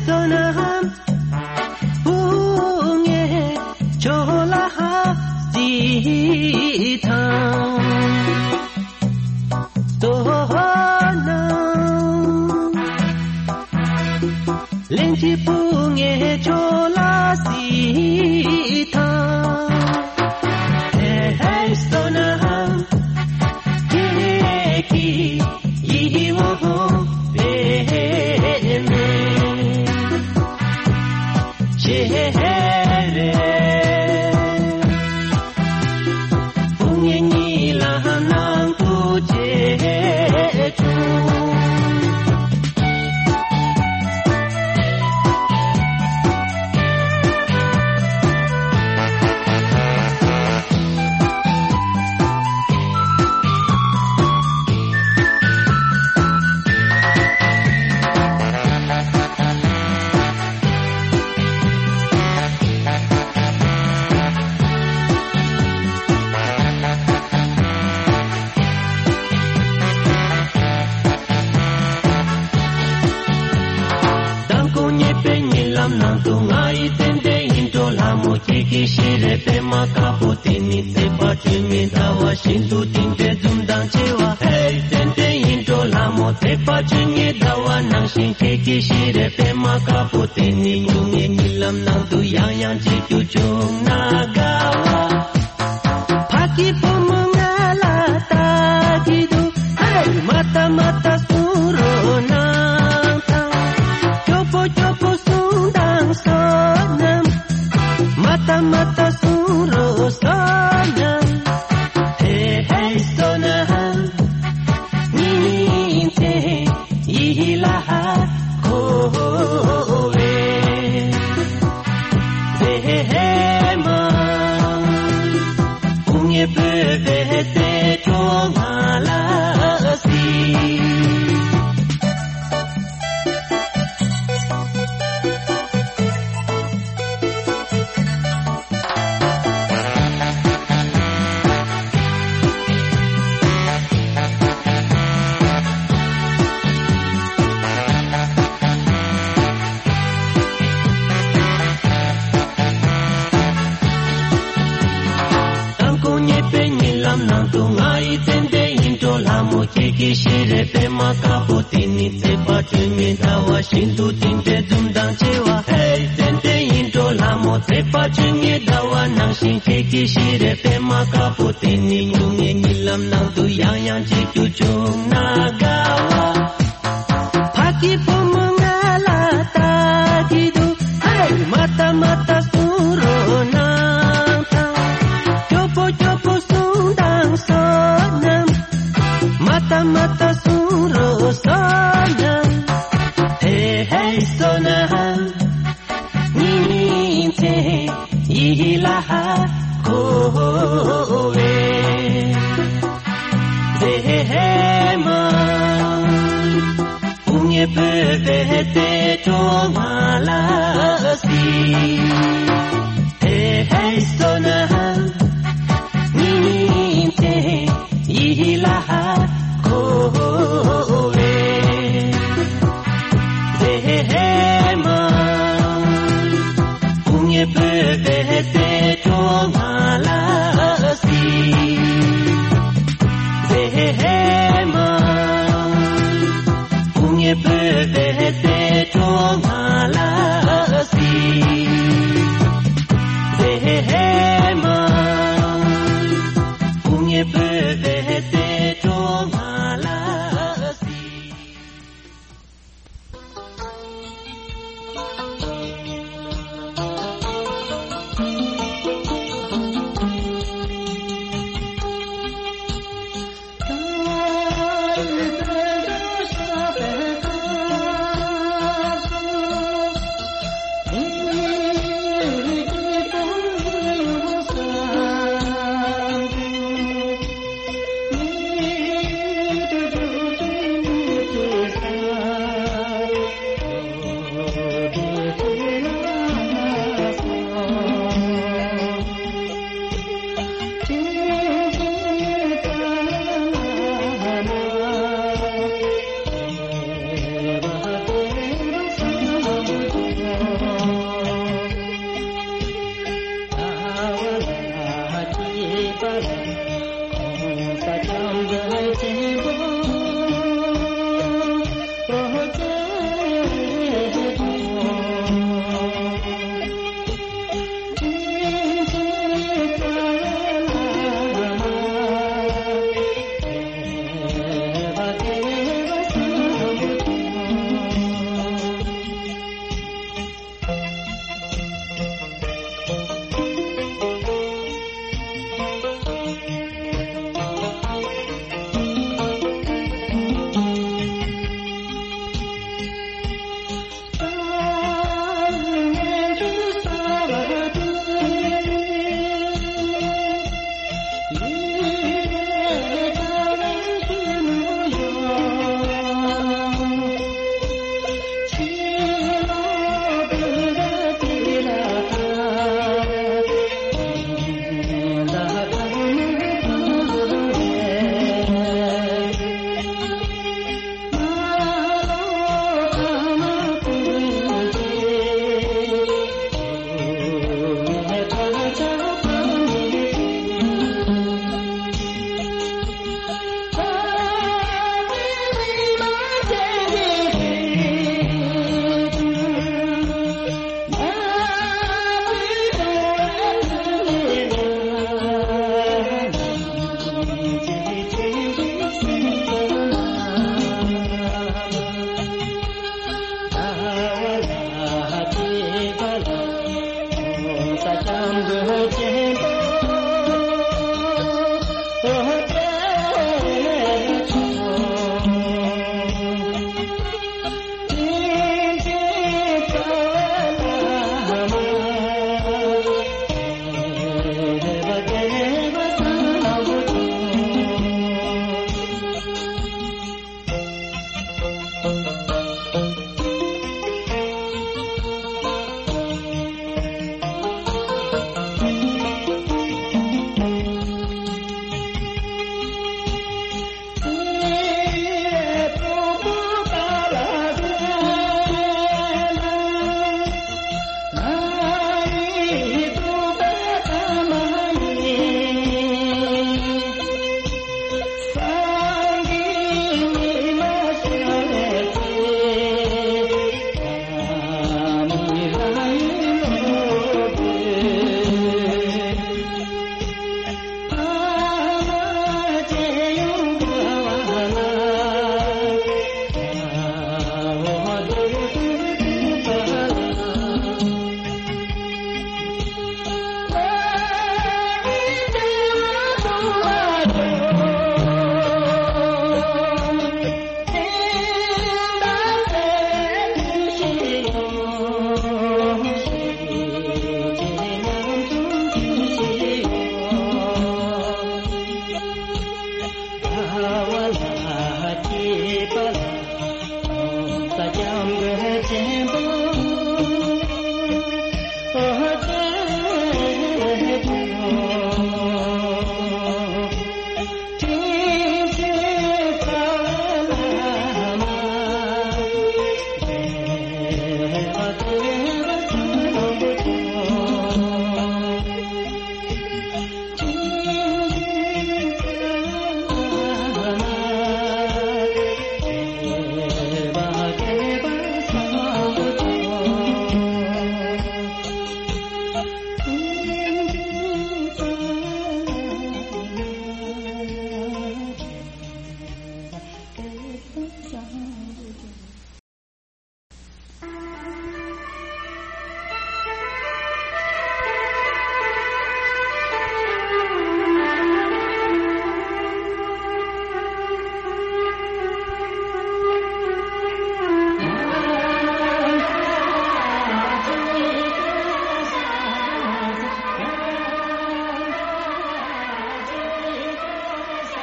བསོད་ནམས་བུ་ངས་ཁྱོད་ལ་ཧ་ཅི་ཐང་། བསོད་ནམས་ལན་གཅིག་བུ་ངས་ཁྱོད་ལ་སི་ཐང་། ཧེ་ཧེ་བསོད་ནམས་ཁྱེད་ཀྱི་ཡིད་འོང་པའི་མེ་ཆེ་རེ། བུ་ངས་གཉིད་ལམ་ནང་དུ་བྱེད་བྱུང་། མདང་དགོང་ཉལ་བའི་གཉིད་ལམ་ནང་དུ་ང་ཡི་ཙན་དན་ཡིད་འཕྲོག་ལྷ་མོ་ཁྱེད་ཀྱི་ཞལ་རས་པད་མ་དཀར་པོ་དེ་ནི་ཚེས་པ་བཅོ་ལྔའི་ཟླ་བ་བཞིན་དུ་དེ་འདྲའི་འཛུམ་མདངས་ཆེ་བ། ཧེ་ཙན་དན་ཡིད་འཕྲོག་ལྷ་མོ། ཚེས་པ་བཅོ་ལྔའི་ཟླ་བ་ནང་བཞིན་ཁྱེད་ཀྱི་ཞལ་རས་པད་མ་དཀར་པོ་དེ་ནི་སྨྱུང་གནས་གཉིད་ལམ་ནང་དུ་ཡང་ཡང་མཇལ་རྒྱུ་བྱུང་ན་དགའ་བ། ཕ་གི་བུ་མོ་ང་ལ་ལྟ་གི་འདུག་ཧེ། མ་ལྟ་མ་ལྟ་གསུང་རོགས་གནང་དང་། སྐྱོ་པོ་སྐྱོ་པོ་གསུང་དང་བསོད་ནམས། མ་ལྟ་མ་ལྟ་གསུང་རོགས་བསོད་ནམས། ཧེ་ཧེ་བསོད་ནམས། ཉིན་མཚན་ཡིད་ལ་འཁོར་བའི་མཛེས་མ། སྐུ་ངལ་བོད་པའི་སྲས་གྲོགས་ང་ལ་སྲིད། མདང་དགོང་ཉལ་བའི་གཉིད་ལམ་ནང་དུ་ང་ཡི་ཙན་དན་ཡིད་འཕྲོག་ལྷ་མོ་ཁྱེད་ཀྱི་ཞལ་རས་པད་མ་དཀར་པོ་དེ་ནི་ཚེས་པ་བཅོ་ལྔའི་ཟླ་བ་བཞིན་དུ་དེ་འདྲའི་འཛུམ་མདངས་ཆེ་བ། ཧེ་ཙན་དན་ཡིད་འཕྲོག་ལྷ་མོ། ཚེས་པ་བཅོ་ལྔའི་ཟླ་བ་ནང་བཞིན་ཁྱེད་ཀྱི་ཞལ་རས་པད་མ་དཀར་པོ་དེ་ནི་སྨྱུང་གནས་གཉིད་ལམ་ནང་དུ་ཡང་ཡང་མཇལ་རྒྱུ་བྱུང་ན་དགའ་བ། ཕ་གི་བུ་མོ་ང་ལ་ལྟ་གི་འདུག་ཧེ། མ་ལྟ་མ་ལྟ་གསུང་རོགས་གནང་དང་། སྐྱོ་པོ་སྐྱོ་པོ་གསུང་དང་བསོད་ནམས། མ་ལྟ་མ་ལྟ་གསུང་རོགས་བསོད་ནམས། ཧེ་ཧེ་བསོད་ནམས། ཉིན་མཚན་ཡིད་ལ་འཁོར་བའི་མཛེས་མ། སྐུ་ངལ་བོད་པའི་སྲས་གྲོགས་ང་ལ་སྲིད། ཧེ་ཧེ་བསོད་ནམས། ཉིན་མཚན་ཡིད་ལ་འཁོར་བའི་མཛེས་མ། སྐུ་ངལ་བོད་པའི་སྲས་གྲོགས་ང་ལ་སྲིད། མཛེས་མ། སྐུ་ངལ་བོད་པའི་སྲས་གྲོགས་ང་ལ་སྲིད།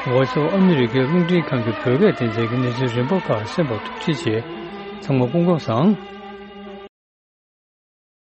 Voice of America རླུང་འཕྲིན་ཁང་གི་བོད་སྐད་སྡེ་ཚན་གྱི་གནས་ཚུལ་རིམ་པ་ཁག་གསན་པར་ཐུགས་རྗེ་ཆེ། ཚང་མ་སྐུ་ཁམས་བཟང་།